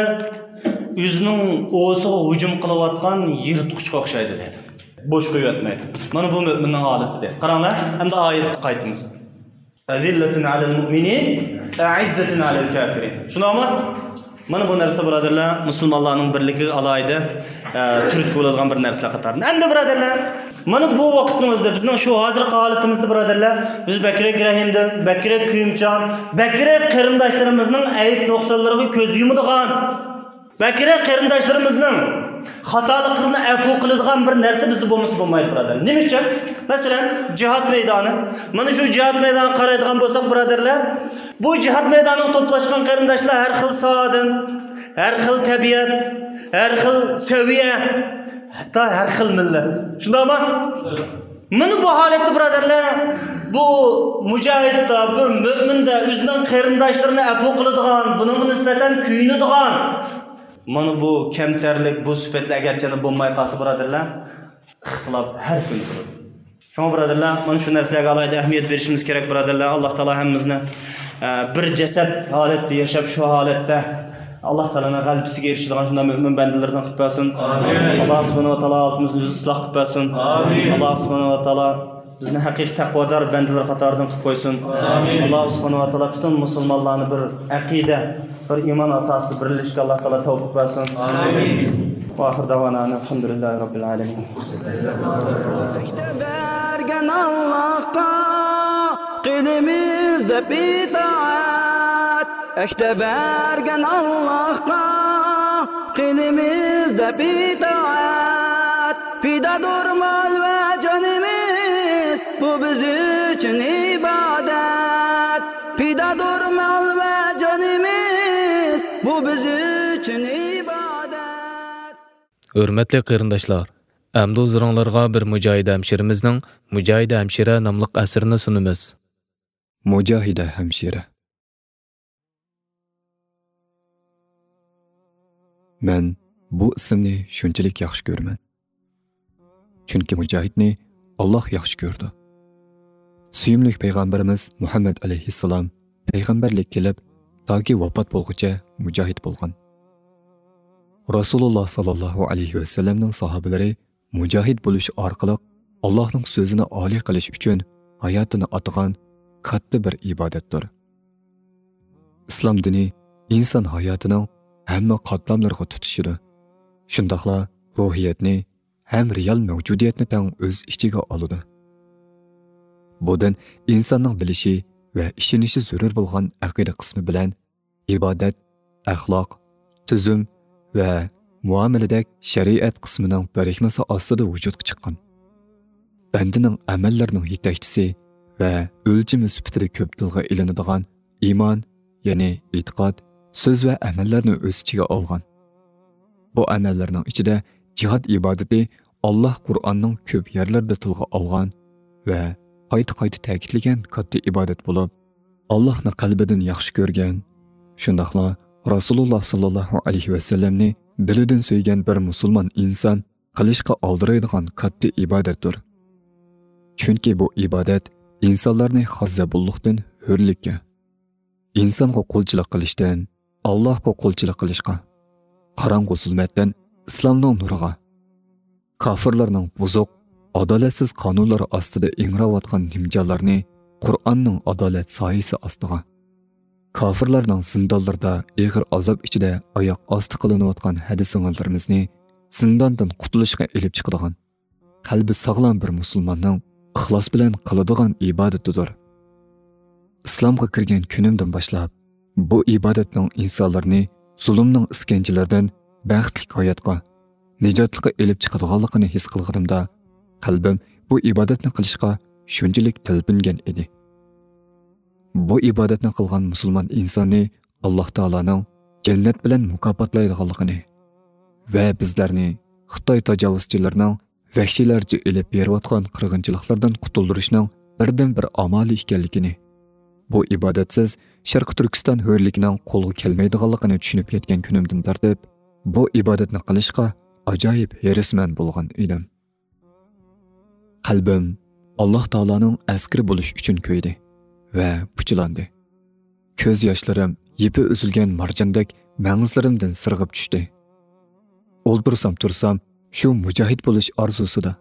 ئۆزىنىڭ ئوۋىسىغا ھۇجۇم قىلىۋاتقان يىرتقۇچقا ئوخشايدۇ دەيدۇ. بوش قويۇۋەتمەيدۇ. مانا بۇ مۆمىننىڭ ھالىتى دەيدۇ. قاراڭلار، ئەمدى ئايەتكە قايتىمىز. أذلة على المؤمنين، أعزة على الكافرين. شۇنداقمۇ؟ مانا بۇ نەرسە، بۇرادەرلەر، مۇسۇلمانلارنىڭ بىرلىكىگە ئالاھىدە، ئە، تۈرتكە بولىدىغان بىر نەرسىلەر قاتارىدا. ئەمدى، بۇرادەرلەر، مانا بۇ ۋاقىتنىڭ ئۆزىدە، بىزنىڭ شۇ ھازىرقى ھالىتىمىزدە، بۇرادەرلەر، بىز بەكرەك رەھىمدىل، بەكرەك كۆيۈمچان، بەكرەك قېرىنداشلىرىمىزنىڭ ئەيىب نۇقسانلىرىغا كۆز يۇمىدىغان، بەكرەك قېرىنداشلىرىمىزنىڭ خاتالىقلىرىنى ئەپۇ قىلىدىغان بىر نەرسە بىزدە بولمىسا بولمايدۇ، بۇرادەر. نېمە ئۈچۈن؟ مەسىلەن، جىھاد مەيدانى. مانا شۇ جىھاد مەيدانىغا قارايدىغان بولساق، بۇرادەرلەر، بۇ جىھاد مەيدانىغا توپلاشقان قېرىنداشلار ھەر خىل ساھەدىن، ھەر خىل تەبىئەت، ھەر خىل سەۋىيە، ھەتتا ھەر خىل مىللەت. شۇنداقمۇ؟ مانا بۇ ھالەتتە، بۇرادەرلەر، بۇ مۇجاھىدتا، بىر مۆمىندا ئۆزىنىڭ قېرىنداشلىرىنى ئەپۇ قىلىدىغان، بۇنىڭغا نىسبەتەن كۆيۈنىدىغان، مانا بۇ كەمتەرلىك، بۇ سۈپەتلەر ئەگەرچەندە بولماي قالسا، بۇرادەرلەر، ئىختىلاپ ھەر كۈنى تۇرىدۇ. شۇڭا، بۇرادەرلەر، مانا شۇ نەرسىلەرگە ئالاھىدە ئەھمىيەت بېرىشىمىز كېرەك، بۇرادەرلەر. ئاللا تائالا ھەممىمىزنى، ئە، بىر جەسەت ھالەتتە ياشاپ، شۇ ھالەتتە ئاللا تائالانىڭ غەلىبىسىگە ئېرىشىدىغان شۇنداق مۆمىن بەندىلىرىدىن قىلىپ بەرسۇن. ئامىن. ئاللا سۇبھانەھۇ ۋە تائالا ھالىتىمىزنى ئۆزى ئىسلاھ قىلىپ بەرسۇن. ئامىن. ئاللا سۇبھانەھۇ ۋە تائالا بىزنى ھەقىقىي تەقۋادار بەندىلەر قاتارىدىن قىلىپ قويسۇن. ئامىن. ئاللا سۇبھانەھۇ ۋە تائالا پۈتۈن مۇسۇلمانلارنى بىر ئەقىدە، بىر ئىمان ئاساسىدا بىرلىشىشكە ئاللا تائالا تەۋپىق بەرسۇن. ئامىن. ۋە ئاخىر دەۋانا ئەنىل ھەمدۇلىللاھى رەببىل ئالەمىن. ئەكتە بەرگەن ئاللاھقا قىلىمىز دەپ ئىتائەت. ئەكتە بەرگەن ئاللاھقا قىلىمىز دەپ ئىتائەت. پىدادۇر مال ۋە جانىمىز، بۇ بىز ئۈچۈن ئىبادەت. پىدادۇر مال ۋە جانىمىز، بۇ بىز ئۈچۈن ئىبادەت. ھۆرمەتلىك قېرىنداشلار، ئەمدى ھۇزۇرۇڭلارغا بىر مۇجاھىدە ھەمشىرىمىزنىڭ مۇجاھىدە ھەمشىرە ناملىق ئەسىرىنى سۇنىمىز. مۇجاھىدە ھەمشىرە. مەن بۇ ئىسىمنى شۇنچىلىك ياخشى كۆرىمەن. چۈنكى مۇجاھىدنى ئاللاھ ياخشى كۆرىدۇ. سۆيۈملۈك پەيغەمبىرىمىز مۇھەممەد ئەلەيھىسسالام پەيغەمبەرلىك كېلىپ، تاكى ۋاپات بولغۇچە مۇجاھىد بولغان. رەسۇلۇللاھ ساللاللاھۇ ئەلەيھى ۋەسەللەمنىڭ ساھابىلىرى مۇجاھىد بولۇش ئارقىلىق ئاللاھنىڭ سۆزىنى ئالىي قىلىش ئۈچۈن ھاياتىنى ئاتىغان كاتتا بىر ئىبادەتتۇر. ئىسلام دىنى ئىنسان ھاياتىنىڭ ھەممە قاتلاملىرىغا تۇتىشىدۇ. شۇنداقلا روھىيەتنى ھەم رېئال مەۋجۇدىيەتنى تەڭ ئۆز ئىچىگە ئالىدۇ. بۇ دىن ئىنساننىڭ بىلىشى ۋە ئىشىنىشى زۆرۈر بولغان ئەقىدە قىسمى بىلەن ئىبادەت، ئەخلاق، تۈزۈم ۋە مۇئامىلىدەك شەرىئەت قىسمىنىڭ بىرىكمىسى ئاستىدا ۋۇجۇدقا چىققان. بەندىنىڭ ئەمەللىرىنىڭ يېتەكچىسى ۋە ئۆلچىمى سۈپىتىدە كۆپ تىلغا ئېلىنىدىغان ئىمان، يەنى ئېتىقاد، سۆز ۋە ئەمەللەرنى ئۆز ئىچىگە ئالغان. بۇ ئەمەللەرنىڭ ئىچىدە جىھاد ئىبادىتى ئاللاھ قۇرئاننىڭ كۆپ يەرلىرىدە تىلغا ئالغان ۋە قايتا-قايتا تەكىتلىگەن كاتتا ئىبادەت بولۇپ، ئاللاھنى قەلبىدىن ياخشى كۆرگەن، شۇنداقلا رەسۇلۇللاھ ساللاللاھۇ ئەلەيھى ۋەسەللەمنى دىلىدىن سۆيگەن بىر مۇسۇلمان ئىنسان قىلىشقا ئالدىرايدىغان كاتتا ئىبادەتتۇر. چۈنكى بۇ ئىبادەت ئىنسانلارنى خار زەبۇنلۇقتىن ھۆرلۈككە، ئىنسانغا قۇلچىلىق قىلىشتىن، ئاللاھقا قۇلچىلىق قىلىشقا، قاراڭغۇ زۇلمەتتىن ئىسلامنىڭ نۇرىغا، كاپىرلارنىڭ بۇزۇق، ئادالەتسىز قانۇنلىرى ئاستىدا ئىڭراۋاتقان نىمجانلارنى قۇرئاننىڭ ئادالەت سايىسى ئاستىغا، كاپىرلارنىڭ زىندانلىرىدا ئېغىر ئازاب ئىچىدە ئاياق ئاستى قىلىنىۋاتقان ھەدە-سىڭىللىرىمىزنى زىنداندىن قۇتۇلۇشقا ئېلىپ چىقىدىغان، قەلبى ساغلام بىر مۇسۇلماننىڭ ئىخلاس بىلەن قىلىدىغان ئىبادىتىدۇر. ئىسلامغا كىرگەن كۈنۈمدىن باشلاپ، بۇ ئىبادەتنىڭ ئىنسانلارنى زۇلۇمنىڭ ئىسكەنجىلىرىدىن بەختلىك ھاياتقا، نىجاتلىققا ئېلىپ چىقىدىغانلىقىنى ھېس قىلغىنىمدا، قەلبىم بۇ ئىبادەتنى قىلىشقا شۇنچىلىك تەلپۈنگەن ئىدى. بۇ ئىبادەتنى قىلغان مۇسۇلمان ئىنساننى ئاللاھ تائالانىڭ جەننەت بىلەن مۇكاپاتلايدىغانلىقىنى ۋە بىزلەرنى خىتاي تاجاۋۇزچىلىرىنىڭ ۋەھشىيلەرچە ئېلىپ بېرىۋاتقان قىرغىنچىلىقلاردىن قۇتۇلدۇرۇشنىڭ بىردىنبىر ئامالى ئىكەنلىكىنى، بۇ ئىبادەتسىز شەرقىي تۈركىستان ھۆرلۈكىنىڭ قولغا كەلمەيدىغانلىقىنى چۈشىنىپ يەتكەن كۈنۈمدىن تارتىپ، بۇ ئىبادەتنى قىلىشقا ئاجايىپ ھېرىسمەن بولغان ئىدىم. قەلبىم ئاللاھ تائالانىڭ ئەسكىرى بولۇش ئۈچۈن كۆيدى ۋە پۇچىلاندى. كۆز ياشلىرىم يىپى ئۈزۈلگەن مارجاندەك مەڭزىلىرىمدىن سىرغىپ چۈشتى. ئولتۇرسام تۇرسام، شۇ مۇجاھىد بولۇش ئارزۇسىدا.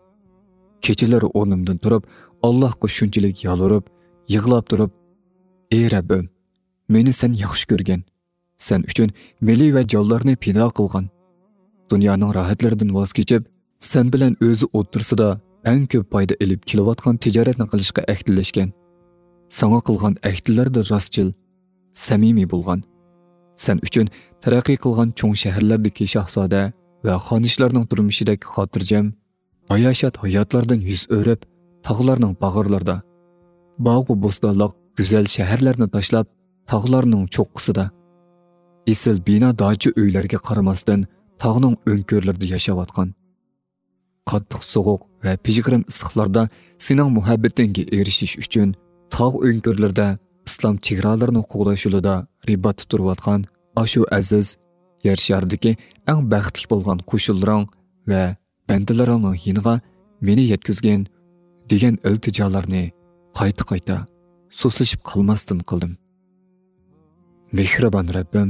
كېچىلىرى ئورنۇمدىن تۇرۇپ، ئاللاھقا شۇنچىلىك يالۋۇرۇپ، يىغلاپ تۇرۇپ، ئى رەببىم، مېنى سەن ياخشى كۆرگەن، سەن ئۈچۈن مېلى ۋە جانلارنى پىدا قىلغان، دۇنيانىڭ راھەتلىرىدىن ۋاز كېچىپ، سەن بىلەن ئۆزى ئوتتۇرىسىدا ئەڭ كۆپ پايدا ئېلىپ كېلىۋاتقان تىجارەتنى قىلىشقا ئەھدىلەشكەن، ساڭا قىلغان ئەھدىلەردە راستچىل، سەمىمىي بولغان، سەن ئۈچۈن تەرەققىي قىلغان چوڭ شەھەرلەردىكى شاھزادە ۋە خانىشلارنىڭ تۇرمۇشىدەك خاتىرجەم، باياشات ھاياتلاردىن يۈز ئۆرۈپ، تاغلارنىڭ باغرىلىرىدا، باغۇ بوستانلىق گۈزەل شەھەرلەرنى تاشلاپ، تاغلارنىڭ چوققىسىدا، ئېسىل بىنا داچا ئۆيلەرگە قارىماستىن، تاغنىڭ ئۆڭكۈرلىرىدە ياشاۋاتقان، قاتتىق سوغۇق ۋە پىژغىرىم ئىسسىقلاردا سېنىڭ مۇھەببىتىڭگە ئېرىشىش ئۈچۈن، تاغ ئۆڭكۈرلىرىدە ئىسلام چېگرالىرىنى قوغداش يولىدا رىباتتا تۇرۇۋاتقان ئاشۇ ئەزىز يەر شارىدىكى ئەڭ بەختلىك بولغان قوشۇنلىرىڭ ۋە بەندىلىرىڭنىڭ يېنىغا مېنى يەتكۈزگىن، دېگەن ئىلتىجالارنى قايتا-قايتا سۇسلىشىپ قالماستىن قىلدىم. مېھرىبان رەببىم،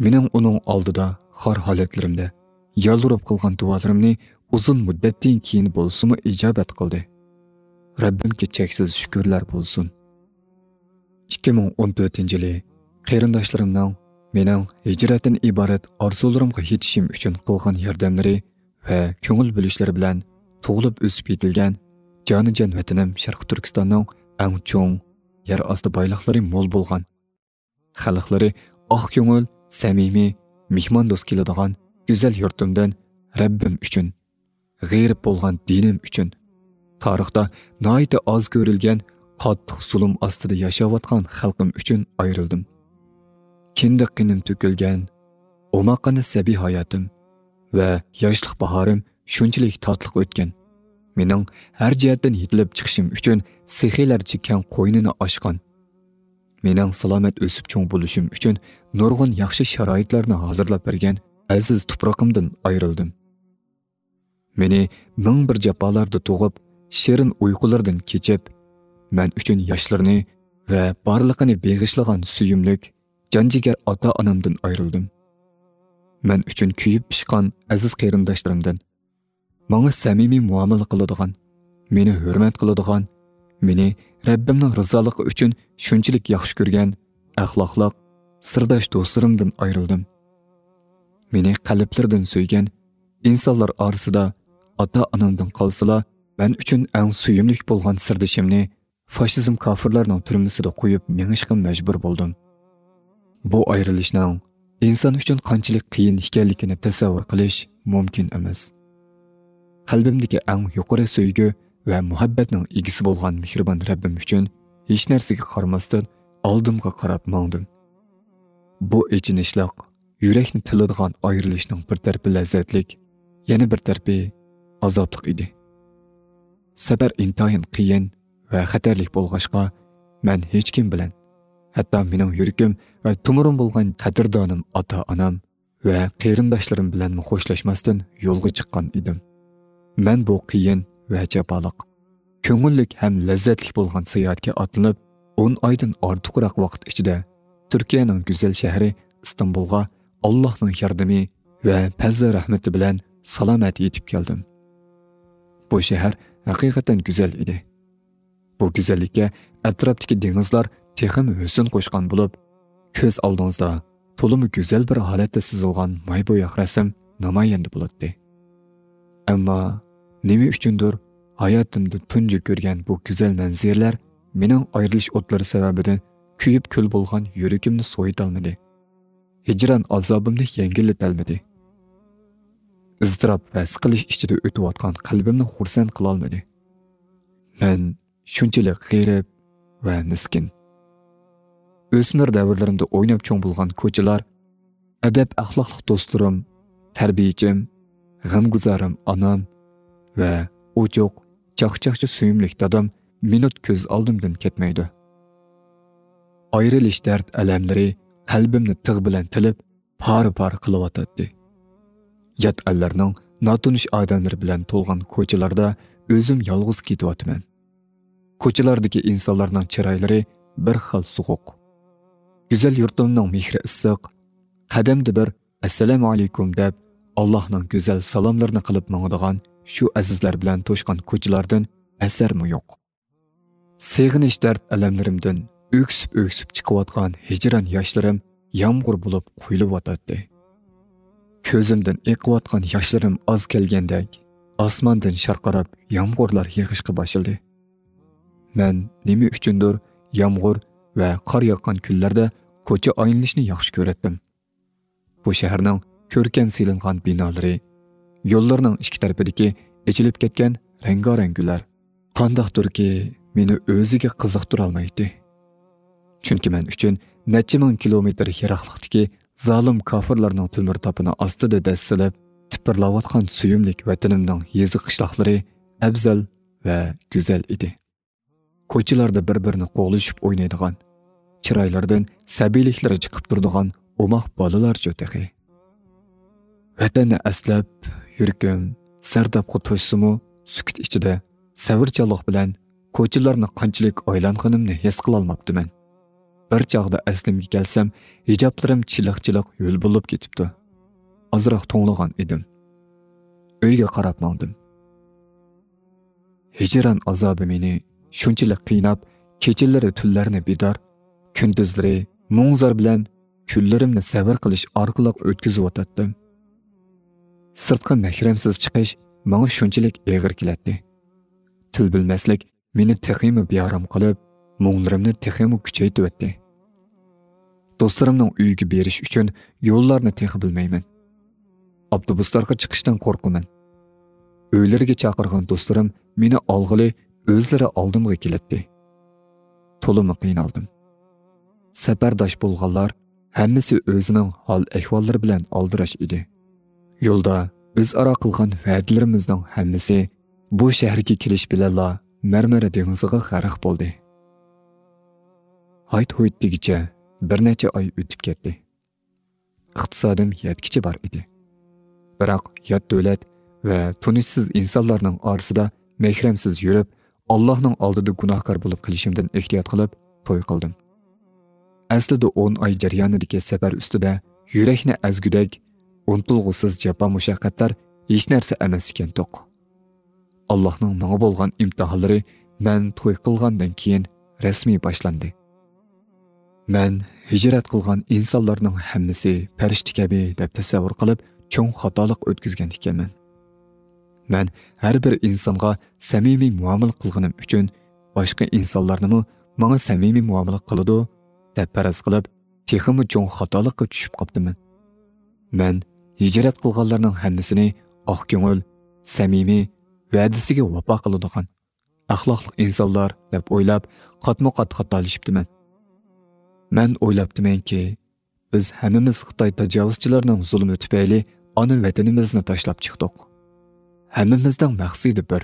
مېنىڭ ئۇنىڭ ئالدىدا خار ھالەتلىرىمدە يالۋۇرۇپ قىلغان دۇئالىرىمنى ئۇزۇن مۇددەتتىن كېيىن بولسىمۇ ئىجابەت قىلدى. رەببىمگە چەكسىز شۈكۈرلەر بولسۇن. ئىككى مىڭ ئون تۆتىنچى يىلى قېرىنداشلىرىمنىڭ مېنىڭ ھىجرەتتىن ئىبارەت ئارزۇلىرىمغا يېتىشىم ئۈچۈن قىلغان ياردەملىرى ۋە كۆڭۈل بۆلۈشلىرى بىلەن تۇغۇلۇپ ئۆسۈپ يېتىلگەن جانىجان ۋەتىنىم شەرقىي تۈركىستاننىڭ ئەڭ چوڭ، يەر ئاستى بايلىقلىرى مول بولغان، خەلقلىرى ئاق كۆڭۈل، سەمىمىي، مېھماندوست كېلىدىغان گۈزەل يۇرتۇمدىن رەببىم ئۈچۈن، غېرىب بولغان دىنىم ئۈچۈن، تارىختا ناھايىتى ئاز كۆرۈلگەن قاتتىق زۇلۇم ئاستىدا ياشاۋاتقان خەلقىم ئۈچۈن ئايرىلدىم. كىندىك قېنىم تۆكۈلگەن، ئوماققىنە سەبىي ھاياتىم ۋە ياشلىق باھارىم شۇنچىلىك تاتلىق ئۆتكەن. مېنىڭ ھەر جەھەتتىن يېتىلىپ چىقىشىم ئۈچۈن سېخىيلەرچە كەڭ قوينىنى ئاچقان، مېنىڭ سالامەت ئۆسۈپ چوڭ بولۇشۇم ئۈچۈن نۇرغۇن ياخشى شارائىتلارنى ھازىرلاپ بەرگەن ئەزىز تۇپرىقىمدىن ئايرىلدىم. مېنى مىڭ بىر جاپالاردا تۇغۇپ، شېرىن ئۇيقۇلىرىدىن كېچىپ، مەن ئۈچۈن ياشلىرىنى ۋە بارلىقىنى بېغىشلىغان سۆيۈملۈك، جان-جىگەر ئاتا-ئانامدىن ئايرىلدىم. مەن ئۈچۈن كۆيۈپ پىشقان ئەزىز قېرىنداشلىرىمدىن، ماڭا سەمىمىي مۇئامىلە قىلىدىغان، مېنى ھۆرمەت قىلىدىغان، مېنى رەببىمنىڭ رىزالىقى ئۈچۈن شۇنچىلىك ياخشى كۆرگەن ئەخلاقلىق، سىرداش دوستلىرىمدىن ئايرىلدىم. مېنى قەلبلىرىدىن سۆيگەن، ئىنسانلار ئارىسىدا ئاتا-ئانامدىن قالسىلا، مەن ئۈچۈن ئەڭ سۆيۈملۈك بولغان سىردىشىمنى فاشىزم كاپىرلارنىڭ تۈرمىسىدە قويۇپ مېڭىشقا مەجبۇر بولدۇم. بۇ ئايرىلىشنىڭ ئىنسان ئۈچۈن قانچىلىك قىيىن ئىكەنلىكىنى تەسەۋۋۇر قىلىش مۇمكىن ئەمەس. قەلبىمدىكى ئەڭ يۇقىرى سۆيگۈ ۋە مۇھەببەتنىڭ ئىگىسى بولغان مېھرىبان رەببىم ئۈچۈن ھېچ نەرسىگە قارىماستىن ئالدىمغا قاراپ ماڭدىم. بۇ ئېچىنىشلىق، يۈرەكنى تىلىدىغان ئايرىلىشنىڭ بىر تەرىپى لەززەتلىك، يەنە بىر تەرىپى ئازابلىق ئىدى. سەپەر ئىنتايىن قىيىن ۋە خەتەرلىك بولغاچقا، مەن ھېچكىم بىلەن، ھەتتا مېنىڭ يۈرىكىم ۋە تومۇرۇم بولغان قەدىردانىم ئاتا-ئانام ۋە قېرىنداشلىرىم بىلەنمۇ خوشلاشماستىن يولغا چىققان ئىدىم. مەن بۇ قىيىن ۋە جاپالىق، كۆڭۈللۈك ھەم لەززەتلىك بولغان ساياھەتكە ئاتلىنىپ، ئون ئايدىن ئارتۇقراق ۋاقىت ئىچىدە تۈركىيەنىڭ گۈزەل شەھىرى ئىستانبۇلغا ئاللاھنىڭ ياردىمى ۋە پەزلى رەھمىتى بىلەن سالامەت يېتىپ كەلدىم. بۇ شەھەر ھەقىقەتەن گۈزەل ئىدى. بۇ گۈزەللىككە ئەتراپتىكى دېڭىزلار تېخىمۇ ھۆسن قوشقان بولۇپ، كۆز ئالدىڭىزدا تولىمۇ گۈزەل بىر ھالەتتە سىزىلغان ماي بوياق رەسىم نامايەندە بولاتتى. ئەمما نېمە ئۈچۈندۇر ھاياتىمدا تۇنجى كۆرگەن بۇ گۈزەل مەنزىرىلەر مېنىڭ ئايرىلىش ئوتلىرى سەۋەبىدىن كۆيۈپ كۈل بولغان يۈرىكىمنى سوۋۇتالمىدى. ھىجران ئازابىمنى يەڭگىللىتەلمىدى. ئىزتىراپ ۋە سىقىلىش ئىچىدە ئۆتۈۋاتقان قەلبىمنى خۇرسەن قىلالمىدى. مەن شۇنچىلىك غېرىب ۋە مىسكىن. ئۆسمۈر دەۋرلىرىمدە ئويناپ چوڭ بولغان كوچىلار، ئەدەپ-ئەخلاقلىق دوستلىرىم، تەربىيىچىم، غەمگۇزارىم ئانام، ۋە ئوچۇق، چاقچاقچى سۆيۈملۈك دادام مىنۇت كۆز ئالدىمدىن كەتمەيدۇ. ئايرىلىش دەرد-ئەلەملىرى قەلبىمنى تىغ بىلەن تىلىپ، پارە-پارە قىلىۋاتاتتى. يات ئەللەرنىڭ ناتونۇش ئادەملىرى بىلەن تولغان كوچىلاردا ئۆزۈم يالغۇز كېتىۋاتىمەن. كوچىلاردىكى ئىنسانلارنىڭ چىرايلىرى بىر خىل سوغۇق. گۈزەل يۇرتۇمنىڭ مېھرى ئىسسىق، قەدەمدە بىر «ئەسسالامۇ ئەلەيكۇم» دەپ، ئاللاھنىڭ گۈزەل سالاملىرىنى قىلىپ ماڭىدىغان شۇ ئەزىزلەر بىلەن توشقان كوچىلاردىن ئەسەرمۇ يوق. سېغىنىش دەرد-ئەلەملىرىمدىن ئۆكسۈپ-ئۆكسۈپ چىقىۋاتقان ھىجران ياشلىرىم يامغۇر بولۇپ قۇيۇلۇۋاتاتتى. كۆزۈمدىن ئېقىۋاتقان ياشلىرىم ئاز كەلگەندەك، ئاسماندىن شارقىراپ يامغۇرلار يېغىشقا باشلىدى. مەن نېمە ئۈچۈندۇر يامغۇر ۋە قار ياغقان كۈنلەردە كوچا ئايلىنىشنى ياخشى كۆرەتتىم. بۇ شەھەرنىڭ كۆركەم سېلىنغان بىنالىرى، يوللىرىنىڭ ئىككى تەرىپىدىكى ئېچىلىپ كەتكەن رەڭگارەڭ گۈللەر قانداقتۇركى مېنى ئۆزىگە قىزىقتۇرالمايتتى. چۈنكى مەن ئۈچۈن نەچچە مىڭ كىلومېتىر يىراقلىقتىكى زالىم كاپىرلارنىڭ تۆمۈر تاپىنى ئاستىدا دەسسىلىپ تىپىرلاۋاتقان سۆيۈملۈك ۋەتىنىمنىڭ يېزا-قىشلاقلىرى ئەۋزەل ۋە گۈزەل ئىدى. كوچىلاردا بىر-بىرىنى قوغلىشىپ ئوينايدىغان، چىرايلىرىدىن سەبىيلىكلىرى چىقىپ تۇرىدىغان ئوماق بالىلارچۇ تېخى. ۋەتەننى ئەسلەپ، يۈرىكىم سەردابقا توشسىمۇ، سۈكۈت ئىچىدە سەۋرچانلىق بىلەن كوچىلارنى قانچىلىك ئايلانغىنىمنى ھېس قىلالماپتىمەن. بىر چاغدا ئەسلىمگە كەلسەم، ھىجابلىرىم چىلىق-چىلىق ھۆل بولۇپ كېتىپتۇ. ئازراق توڭلىغان ئىدىم. ئۆيگە قاراپ ماڭدىم. ھىجران ئازابى مېنى شۇنچىلىك قىيناپ، كېچىلىرى تۈنلەرنى بىدار، كۈندۈزلىرى مۇڭ-زار بىلەن كۈنلىرىمنى سەۋر قىلىش ئارقىلىق ئۆتكۈزۈۋاتاتتىم. سىرتقا مەھرەمسىز چىقىش ماڭا شۇنچىلىك ئېغىر كېلەتتى. تىل بىلمەسلىك مېنى تېخىمۇ بىئارام قىلىپ، مۇڭلىرىمنى تېخىمۇ كۈچەيتىۋەتتى. دوستلىرىمنىڭ ئۆيىگە بېرىش ئۈچۈن يوللارنى تېخى بىلمەيمەن. ئاپتوبۇسلارغا چىقىشتىن قورقىمەن. ئۆيلىرىگە چاقىرغان دوستلىرىم مېنى ئالغىلى ئۆزلىرى ئالدىمغا كېلەتتى. تولىمۇ قىينالدىم. سەپەرداش بولغانلار ھەممىسى ئۆزىنىڭ ھال-ئەھۋاللىرى بىلەن ئالدىراش ئىدى. يولدا ئۆزئارا قىلغان ۋەدىلىرىمىزنىڭ ھەممىسى بۇ شەھەرگە كېلىش بىلەنلا مەرمەر دېڭىزىغا غەرق بولدى. ھايت-ھۇيت دېگۈچە بىر نەچچە ئاي ئۆتۈپ كەتتى. ئىقتىسادىم يەتكۈچە بار ئىدى. بىراق يات دۆلەت ۋە تونۇشسىز ئىنسانلارنىڭ ئارىسىدا مەھرەمسىز يۈرۈپ، ئاللاھنىڭ ئالدىدا گۇناھكار بولۇپ قېلىشىمدىن ئېھتىيات قىلىپ توي قىلدىم. ئەسلىدە ئون ئاي جەريانىدىكى سەپەر ئۈستىدە يۈرەكنى ئەزگۈدەك ئۇنتۇلغۇسىز جاپا-مۇشەققەتلەر ھېچ نەرسە ئەمەس ئىكەنتۇق. ئاللاھنىڭ ماڭا بولغان ئىمتىھانلىرى مەن توي قىلغاندىن كېيىن رەسمىي باشلاندى. مەن ھىجرەت قىلغان ئىنسانلارنىڭ ھەممىسى پەرىشتە كەبى دەپ تەسەۋۋۇر قىلىپ، چوڭ خاتالىق ئۆتكۈزگەن ئىكەنمەن. مەن ھەر بىر ئىنسانغا سەمىمىي مۇئامىلە قىلغىنىم ئۈچۈن، باشقا ئىنسانلارنىمۇ ماڭا سەمىمىي مۇئامىلە قىلىدۇ، دەپ پەرەز قىلىپ، تېخىمۇ چوڭ خاتالىققا چۈشۈپ قاپتىمەن. مەن ھىجرەت قىلغانلارنىڭ ھەممىسىنى ئاق كۆڭۈل، سەمىمىي، ۋەدىسىگە ۋاپا قىلىدىغان، ئەخلاقلىق ئىنسانلار دەپ ئويلاپ، قاتمۇ قات خاتالىشىپتىمەن. مەن ئويلاپتىمەنكى، بىز ھەممىمىز خىتاي تاجاۋۇزچىلىرىنىڭ زۇلۇمى تۈپەيلى ئانا ۋەتىنىمىزنى تاشلاپ چىقتۇق. ھەممىمىزنىڭ مەقسىتى بىر،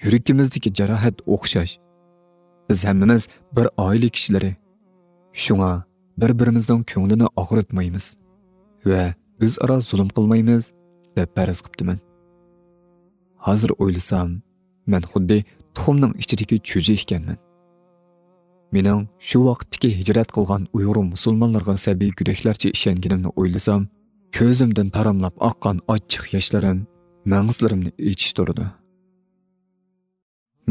يۈرىكىمىزدىكى جاراھەت ئوخشاش. بىز ھەممىمىز بىر ئائىلە كىشىلىرى. شۇڭا بىر-بىرىمىزنىڭ كۆڭلىنى ئاغرىتمايمىز ۋە ئۆزئارا زۇلۇم قىلمايمىز، دەپ پەرەز قىپتىمەن. ھازىر ئويلىسام، مەن خۇددى تۇخۇمنىڭ ئىچىدىكى چۈجە ئىكەنمەن. مېنىڭ شۇ ۋاقىتتىكى ھىجرەت قىلغان ئۇيغۇر مۇسۇلمانلىرىغا سەبىي گۆدەكلەرچە ئىشەنگىنىمنى ئويلىسام، كۆزۈمدىن تاراملاپ ئاققان ئاچچىق ياشلىرىم مەڭزىلىرىمنى ئېچىشتۇرىدۇ.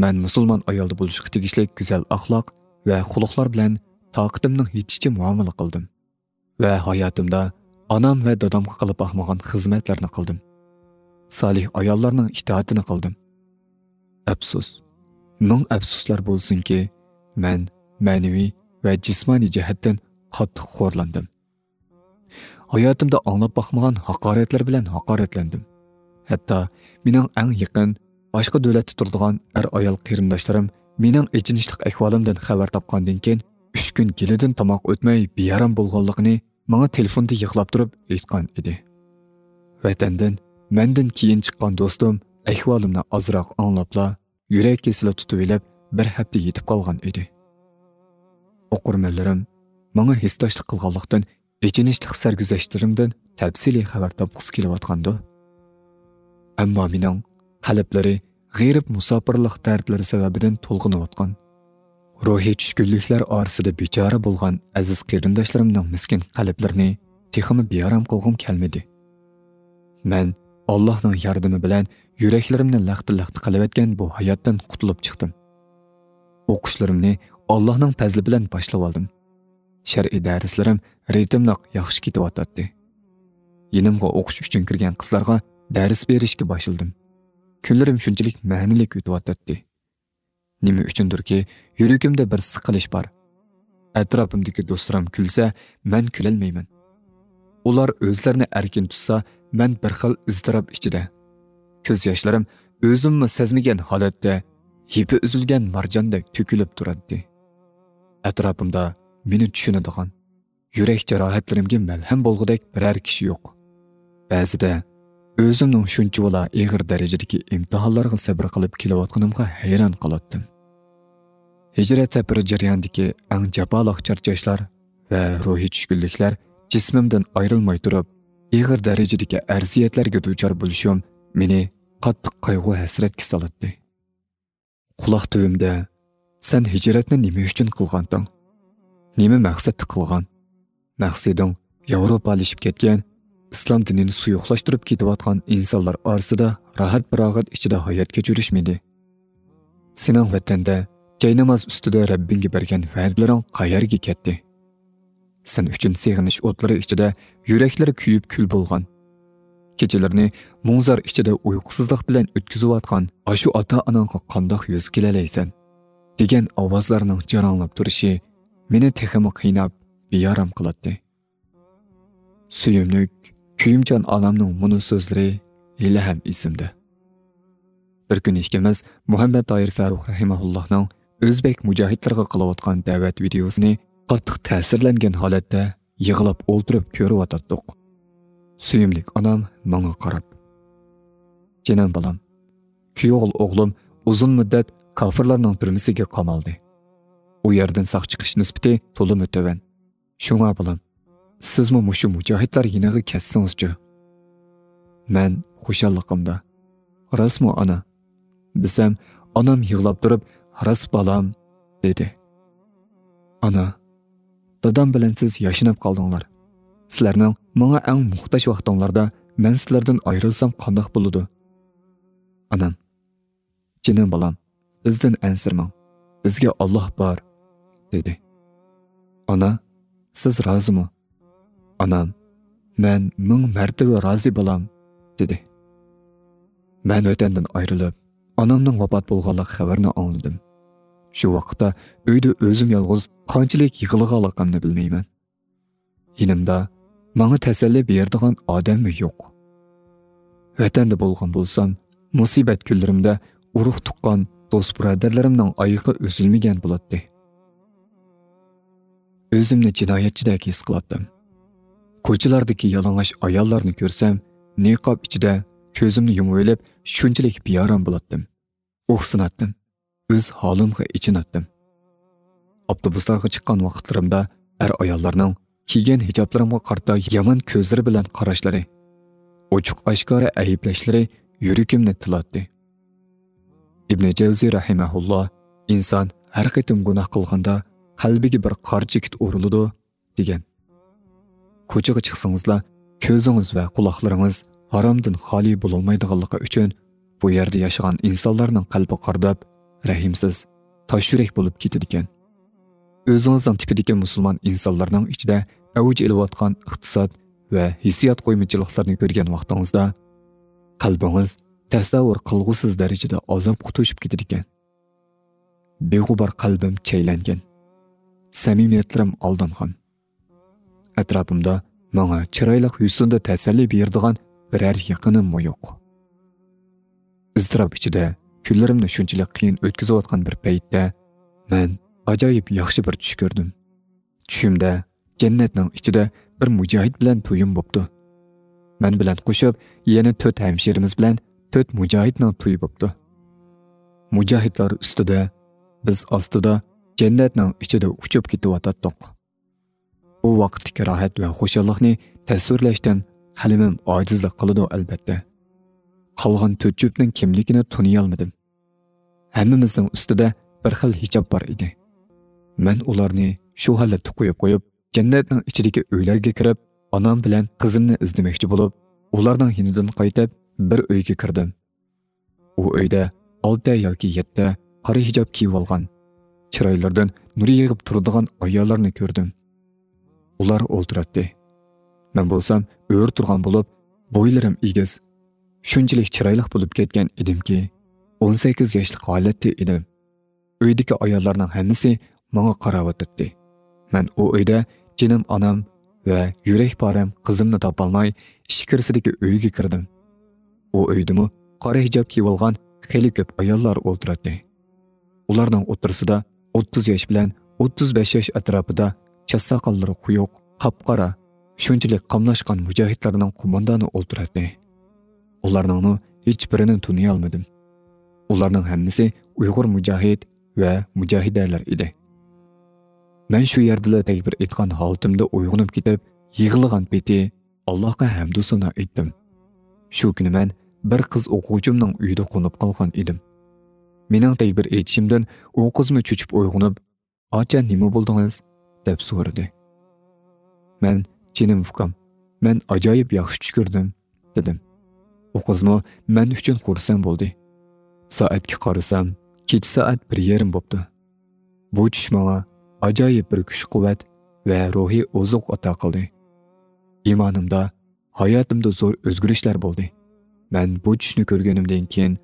مەن مۇسۇلمان ئايالدا بولۇشقا تېگىشلىك گۈزەل ئەخلاق ۋە خۇلقلار بىلەن تاقىتىمنىڭ يېتىشىچە مۇئامىلە قىلدىم. ۋە ھاياتىمدا ئانام ۋە دادامغا قىلىپ باقمىغان خىزمەتلەرنى قىلدىم. سالىھ ئاياللارنىڭ ئىتائىتىنى قىلدىم. ئەپسۇس، مىڭ ئەپسۇسلار بولسۇنكى، مەن مەنىۋى ۋە جىسمانىي جەھەتتىن قاتتىق خورلاندىم. ھاياتىمدا ئاڭلاپ باقمىغان ھاقارەتلەر بىلەن ھاقارەتلەندىم. ھەتتا مېنىڭ ئەڭ يېقىن، باشقا دۆلەتتە تۇرىدىغان ئەر-ئايال قېرىنداشلىرىم مېنىڭ ئېچىنىشلىق ئەھۋالىمدىن خەۋەر تاپقاندىن كېيىن، ئۈچ كۈن گېلىدىن تاماق ئۆتمەي بىئارام بولغانلىقىنى ماڭا تېلېفوندا يىغلاپ تۇرۇپ ئېيتقان ئىدى. ۋەتەندىن مەندىن كېيىن چىققان دوستۇم ئەھۋالىمنى ئازراق ئاڭلاپلا، يۈرەك كېسىلى تۇتۇۋېلىپ، بىر ھەپتە يېتىپ قالغان ئىدى. ئوقۇرمەنلىرىم ماڭا ھېسداشلىق قىلغانلىقتىن، ئېچىنىشلىق سەرگۈزەشتلىرىمدىن تەپسىلىي خەۋەر تاپقۇسى كېلىۋاتقاندۇ. ئەمما مېنىڭ قەلبلىرى غېرىب مۇساپىرلىق دەردلىرى سەۋەبىدىن تولغىنىۋاتقان، روھىي چۈشكۈنلۈكلەر ئارىسىدا بىچارە بولغان ئەزىز قېرىنداشلىرىمنىڭ مىسكىن قەلبلىرىنى تېخىمۇ بىئارام قىلغۇم كەلمىدى. مەن ئاللاھنىڭ ياردىمى بىلەن يۈرەكلىرىمنى لەختە-لەختە قىلىۋەتكەن بۇ ھاياتتىن قۇتۇلۇپ چىقتىم. ئوقۇشلىرىمنى ئاللاھنىڭ پەزلى بىلەن باشلىۋالدىم. شەرئىي دەرسلىرىم رىتىملىق ياخشى كېتىۋاتاتتى. يېنىمغا ئوقۇش ئۈچۈن كىرگەن قىزلارغا دەرس بېرىشكە باشلىدىم. كۈنلىرىم شۇنچىلىك مەنىلىك ئۆتۈۋاتاتتى. نېمە ئۈچۈندۇركى، يۈرىكىمدە بىر سىقىلىش بار. ئەتراپىمدىكى دوستلىرىم كۈلسە، مەن كۈلەلمەيمەن. ئۇلار ئۆزلىرىنى ئەركىن تۇتسا، مەن بىر خىل ئىزتىراپ ئىچىدە. كۆز ياشلىرىم ئۆزۈممۇ سەزمىگەن ھالەتتە يىپى ئۈزۈلگەن مارجاندەك تۆكۈلۈپ تۇراتتى. ئەتراپىمدا مېنى چۈشىنىدىغان، يۈرەك جاراھەتلىرىمگە مەلھەم بولغۇدەك بىرەر كىشى يوق. بەزىدە ئۆزۈمنىڭ شۇنچىۋالا ئېغىر دەرىجىدىكى ئىمتىھانلارغا سەبرى قىلىپ كېلىۋاتقىنىمغا ھەيران قالاتتىم. ھىجرەت سەپىرى جەريانىدىكى ئەڭ جاپالىق چارچاشلار ۋە روھىي چۈشكۈنلۈكلەر جىسمىمدىن ئايرىلماي تۇرۇپ، ئېغىر دەرىجىدىكى ئەزىيەتلەرگە دۇچار بولۇشۇم مېنى قاتتىق قايغۇ-ھەسرەتكە سالاتتى. قۇلاق تۈۋىمدە، «سەن ھىجرەتنى نېمە ئۈچۈن قىلغانتىڭ؟ نېمە مەقسەتتە قىلغان؟ مەقسىتىڭ ياۋروپالىشىپ كەتكەن، ئىسلام دىنىنى سۇيۇقلاشتۇرۇپ كېتىۋاتقان ئىنسانلار ئارىسىدا راھەت-پاراغەت ئىچىدە ھايات كەچۈرۈشمىدى؟ سېنىڭ ۋەتەندە جايناماز ئۈستىدە رەببىڭگە بەرگەن ۋەدىلىرىڭ قەيەرگە كەتتى؟ سەن ئۈچۈن سېغىنىش ئوتلىرى ئىچىدە يۈرەكلىرى كۆيۈپ كۈل بولغان، كېچىلىرىنى مۇڭزار ئىچىدە ئۇيقۇسىزلىق بىلەن ئۆتكۈزۈۋاتقان ئاشۇ ئاتا-ئاناڭغا قانداق يۈز كېلەلەيسەن؟» دېگەن ئاۋازلارنىڭ جاراڭلاپ تۇرۇشى مېنى تېخىمۇ قىيناپ، بىئارام قىلاتتى. سۆيۈملۈك، كۆيۈمچان ئانامنىڭ مۇنۇ سۆزلىرى ھېلىھەم ئېسىمدە. بىر كۈنى ئىككىمىز مۇھەممەد تاھىر فەرۇق رەھىمەھۇللاھنىڭ ئۆزبەك مۇجاھىدلارغا قىلىۋاتقان دەۋەت ۋىدىيوسىنى قاتتىق تەسىرلەنگەن ھالەتتە يىغلاپ ئولتۇرۇپ كۆرۈۋاتاتتۇق. سۆيۈملۈك ئانام ماڭا قاراپ، «جېنىم بالام، كۈيئوغۇل ئوغلۇم ئۇزۇن مۇددەت كاپىرلارنىڭ تۈرمىسىگە قامالدى. ئۇ يەردىن ساق چىقىش نىسبىتى تولىمۇ تۆۋەن. شۇڭا بالام، سىزمۇ مۇشۇ مۇجاھىدلار يېنىغا كەتسىڭىزچۇ؟» مەن خۇشاللىقىمدا، «راستمۇ ئانا؟» دېسەم، ئانام يىغلاپ تۇرۇپ، «راست بالام» دېدى. «ئانا، دادام بىلەن سىز ياشىنىپ قالدىڭلار. سىلەرنىڭ ماڭا ئەڭ موھتاج ۋاقتىڭلاردا مەن سىلەردىن ئايرىلسام قانداق بولىدۇ؟» ئانام، «جېنىم بالام، بىزدىن ئەنسىرىمەڭ. بىزگە ئاللاھ بار» دېدى. «ئانا، سىز رازىمۇ؟» ئانام، «مەن مىڭ مەرتىۋە رازى بالام» دېدى. مەن ۋەتەندىن ئايرىلىپ، ئانامنىڭ ۋاپات بولغانلىق خەۋىرىنى ئاڭلىدىم. شۇ ۋاقىتتا ئۆيدە ئۆزۈم يالغۇز قانچىلىك يىغلىغانلىقىمنى بىلمەيمەن. يېنىمدا ماڭا تەسەللى بېرىدىغان ئادەممۇ يوق. ۋەتەندە بولغان بولسام، مۇسىبەت كۈنلىرىمدە ئۇرۇق-تۇغقان، دوست-بۇرادەرلىرىمنىڭ ئايىقى ئۈزۈلمىگەن بولاتتى. ئۆزۈمنى جىنايەتچىدەك ھېس قىلاتتىم. كوچىلاردىكى يالىڭاچ ئاياللارنى كۆرسەم، نىقاب ئىچىدە كۆزۈمنى يۇمۇۋېلىپ، شۇنچىلىك بىئارام بولاتتىم. ئۇھسىناتتىم. ئۆز ھالىمغا ئېچىناتتىم. ئاپتوبۇسلارغا چىققان ۋاقىتلىرىمدا ئەر-ئاياللارنىڭ كىيگەن ھىجابلىرىمغا قارىتا يامان كۆزلىرى بىلەن قاراشلىرى، ئوچۇق-ئاشكارا ئەيىبلەشلىرى يۈرىكىمنى تىلاتتى. ئىبنى جەۋزى رەھىمەھۇللا، «ئىنسان ھەر قېتىم گۇناھ قىلغاندا قەلبىگە بىر قارا چېكىت ئۇرۇلىدۇ» دېگەن. كوچىغا چىقسىڭىزلا، كۆزىڭىز ۋە قۇلاقلىرىڭىز ھارامدىن خالىي بولالمايدىغانلىقى ئۈچۈن، بۇ يەردە ياشىغان ئىنسانلارنىڭ قەلبى قارداپ، رەھىمسىز، تاش يۈرەك بولۇپ كېتىدىكەن. ئۆزىڭىزنىڭ تىپىدىكى مۇسۇلمان ئىنسانلارنىڭ ئىچىدە ئەۋج ئېلىۋاتقان ئىقتىساد ۋە ھېسسىيات قويمىچىلىقلىرىنى كۆرگەن ۋاقتىڭىزدا، قەلبىڭىز تەسەۋۋۇر قىلغۇسىز دەرىجىدە ئازابقا توشۇپ كېتىدىكەن. بىغۇبار قەلبىم چەيلەنگەن. سەمىمىيەتلىرىم ئالدانغان. ئەتراپىمدا ماڭا چىرايلىق يۈزىنى تەسەللى بېرىدىغان بىرەر يېقىنىممۇ يوق. ئىزتىراپ ئىچىدە كۈنلىرىمنى شۇنچىلىك قىيىن ئۆتكۈزۈۋاتقان بىر پەيتتە، مەن ئاجايىپ ياخشى بىر چۈش كۆردۈم. چۈشۈمدە جەننەتنىڭ ئىچىدە بىر مۇجاھىد بىلەن تويۇم بوپتۇ. مەن بىلەن قوشۇپ يەنە تۆت ھەمشىرىمىز بىلەن تۆت مۇجاھىدنىڭ تويى بوپتۇ. مۇجاھىدلار ئۈستىدە، بىز ئاستىدا جەننەتنىڭ ئىچىدە ئۇچۇپ كېتىۋاتاتتۇق. بۇ ۋاقىتتىكى راھەت ۋە خۇشاللىقنى تەسۋىرلەشتىن قەلىمىم ئاجىزلىق قىلىدۇ، ئەلبەتتە. قالغان تۆت جۈپنىڭ كىملىكىنى تونۇيالمىدىم. ھەممىمىزنىڭ ئۈستىدە بىر خىل ھىجاب بار ئىدى. مەن ئۇلارنى شۇ ھالەتتە قويۇپ قويۇپ، جەننەتنىڭ ئىچىدىكى ئۆيلەرگە كىرىپ، ئانام بىلەن قىزىمنى ئىزدىمەكچى بولۇپ، ئۇلارنىڭ يېنىدىن قايتىپ، بىر ئۆيگە كىردىم. ئۇ ئۆيدە ئالتە ياكى يەتتە قارا ھىجاب كىيىۋالغان، چىرايلىرىدىن نۇر يېغىپ تۇرىدىغان ئاياللارنى كۆردۈم. ئۇلار ئولتۇراتتى. مەن بولسام ئۆرە تۇرغان بولۇپ، بويلىرىم ئېگىز، شۇنچىلىك چىرايلىق بولۇپ كەتكەن ئىدىمكى، ئون سەككىز ياشلىق ھالەتتە ئىدىم. ئۆيدىكى ئاياللارنىڭ ھەممىسى ماڭا قاراۋاتاتتى. مەن ئۇ ئۆيدە جېنىم ئانام ۋە يۈرەك پارەم قىزىمنى تاپالماي، ئىچكىرىسىدىكى ئۆيگە كىردىم. ئۇ ئۆيدىمۇ قارا ھىجاب كىيىۋالغان خېلى كۆپ ئاياللار ئولتۇراتتى. ئۇلارنىڭ ئوتتۇرىسىدا ئوتتۇز ياش بىلەن ئوتتۇز بەش ياش ئەتراپىدا، چاچ ساقاللىرى قويۇق، قاپقارا، شۇنچىلىك قاملاشقان مۇجاھىدلارنىڭ قوماندانى ئولتۇراتتى. ئۇلارنىڭمۇ ھېچبىرىنى تونۇيالمىدىم. ئۇلارنىڭ ھەممىسى ئۇيغۇر مۇجاھىد ۋە مۇجاھىدەلەر ئىدى. مەن شۇ يەردىلا تەكبىر ئېيتقان ھالىتىمدە ئويغىنىپ كېتىپ، يىغلىغان پېتى ئاللاھقا ھەمدۇ سانا ئېيتتىم. شۇ كۈنى مەن بىر قىز ئوقۇغۇچىمنىڭ ئۆيىدە قونۇپ قالغان ئىدىم. مېنىڭ تەكبىر ئېيتىشىمدىن ئۇ قىزمۇ چۆچۈپ ئويغىنىپ، «ئاچا، نېمە بولدىڭىز؟» دەپ سورىدى. مەن، «جېنىم ئۇكام، مەن ئاجايىپ ياخشى چۈش كۆردۈم» دېدىم. ئۇ قىزمۇ مەن ئۈچۈن خۇرسەن بولدى. سائەتكە قارىسام، كېچە سائەت بىر يېرىم بوپتۇ. بۇ چۈش ماڭا ئاجايىپ بىر كۈچ-قۇۋۋەت ۋە روھىي ئوزۇق ئاتا قىلدى. ئىمانىمدا، ھاياتىمدا زور ئۆزگىرىشلەر بولدى. مەن بۇ چۈشنى كۆرگىنىمدىن كېيىن،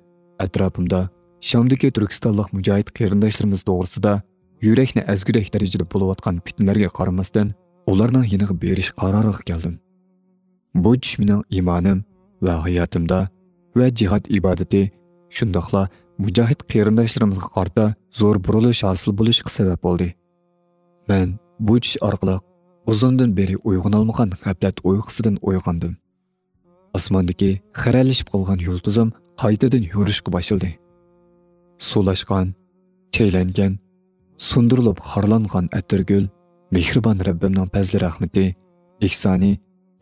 ئەتراپىمدا شامدىكى تۈركىستانلىق مۇجاھىد قېرىنداشلىرىمىز توغرىسىدا يۈرەكنى ئەزگۈدەك دەرىجىدە بولۇۋاتقان پىتنىلەرگە قارىماستىن، ئۇلارنىڭ يېنىغا بېرىش قارارىغا كەلدىم. بۇ چۈش مېنىڭ ئىمانىم ۋە ھاياتىمدا ۋە جىھاد ئىبادىتى، شۇنداقلا مۇجاھىد قېرىنداشلىرىمىزغا قارىتا زور بۇرۇلۇش ھاسىل بولۇشقا سەۋەب بولدى. مەن بۇ چۈش ئارقىلىق ئۇزۇندىن بېرى ئويغىنالمىغان غەپلەت ئۇيقۇسىدىن ئويغاندىم. ئاسماندىكى خىرەلىشىپ قالغان يۇلتۇزۇم قايتىدىن يورۇشقا باشلىدى. سۇلاشقان، چەيلەنگەن، سۇندۇرۇلۇپ خارلانغان ئەتىرگۈل، مېھرىبان رەببىمنىڭ پەزلى-رەھمىتى، ئېھسانى،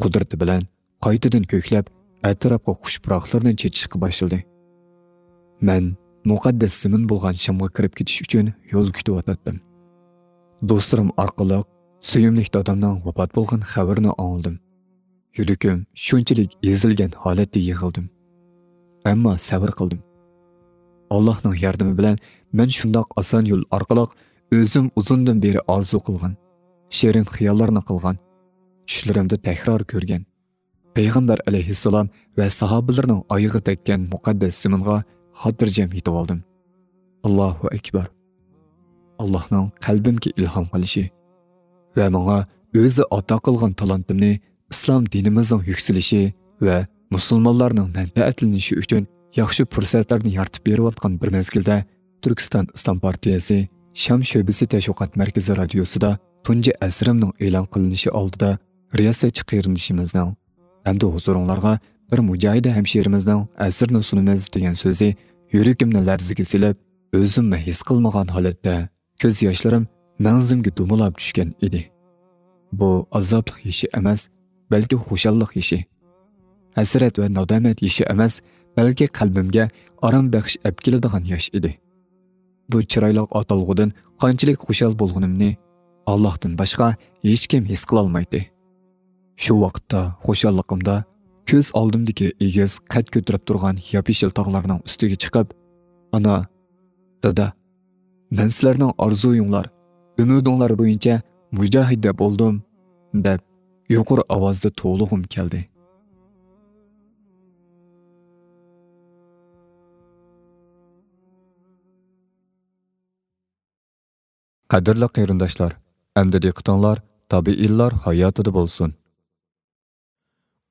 قۇدرىتى بىلەن قايتىدىن كۆكلەپ، ئەتراپقا خۇش پۇراقلىرىنى چېچىشقا باشلىدى. مەن مۇقەددەس زېمىن بولغان شامغا كىرىپ كېتىش ئۈچۈن يول كۈتۈۋاتاتتىم. دوستلىرىم ئارقىلىق سۆيۈملۈك دادامنىڭ ۋاپات بولغان خەۋىرىنى ئاڭلىدىم. يۈرىكىم شۇنچىلىك ئېزىلگەن ھالەتتە يىغلىدىم. ئەمما سەۋر قىلدىم. ئاللاھنىڭ ياردىمى بىلەن مەن شۇنداق ئاسان يول ئارقىلىق ئۆزۈم ئۇزۇندىن بېرى ئارزۇ قىلغان، شېرىن خىياللارنى قىلغان، چۈشلىرىمدە تەكرار كۆرگەن، پەيغەمبەر ئەلەيھىسسالام ۋە ساھابىلىرىنىڭ ئايىغى تەگكەن مۇقەددەس زېمىنغا خاتىرجەم يېتىۋالدىم. ئاللاھۇ ئەكبەر! ئاللاھنىڭ قەلبىمگە ئىلھام قىلىشى ۋە ماڭا ئۆزى ئاتا قىلغان تالانتىمنى ئىسلام دىنىمىزنىڭ يۈكسىلىشى ۋە مۇسۇلمانلارنىڭ مەنپەئەتلىنىشى ئۈچۈن ياخشى پۇرسەتلەرنى يارىتىپ بېرىۋاتقان بىر مەزگىلدە، تۈركىستان ئىسلام پارتىيەسى شام شۆبىسى تەشۋىقات مەركىزى رادىيوسىدا تۇنجى ئەسىرىمنىڭ ئېلان قىلىنىشى ئالدىدا رىياسەتچى قېرىندىشىمىزنىڭ ھەمدە ھۇزۇرۇڭلارغا بىر مۇجاھىدە ھەمشىرىمىزنىڭ ئەسىرىنى سۇنىمىز دېگەن سۆزى يۈرىكىمنى لەرزىگە سېلىپ، ئۆزۈممۇ ھېس قىلمىغان ھالەتتە كۆز ياشلىرىم مەڭزىمگە دومىلاپ چۈشكەن ئىدى. بۇ ئازابلىق يېشى ئەمەس، بەلكى خۇشاللىق يېشى. ھەسرەت ۋە نادامەت يېشى ئەمەس، بەلكى قەلبىمگە ئارام بەخش ئەپ كېلىدىغان ياش ئىدى. بۇ چىرايلىق ئاتالغۇدىن قانچىلىك خۇشال بولغىنىمنى ئاللاھتىن باشقا ھېچكىم ھېس قىلالمايتتى. شۇ ۋاقىتتا خۇشاللىقىمدا كۆز ئالدىمدىكى ئېگىز قەد كۆتۈرۈپ تۇرغان ياپيېشىل تاغلارنىڭ ئۈستىگە چىقىپ، «ئانا، دادا، مەن سىلەرنىڭ ئارزۇيۇڭلار، ئۈمىدىڭلار بويىچە مۇجاھىدە بولدۇم» دەپ، يۇقىرى ئاۋازدا توۋلىغۇم كەلدى. قەدىرلىك قېرىنداشلار، ئەمدى دىققىتىڭلار تابىئىنلار ھاياتىدا بولسۇن.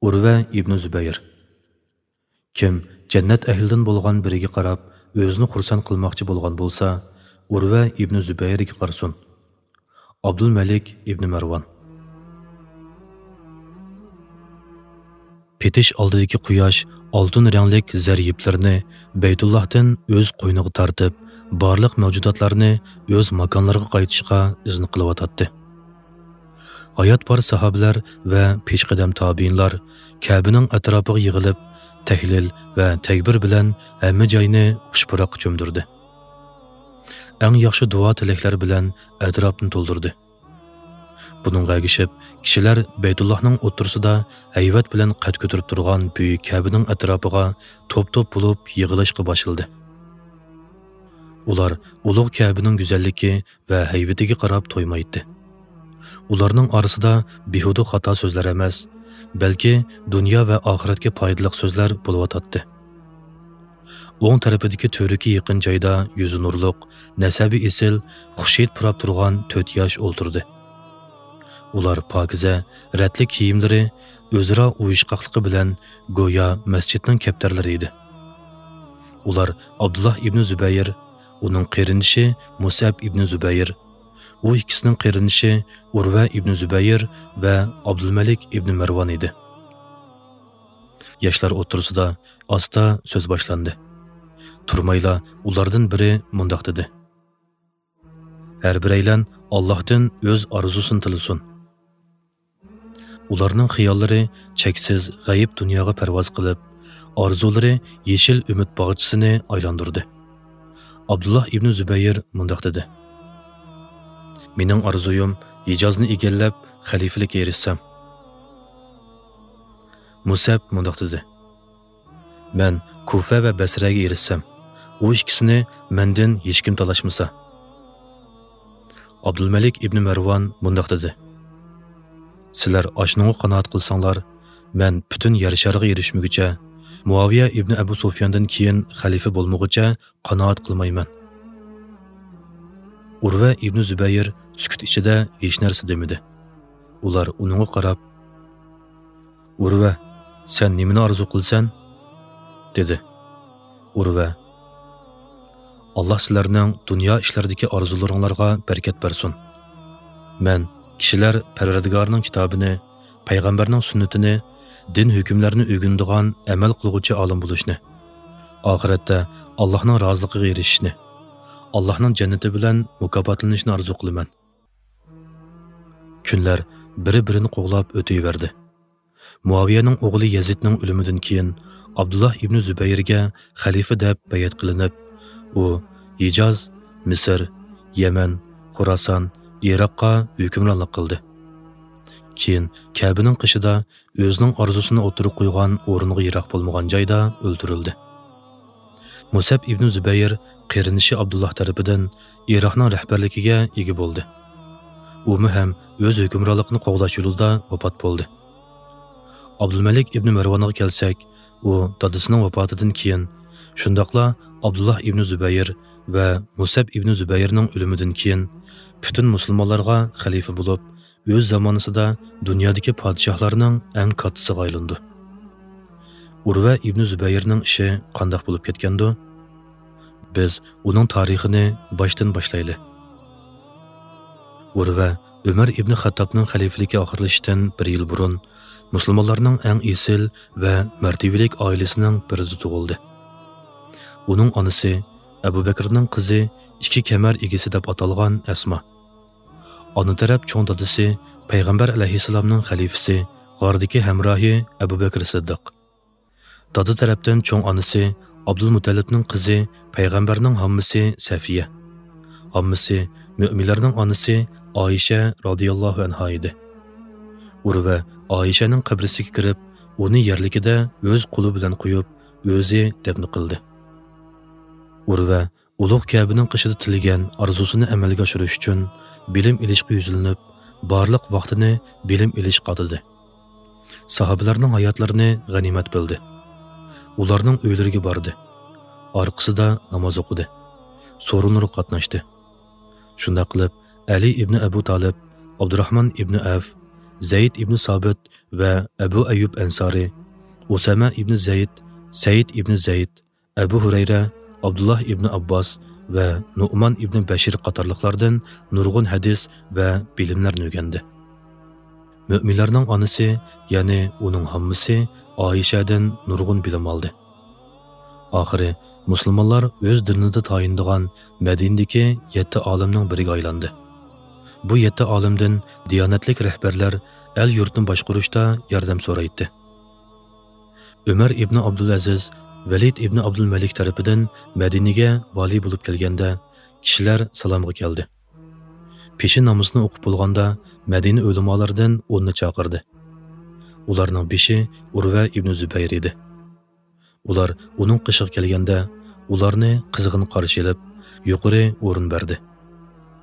ئۇرۋە ئىبنى زۇبەير. كىم جەننەت ئەھلىدىن بولغان بىرىگە قاراپ ئۆزىنى خۇرسەن قىلماقچى بولغان بولسا، ئۇرۋە ئىبنى زۇبەيرگە قارىسۇن. ئابدۇلمەلىك ئىبنى مەرۋان. پېتىش ئالدىدىكى قۇياش ئالتۇن رەڭلىك زەر يىپلىرىنى بەيتۇللاھتىن ئۆز قوينىغا تارتىپ، بارلىق مەۋجۇداتلارنى ئۆز ماكانلىرىغا قايتىشقا ئىزن قىلىۋاتاتتى. ھايات بار ساھابىلەر ۋە پېشقەدەم تابىئىنلار كەبىنىڭ ئەتراپىغا يىغىلىپ، تەھلىل ۋە تەكبىر بىلەن ھەممە جاينى خۇش-پۇراققا چۆمدۈردى. ئەڭ ياخشى دۇئا-تىلەكلەر بىلەن ئەتراپنى تولدۇردى. بۇنىڭغا ئەگىشىپ، كىشىلەر بەيتۇللاھنىڭ ئوتتۇرىسىدا ھەيۋەت بىلەن قەد كۆتۈرۈپ تۇرغان بۈيۈك كەبىنىڭ ئەتراپىغا توپ-توپ بولۇپ يىغىلىشقا باشلىدى. ئۇلار ئۇلۇغ كەبىنىڭ گۈزەللىكى ۋە ھەيۋىتىگە قاراپ تويمايتتى. ئۇلارنىڭ ئارىسىدا بىھۇدە خاتا سۆزلەر ئەمەس، بەلكى دۇنيا ۋە ئاخىرەتكە پايدىلىق سۆزلەر بولۇۋاتاتتى. ئوڭ تەرىپىدىكى تۈۋرۈكى يېقىن جايدا يۈزى نۇرلۇق، نەسەبى ئېسىل، خۇشھىد پۇراپ تۇرغان تۆت ياش ئولتۇردى. ئۇلار پاكىزە، رەتلىك كىيىملىرى ئۆزئارا ئۇيۇشقاقلىقى بىلەن گويا مەسچىتنىڭ كەپتەرلىرى ئىدى. ئۇلار ئابدۇللا ئىبنى زۇبەير، ئۇنىڭ قېرىندىشى مۇسئەب ئىبنى زۇبەير، ئۇ ئىككىسىنىڭ قېرىندىشى ئۇرۋە ئىبنى زۇبەير ۋە ئابدۇلمەلىك ئىبنى مەرۋان ئىدى. ياشلار ئوتتۇرىسىدا ئاستا سۆز باشلاندى. تۇرمايلا ئۇلاردىن بىرى مۇنداق دېدى: «ھەر بىرەيلەن ئاللاھتىن ئۆز ئارزۇسىنى تىلىسۇن.» ئۇلارنىڭ خىياللىرى چەكسىز غەيىب دۇنياغا پەرۋاز قىلىپ، ئارزۇلىرى يېشىل ئۈمىد باغچىسىنى ئايلاندۇردى. ئابدۇللا ئىبنى زۇبەير مۇنداق دېدى: «مېنىڭ ئارزۇيۇم ھىجازنى ئىگىلەپ، خەلىپىلىككە ئېرىشسەم.» مۇسەب مۇنداق دېدى: «مەن كۇفە ۋە بەسرەگە ئېرىشسەم، ئۇ ئىككىسىنى مەندىن ھېچكىم تالاشمىسا.» ئابدۇلمەلىك ئىبنى مەرۋان مۇنداق دېدى: «سىلەر ئاشۇنىڭغا قانائەت قىلساڭلار، مەن پۈتۈن يەر شارىغا ئېرىشمىگۈچە، مۇئاۋىيە ئىبنى ئەبۇ سۇفياندىن كېيىن خەلىپە بولمىغۇچە قانائەت قىلمايمەن.» ئۇرۋە ئىبنى زۇبەير سۈكۈت ئىچىدە ھېچ نەرسە دېمىدى. ئۇلار ئۇنىڭغا قاراپ: «ئۇرۋە، سەن نېمىنى ئارزۇ قىلىسەن؟» دېدى. ئۇرۋە: «ئاللا سىلەرنىڭ دۇنيا ئىشلىرىدىكى ئارزۇلىرىڭلارغا بەرىكەت بەرسۇن. مەن كىشىلەر پەرۋەردىگارنىڭ كىتابىنى، پەيغەمبەرنىڭ سۈننىتىنى، دىن ھۆكۈملەرنى ئۆگىنىدىغان ئەمەل قىلغۇچى ئالىم بولۇشنى، ئاخىرەتتە ئاللانىڭ رازىلىقىغا ئېرىشىشنى، ئاللانىڭ جەننىتى بىلەن مۇكاپاتلىنىشنى ئارزۇ قىلىمەن.» كۈنلەر بىرى-بىرىنى قوغلاپ ئۆتۈۋەردى. مۇئاۋىيەنىڭ ئوغلى يەزىدنىڭ ئۆلۈمىدىن كېيىن، ئابدۇللا ئىبنى زۇبەيرگە خەلىپە دەپ بەيئەت قىلىنىپ، ئۇ ھىجاز، مىسىر، يەمەن، خوراسان، ئىراققا ھۆكۈمرانلىق قىلدى. كېيىن كەبىنىڭ قېشىدا ئۆزىنىڭ ئارزۇسىنى ئوتتۇرىغا قويغان ئورۇنغا يىراق بولمىغان جايدا ئۆلتۈرۈلدى. مۇسەب ئىبنى زۇبەير قېرىندىشى ئابدۇللا تەرىپىدىن ئىراقنىڭ رەھبەرلىكىگە ئىگە بولدى. ئۇمۇ ھەم ئۆز ھۆكۈمرانلىقىنى قوغداش يولىدا ۋاپات بولدى. ئابدۇلمەلىك ئىبنى مەرۋانغا كەلسەك، ئۇ دادىسىنىڭ ۋاپاتىدىن كېيىن، شۇنداقلا ئابدۇللا ئىبنى زۇبەير ۋە مۇسەب ئىبنى زۇبەيرنىڭ ئۆلۈمىدىن كېيىن، پۈتۈن مۇسۇلمانلارغا خەلىپە بولۇپ، ئۆز زامانىسىدا دۇنيادىكى پادىشاھلارنىڭ ئەڭ كاتتىسىغا ئايلىنىدۇ. ئۇرۋە ئىبنى زۇبەيرنىڭ ئىشى قانداق بولۇپ كەتكەندۇ؟ بىز ئۇنىڭ تارىخىنى باشتىن باشلايلى. ئۇرۋە ئۆمەر ئىبنى خەتتابنىڭ خەلىپىلىكى ئاخىرلىشىشتىن بىر يىل بۇرۇن مۇسۇلمانلارنىڭ ئەڭ ئېسىل ۋە مەرتىۋىلىك ئائىلىسىنىڭ بىرىدە تۇغۇلدى. ئۇنىڭ ئانىسى ئەبۇ بەكرىنىڭ قىزى، ئىككى كەمەر ئىگىسى دەپ ئاتالغان ئەسما. ئانا تەرەپ چوڭ دادىسى پەيغەمبەر ئەلەيھىسسالامنىڭ خەلىپىسى، غاردىكى ھەمراھى ئەبۇ بەكرى سىددىق. دادا تەرەپتىن چوڭ ئانىسى ئابدۇلمۇتەللىپنىڭ قىزى، پەيغەمبەرنىڭ ھاممىسى سەفىيە. ھاممىسى مۆمىنلەرنىڭ ئانىسى ئائىشە رازىياللاھۇ ئەنھا ئىدى. ئۇرۋە ئائىشەنىڭ قەبرىسىگە كىرىپ، ئۇنى يەرلىكىدە ئۆز قولى بىلەن قويۇپ، ئۆزى دەپنە قىلدى. ئۇرۋە ئۇلۇغ كەبىنىڭ قېشىدا تىلىگەن ئارزۇسىنى ئەمەلگە ئاشۇرۇش ئۈچۈن بىلىم ئېلىشقا يۈزلىنىپ، بارلىق ۋاقتىنى بىلىم ئېلىشقا ئاتىدى. ساھابىلەرنىڭ ھاياتلىرىنى غەنىيمەت بىلدى. ئۇلارنىڭ ئۆيلىرىگە باردى. ئارقىسىدا ناماز ئوقۇدى. سورۇنلىرىغا قاتناشتى. شۇنداق قىلىپ، ئەلى ئىبنى ئەبۇ تالىپ، ئابدۇراھمان ئىبنى ئەۋف، زەيد ئىبنى سابىت ۋە ئەبۇ ئەييۇب ئەنسارى، ئۇسامە ئىبنى زەيد، سەئىد ئىبنى زەيد، ئەبۇ ھۇرەيرە، ئابدۇللا ئىبنى ئابباس ۋە نۇئمان ئىبنى بەشىر قاتارلىقلاردىن نۇرغۇن ھەدىس ۋە بىلىملەرنى ئۆگەندى. مۆمىنلەرنىڭ ئانىسى، يەنى ئۇنىڭ ھاممىسى ئائىشەدىن نۇرغۇن بىلىم ئالدى. ئاخىرى مۇسۇلمانلار ئۆز دىنىدا تايىنىدىغان مەدىنىدىكى يەتتە ئالىمنىڭ بىرىگە ئايلاندى. بۇ يەتتە ئالىمدىن دىيانەتلىك رەھبەرلەر ئەل-يۇرتنى باشقۇرۇشتا ياردەم سورايتتى. ئۆمەر ئىبنى ئابدۇلئەزىز، ۋەلىد ئىبنى ئابدۇلمەلىك تەرىپىدىن مەدىنىگە ۋالىي بولۇپ كەلگەندە، كىشىلەر سالامغا كەلدى. پېشىن نامىزىنى ئوقۇپ بولغاندا، مەدىنە ئۆلىمالىرىدىن ئوننى چاقىردى. ئۇلارنىڭ بېشى ئۇرۋە ئىبنى زۇبەير ئىدى. ئۇلار ئۇنىڭ قېشىغا كەلگەندە، ئۇلارنى قىزغىن قارشى ئېلىپ، يۇقىرى ئورۇن بەردى.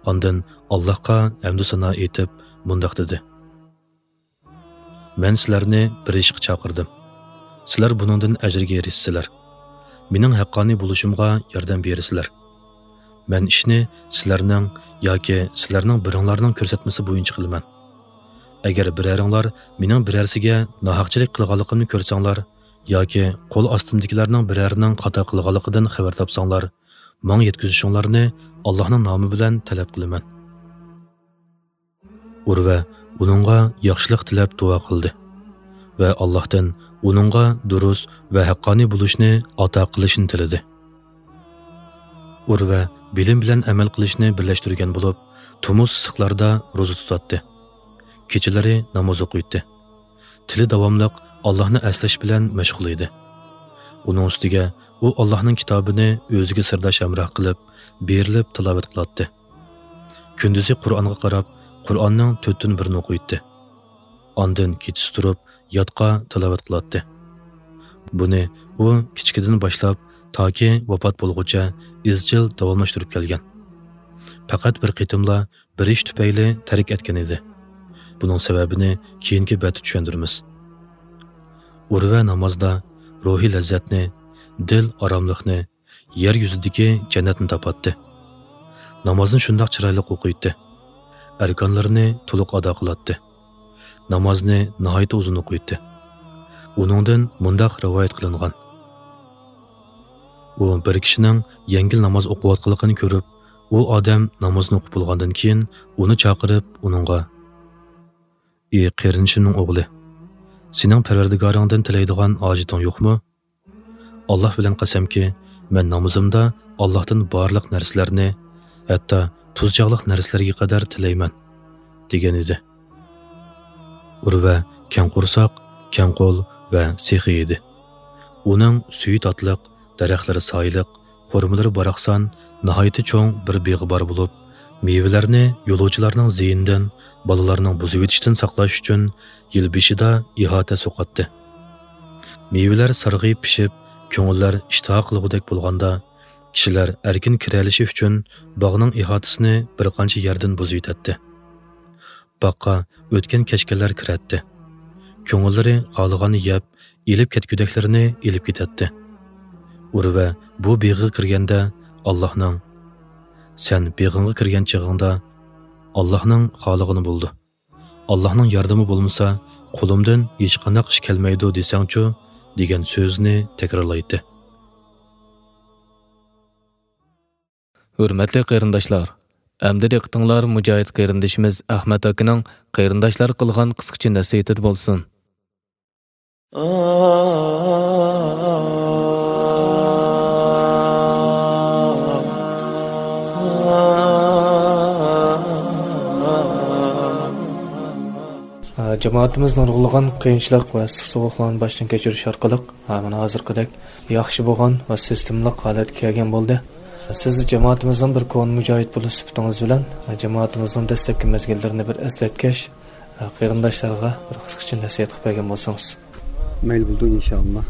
ئاندىن ئاللاھقا ھەمدۇ سانا ئېيتىپ، مۇنداق دېدى: «مەن سىلەرنى بىر ئىشقا چاقىردىم. سىلەر بۇنىڭدىن ئەجىرگە ئېرىشىسىلەر. مېنىڭ ھەققانىي بولۇشۇمغا ياردەم بېرىسىلەر. مەن ئىشنى سىلەرنىڭ ياكى سىلەرنىڭ بىرىڭلارنىڭ كۆرسەتمىسى بويىچە قىلىمەن. ئەگەر بىرەرىڭلار مېنىڭ بىرەرسىگە ناھەقچىلىك قىلغانلىقىمنى كۆرسەڭلار ياكى قول ئاستىمدىكىلەرنىڭ بىرەرىنىڭ خاتا قىلغانلىقىدىن خەۋەر تاپساڭلار، ماڭا يەتكۈزۈشۈڭلارنى ئاللاھنىڭ نامى بىلەن تەلەپ قىلىمەن.» ئۇرۋە ئۇنىڭغا ياخشىلىق تىلەپ دۇئا قىلدى ۋە ئاللاھتىن ئۇنىڭغا دۇرۇس ۋە ھەققانىي بولۇشنى ئاتا قىلىشنى تىلىدى. ئۇرۋە بىلىم بىلەن ئەمەل قىلىشنى بىرلەشتۈرگەن بولۇپ، تومۇز ئىسسىقلاردا روزا تۇتاتتى. كېچىلىرى ناماز ئوقۇيتتى. تىلى داۋاملىق ئاللاھنى ئەسلەش بىلەن مەشغۇل ئىدى. ئۇنىڭ ئۈستىگە ئۇ ئاللاھنىڭ كىتابىنى ئۆزىگە سىرداش ھەمراھ قىلىپ، بېرىلىپ تىلاۋەت قىلاتتى. كۈندۈزى قۇرئانغا قاراپ، قۇرئاننىڭ تۆتتىن بىرىنى ئوقۇيتتى. ئاندىن كېچىسى تۇرۇپ، ياتقا تىلاۋەت قىلاتتى. بۇنى ئۇ كىچىكىدىن باشلاپ، تاكى ۋاپات بولغۇچە ئىزچىل داۋاملاشتۇرۇپ كەلگەن. پەقەت بىر قېتىملا بىر ئىش تۈپەيلى تەرك ئەتكەن ئىدى. بۇنىڭ سەۋەبىنى كېيىنكى بەتتە چۈشەندۈرىمىز. ئۇرۋە نامازدا روھىي لەززەتنى، دىل ئاراملىقنى، يەر يۈزىدىكى جەننەتنى تاپاتتى. نامازنى شۇنداق چىرايلىق ئوقۇيتتى. ئەركانلىرىنى تولۇق ئادا قىلاتتى. نامازنى ناھايىتى ئۇزۇن ئوقۇيتتى. ئۇنىڭدىن مۇنداق رىۋايەت قىلىنغان: ئۇ بىر كىشىنىڭ يەڭگىل ناماز ئوقۇۋاتقانلىقىنى كۆرۈپ، ئۇ ئادەم نامازنى ئوقۇپ بولغاندىن كېيىن ئۇنى چاقىرىپ، ئۇنىڭغا: «ئى قېرىندىشىمنىڭ ئوغلى، سېنىڭ پەرۋەردىگارىڭدىن تىلەيدىغان ھاجىتىڭ يوقمۇ؟ ئاللاھ بىلەن قەسەمكى، مەن نامىزىمدا ئاللاھتىن بارلىق نەرسىلەرنى، ھەتتا تۇز چاغلىق نەرسىلەرگە قەدەر تىلەيمەن» دېگەن ئىدى. ئۇرۋە كەڭ قورساق، كەڭ قول ۋە سېخىي ئىدى. ئۇنىڭ سۈيى تاتلىق، دەرەخلىرى سايىلىق، خورمىلىرى باراقسان، ناھايىتى چوڭ بىر بېغى بار بولۇپ، مېۋىلەرنى يولۇچىلارنىڭ زىيىنىدىن، بالىلارنىڭ بۇزۇۋېتىشتىن ساقلاش ئۈچۈن يىل بېشىدا ئىھاتە سوقاتتى. مېۋىلەر سارغىيىپ پىشىپ، كۆڭۈللەر ئىشتىها قىلغۇدەك بولغاندا، كىشىلەر ئەركىن كىرەلىشى ئۈچۈن باغنىڭ ئىھاتىسىنى بىر قانچە يەردىن بۇزۇۋېتەتتى. باغقا ئۆتكەن-كەچكەنلەر كىرەتتى. كۆڭۈللىرى خالىغاننى يەپ، ئېلىپ كەتكۈدەكلىرىنى ئېلىپ كېتەتتى. ئۇرۋە بۇ بېغىغا كىرگەندە، ئاللاھنىڭ، «سەن بېغىڭغا كىرگەن چېغىڭدا، ئاللاھنىڭ خالىغىنى بولىدۇ. ئاللاھنىڭ ياردىمى بولمىسا، قولۇمدىن ھېچقانداق ئىش كەلمەيدۇ دېسەڭچۇ؟» دېگەن سۆزىنى تەكرارلايتتى. ھۆرمەتلىك قېرىنداشلار، ئەمدى دىققىتىڭلار مۇجاھىد قېرىندىشىمىز ئەخمەت ئاكىنىڭ قېرىنداشلارغا قىلغان قىسقىچە نەسىھىتىدە بولسۇن. جامائىتىمىز نۇرغۇنلىغان قىيىنچىلىق ۋە ئىسسىق سوغۇقلارنى باشتىن كەچۈرۈش ئارقىلىق، ھە، مانا ھازىرقىدەك ياخشى بولغان ۋە سىستېمىلىق ھالەتكە كەلگەن بولدى. سىز جامائىتىمىزنىڭ بىر كونا مۇجاھىد بولۇش سۈپىتىڭىز بىلەن، ھە، جامائىتىمىزنىڭ دەسلەپكى مەزگىللىرىنى بىر ئەسلەتكەچ، ھە، قېرىنداشلارغا بىر قىسقىچە نەسىھەت قىلىپ بەرگەن بولسىڭىز. مەيلى بولىدۇ، ئىنشائاللا.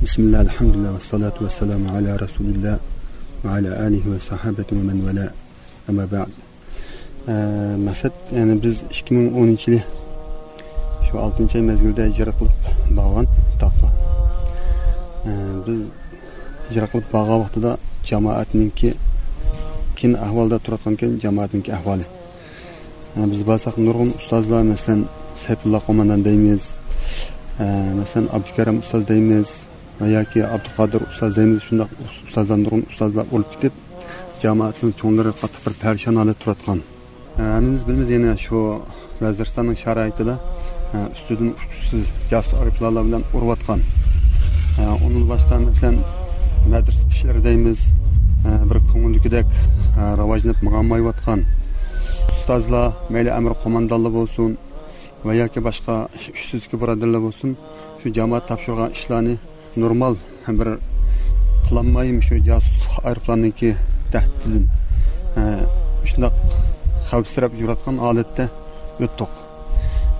بىسمىللا، ئەلھەمدۇلىللا، ۋەسسالاتۇ ۋەسسالامۇ ئەلا رەسۇلىللا ۋە ئەلا ئالىھى ۋە ساھابەتى ۋە مەن ۋەلا. ئەمما بەئد. ئە، مەقسەت، يەنى بىز ئىككى مىڭ ئونىنچى يىلى شۇ ئالتىنچى ئاي مەزگىلدە ھىجرەت قىلىپ بارغان تاغقا. ئە، بىز ھىجرەت قىلىپ بارغان ۋاقتىدا جامائەتنىڭكى قىيىن ئەھۋالدا تۇرۇۋاتقانىكەن، جامائەتنىڭكى ئەھۋالى. ئە، بىز بارساق نۇرغۇن ئۇستازلار، مەسىلەن، سەيپۇللا قوماندان دەيمىز، ئە، مەسىلەن، ئابدۇكەرىم ئۇستاز دەيمىز، ۋە ياكى ئابدۇقادىر ئۇستاز دەيمىز، شۇنداق ئۇستازلار، نۇرغۇن ئۇستازلار ئۆلۈپ كېتىپ، جامائەتنىڭ چوڭلىرى قاتتىق بىر پەرىشان ھالەتتە تۇرۇۋاتقان. ھەممىمىز بىلىمىز، يەنە شۇ ۋەزىرىستاننىڭ شارائىتىدا، ئۈستىدىن ئۇچقۇچىسىز جاسۇس ئايروپىلانلار بىلەن ئۇرۇۋاتقان. ئۇنىڭدىن باشقا، مەسىلەن، مەدرىسە ئىشلىرى دەيمىز، بىر كۆڭۈلدىكىدەك راۋاجلىنىپ ماڭالمايۋاتقان. ئۇستازلار، مەيلى ئەمىر قوماندانلار بولسۇن ۋە ياكى باشقا ئۈستىدىكى بۇرادەرلەر بولسۇن، شۇ جامائەت تاپشۇرغان ئىشلارنى نورمال بىر قىلالماي، مۇشۇ جاسۇسلۇق ئايروپىلاننىڭكى تەھدىتىدىن، ئە، شۇنداق خەۋپسىرەپ يۈرۈۋاتقان ھالەتتە ئۆتتۇق.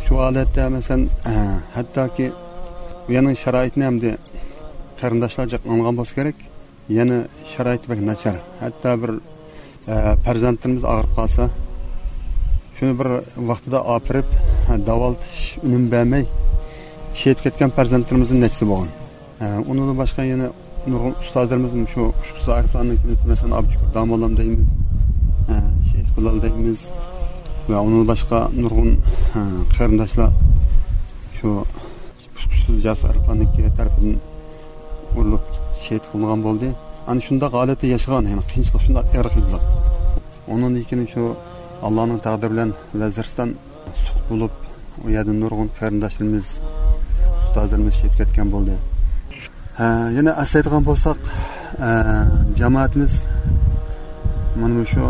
شۇ ھالەتتە، مەسىلەن، ئە، ھەتتاكى بۇ يەرنىڭ شارائىتىنى ئەمدى قېرىنداشلار جىق ئاڭلىغان بولسا كېرەك، يەنە شارائىتى بەك ناچار. ھەتتا بىر ئە، پەرزەنتلىرىمىز ئاغرىپ قالسا، شۇنى بىر ۋاقتىدا ئاپىرىپ، ئە، داۋالىتىش ئۈنۈم بەرمەي، شېھىت كەتكەن پەرزەنتلىرىمىزنىڭ نەچچىسى بولغان. ئە، ئۇنىڭدىن باشقا يەنە نۇرغۇن ئۇستازلىرىمىز مۇشۇ ئۇچقۇچىسىز ئايروپىلاننىڭ كېلىمىسى، مەسىلەن، ئابدۇشۈكۈر داموللام دەيمىز، ئە، شەيخ بىلال دەيمىز ۋە ئۇنىڭدىن باشقا نۇرغۇن، ئە، قېرىنداشلار شۇ ئۇچقۇچىسىز جاسۇس ئايروپىلاننىڭكى تەرىپىدىن ئۇرۇلۇپ شېھىت قىلىنغان بولدى. ئەنە شۇنداق ھالەتتە ياشىغان، يەنى قىيىنچىلىق، شۇنداق ئېغىر قىيىنچىلىق. ئۇنىڭدىن كېيىن شۇ ئاللانىڭ تەقدىرى بىلەن ۋەزىرىستان سۇقۇت بولۇپ، ئۇ يەردە نۇرغۇن قېرىنداشلىرىمىز، ئۇستازلىرىمىز شېھىت كەتكەن بولدى. ھە، يەنە ئەسلەيدىغان بولساق، ئە، جامائىتىمىز مانا مۇشۇ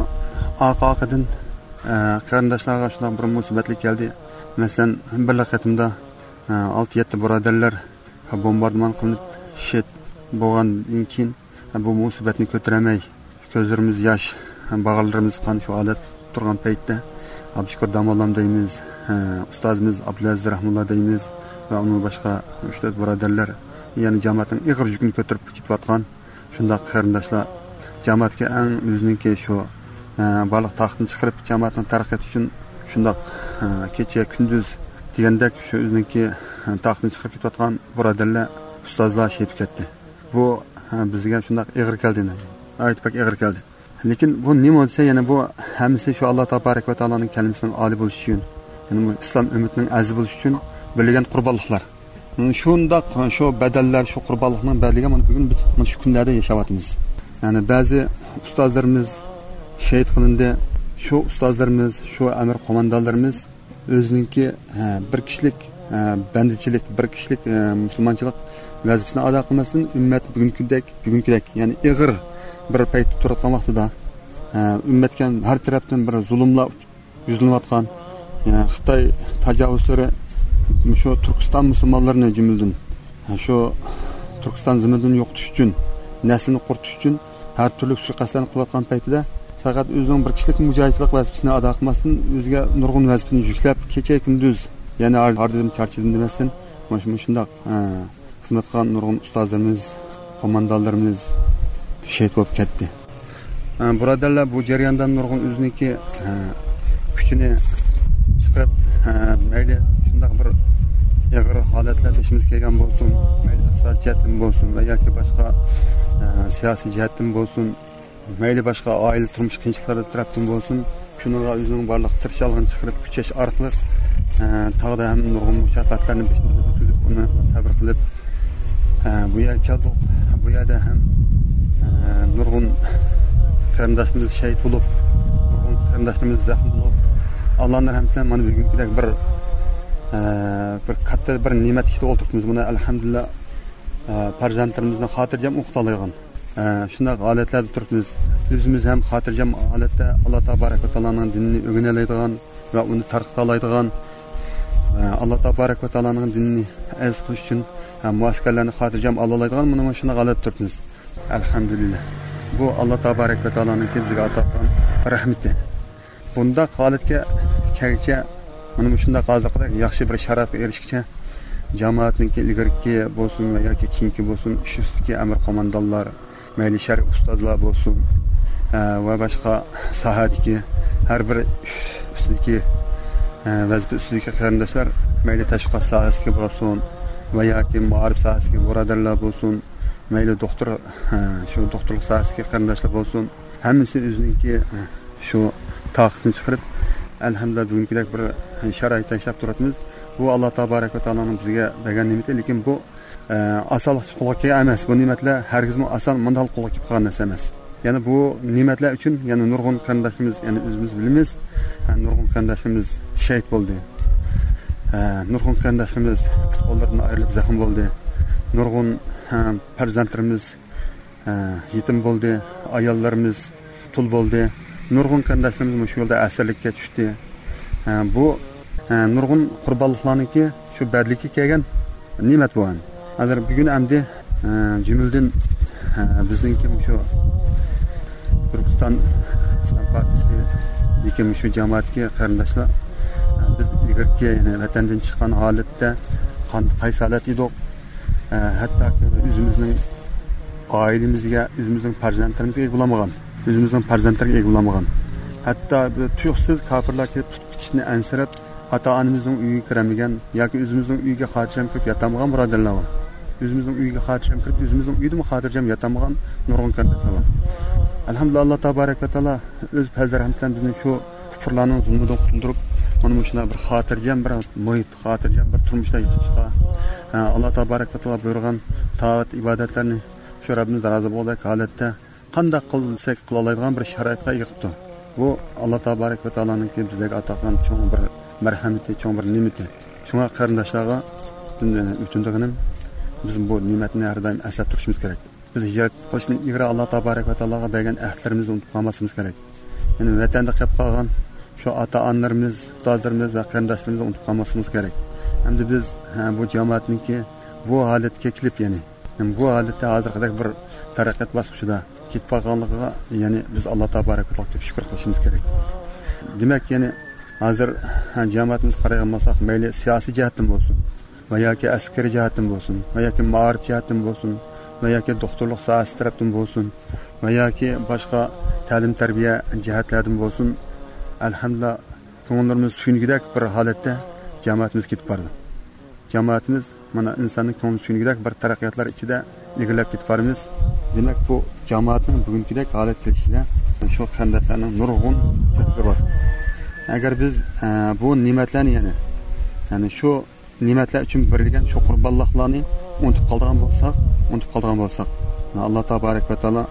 ئارقا-ئارقىدىن، ئە، قېرىنداشلارغا شۇنداق بىر مۇسىبەتلىك كەلدى. مەسىلەن، بىرلا قېتىمدا ئالتە-يەتتە بۇرادەرلەر بومباردىمان قىلىنىپ شېھىت بولغاندىن كېيىن، بۇ مۇسىبەتنى كۆتۈرەلمەي، كۆزلىرىمىز ياش، باغرىلىرىمىز قان شۇ ھالەتتە تۇرغان پەيتتە، ئابدۇشۈكۈر داموللام دەيمىز، ئۇستازىمىز ئابدۇلئەزىز رەھمۇللا دەيمىز ۋە ئۇنىڭ باشقا ئۈچ-تۆت بۇرادەرلەر يەنە جامائەتنىڭ ئېغىر يۈكىنى كۆتۈرۈپ كېتىۋاتقان. شۇنداق قېرىنداشلار جامائەتكە ئەڭ ئۆزىنىڭكى شۇ، ئە، بارلىق تاقىتىنى چىقىرىپ، جامائەتنىڭ تەرەققىياتى ئۈچۈن شۇنداق، ئە، كېچە كۈندۈز دېگەندەك شۇ ئۆزىنىڭكى، ئە، تاقىتىنى چىقىرىپ كېتىۋاتقان بۇرادەرلەر، ئۇستازلار شېھىت كەتتى. بۇ، ئە، بىزگە شۇنداق ئېغىر كەلدى، ناھايىتى بەك ئېغىر كەلدى. لېكىن بۇ نېمە دېسە، يەنە بۇ ھەممىسى شۇ ئاللا تابارەك ۋە تائالانىڭ كەلىمىسىنىڭ ئالىي بولۇشى ئۈچۈن، يەنى بۇ ئىسلام ئۈممىتىنىڭ ئەزىز بولۇشى ئۈچۈن بېرىلگەن قۇربانلىقلار. شۇنداق شۇ بەدەللەر، شۇ قۇربانلىقنىڭ بەدىلىگە مانا بۈگۈن بىز مانا شۇ كۈنلەردە ياشاۋاتىمىز. يەنى بەزى ئۇستازلىرىمىز شېھىت قىلىندى. شۇ ئۇستازلىرىمىز، شۇ ئەمىر قوماندانلىرىمىز ئۆزىنىڭكى، ھە، بىر كىشىلىك، ھە، بەندىچىلىك، بىر كىشىلىك، ھە، مۇسۇلمانچىلىق ۋەزىپىسىنى ئادا قىلماستىن، ئۈممەت بۈگۈنكىدەك، بۈگۈنكىدەك، يەنى ئېغىر بىر پەيتتە تۇرۇۋاتقان ۋاقتىدا، ھە، ئۈممەتكە ھەر تەرەپتىن بىر زۇلۇملار يۈزلىنىۋاتقان، يەنى خىتاي تاجاۋۇزچىلىرى شۇ تۈركىستان مۇسۇلمانلىرىنى جۈملىدىن، شۇ تۈركىستان زېمىنىدىن يوقىتىش ئۈچۈن، نەسلىنى قۇرۇتۇش ئۈچۈن ھەر تۈرلۈك سۇيىقەستلەرنى قىلىۋاتقان پەيتىدە، پەقەت ئۆزىنىڭ بىر كىشىلىك مۇجاھىدچىلىق ۋەزىپىسىنى ئادا قىلماستىن، ئۆزىگە نۇرغۇن ۋەزىپىنى يۈكلەپ، كېچە-كۈندۈز، يەنى ھار-، ھاردىدىم، چارچىدىم دېمەستىن، مۇش-، مۇشۇنداق، ھە، خىزمەت قىلغان نۇرغۇن ئۇستازلىرىمىز، قوماندانلىرىمىز شېھىت بولۇپ كەتتى. ھە، بۇرادەرلەر بۇ جەرياندا نۇرغۇن ئۆزىنىڭكى، ھە، كۈچىنى چىقىرىپ، ھە، مەيلى شۇنداق بىر ئېغىر ھالەتلەر بېشىمىزغا كەلگەن بولسۇن، مەيلى ئىقتىساد جەھەتتىن بولسۇن ۋە ياكى باشقا، ھە، سىياسىي جەھەتتىن بولسۇن، مەيلى باشقا ئائىلە تۇرمۇش قىيىنچىلىقلىرى تەرەپتىن بولسۇن، شۇنىڭغا ئۆزىنىڭ بارلىق تىرىشچانلىقىنى چىقىرىپ كۈچەش ئارقىلىق، ئە، تاغدا ھەم نۇرغۇن مۇشەققەتلەرنى بېشىمىزدىن ئۆتكۈزۈپ، ئۇنى سەۋر قىلىپ، ئە، بۇ يەرگە كەلدۇق. بۇ يەردە ھەم، ئە، نۇرغۇن قېرىنداشلىرىمىز شېھىت بولۇپ، نۇرغۇن قېرىنداشلىرىمىز زەخىم بولۇپ، ئاللانىڭ رەھمىتى بىلەن مانا بۈگۈنكىدەك بىر، ئە، بىر كاتتا بىر نېمەت ئىچىدە ئولتۇرۇپمىز. مانا ئەلھەمدۇلىللا، ئە، پەرزەنتلىرىمىزنى خاتىرجەم ئوقۇتالايدىغان، ئە، شۇنداق ھالەتلەردە تۇرۇپمىز. ئۆزىمىز ھەم خاتىرجەم ھالەتتە ئاللا تابارەك ۋە تائالانىڭ دىنىنى ئۆگىنەلەيدىغان ۋە ئۇنى تارقىتالايدىغان، ئە، ئاللا تابارەك ۋە تائالانىڭ دىنىنى ئەزىز قىلىش ئۈچۈن، ئە، مۇئەسكەرلەرنى خاتىرجەم ئالىلايدىغان مانا مۇشۇنداق ھالەتتە تۇرۇپمىز. ئەلھەمدۇلىللا. بۇ ئاللا تابارەك ۋە تائالانىڭكى بىزگە ئاتا قىلغان رەھمىتى. بۇنداق ھالەتكە كەلگۈچە، مانا مۇشۇنداق ھازىرقىدەك ياخشى بىر شارائىتقا ئېرىشكىچە، جامائەتنىڭكى ئىلگىرىكى بولسۇن ۋە ياكى كېيىنكى بولسۇن، ئۈستىدىكى ئەمىر قوماندانلار، مەيلى شەرئىي ئۇستازلار بولسۇن، ئە، ۋە باشقا ساھەدىكى ھەر بىر ئۈستىدىكى، ئە، ۋەزىپە ئۈستىدىكى قېرىنداشلار، مەيلى تەشۋىقات ساھەسىدىكى بولسۇن ۋە ياكى مائارىپ ساھەسىدىكى بۇرادەرلەر بولسۇن، مەيلى دوختۇر، ئە، شۇ دوختۇرلۇق ساھەسىدىكى قېرىنداشلار بولسۇن، ھەممىسى ئۆزىنىڭكى، ئە، شۇ تاقىتىنى چىقىرىپ، ئەلھەمدۇلىللا، بۈگۈنكىدەك بىر شارائىتتا ياشاپ تۇرۇۋاتىمىز. بۇ، ئاللا تابارەك ۋە تائالانىڭ بىزگە بەرگەن نېمىتى، لېكىن بۇ، ئە، ئاسانلىقچە قولغا كەلگەن ئەمەس. بۇ نېمەتلەر ھەرگىزمۇ ئاسان مۇنداق قولغا كېلىپ قالغان نەرسە ئەمەس. يەنە بۇ نېمەتلەر ئۈچۈن يەنە نۇرغۇن قېرىنداشلىرىمىز، يەنە ئۆزىمىز بىلىمىز، ھە، نۇرغۇن قېرىنداشلىرىمىز شېھىت بولدى. ئە، نۇرغۇن قېرىنداشلىرىمىز پۇت-قوللىرىدىن ئايرىلىپ زەخىم بولدى. نۇرغۇن، ئە، پەرزەنتلىرىمىز، ئە، يېتىم بولدى. ئاياللىرىمىز تۇل بولدى. نۇرغۇن قېرىنداشلىرىمىز مۇشۇ يولدا ئەسىرلىككە چۈشتى. ئە، بۇ، ئە، نۇرغۇن قۇربانلىقلارنىڭكى شۇ بەدىلىگە كەلگەن نېمەت بۇ. ھازىر بۈگۈن ئەمدى، ئە، جۈملىدىن، ئە، بىزنىڭكى مۇشۇ تۈركىستان ئىسلام پارتىيىسىدىكى مۇشۇ جامائەتتىكى قېرىنداشلار، ئە، بىز ئىلگىرىكى، يەنى ۋەتەندىن چىققان ھالەتتە قان-، قايسى ھالەتتە ئىدۇق؟ ئە، ھەتتاكى ئۆزىمىزنىڭ ئائىلىمىزگە، ئۆزىمىزنىڭ پەرزەنتلىرىمىزگە ئىگە بولالمىغان، ئۆزىمىزنىڭ پەرزەنتلىرىگە ئىگە بولالمىغان. ھەتتا بىر تۇيۇقسىز كاپىرلار كېلىپ تۇتۇپ كېتىشىنى ئەنسىرەپ، ئاتا-ئانىمىزنىڭ ئۆيىگە كىرەلمىگەن ياكى ئۆزىمىزنىڭ ئۆيىگە خاتىرجەم كىرىپ ياتالمىغان بۇرادەرلەر بار. ئۆزىمىزنىڭ ئۆيىگە خاتىرجەم كىرىپ، ئۆزىمىزنىڭ ئۆيىدىمۇ خاتىرجەم ياتالمىغان نۇرغۇن قېرىنداشلار بار. ئەلھەمدۇلىللا، ئاللا تابارەك ۋە تائالا ئۆز پەزلى رەھمىتى بىلەن بىزنى شۇ كۇپۇرلارنىڭ زۇلمىدىن قۇتۇلدۇرۇپ، مانا مۇشۇنداق بىر خاتىرجەم بىر مۇھىت، خاتىرجەم بىر تۇرمۇشتا ياشاشقا، ئە، ئاللا تابارەك ۋە تائالا بۇيرۇغان تائەت ئىبادەتلەرنى شۇ رەببىمىز رازى بولغۇدەك ھالەتتە قانداق قىلساق قىلالايدىغان بىر شارائىتقا ئىگە قىپتۇ. بۇ ئاللا تابارەك ۋە تائالانىڭكى بىزلەرگە ئاتا قىلغان چوڭ بىر مەرھەمىتى، چوڭ بىر نېمىتى. شۇڭا قېرىنداشلارغا پۈتۈن، ئە، ئۆتۈنىدىغىنىم، بىز بۇ نېمەتنى ھەر دائىم ئەسلەپ تۇرۇشىمىز كېرەك. بىز ھىجرەت قىلىشتىن ئىلگىرى ئاللا تابارەك ۋە تائالاغا بەرگەن ئەھدلىرىمىزنى ئۇنتۇپ قالماسلىقىمىز كېرەك. يەنى ۋەتەندە قېلىپ قالغان شۇ ئاتا-ئانىلىرىمىز، ئۇستازلىرىمىز ۋە قېرىنداشلىرىمىزنى ئۇنتۇپ قالماسلىقىمىز كېرەك. ئەمدى بىز، ھە، بۇ جامائەتنىڭكى بۇ ھالەتكە كېلىپ، يەنى، يەنى بۇ ھالەتتە ھازىرقىدەك بىر تەرەققىيات باسقۇچىدا كېتىپ قالغانلىقىغا، يەنى بىز ئاللا تابارەك ۋە تائالاغا كۆپ شۈكۈر قىلىشىمىز كېرەك. دېمەك، يەنى ھازىر، ھە، جامائەتىمىزگە قارايدىغان بولساق، مەيلى سىياسىي جەھەتتىن بولسۇن، ۋە ياكى ئەسكىرىي جەھەتتىن بولسۇن، ۋە ياكى مائارىپ جەھەتتىن بولسۇن، ۋە ياكى دوختۇرلۇق ساھەسى تەرەپتىن بولسۇن، ۋە ياكى باشقا تەلىم-تەربىيە جەھەتلەردىن بولسۇن، ئەلھەمدۇلىللا، كۆڭۈللىرىمىز سۆيۈنگۈدەك بىر ھالەتتە جامائىتىمىز كېتىپ بارىدۇ. جامائىتىمىز مانا ئىنساننىڭ كۆڭلى سۆيۈنگۈدەك بىر تەرەققىياتلار ئىچىدە ئىلگىرىلەپ كېتىپ بارىمىز. دېمەك، بۇ جامائەتنىڭ بۈگۈنكىدەك ھالەتكە كېلىشىدە شۇ قېرىنداشلارنىڭ نۇرغۇن تۆھپىلىرى بار. ئەگەر بىز، ئە، بۇ نېمەتلەرنى، يەنى، يەنى شۇ نېمەتلەر ئۈچۈن بېرىلگەن شۇ قۇربانلىقلارنى ئۇنتۇپ قالىدىغان بولساق، ئۇنتۇپ قالىدىغان بولساق، ئاللا تابارەك ۋە تائالا،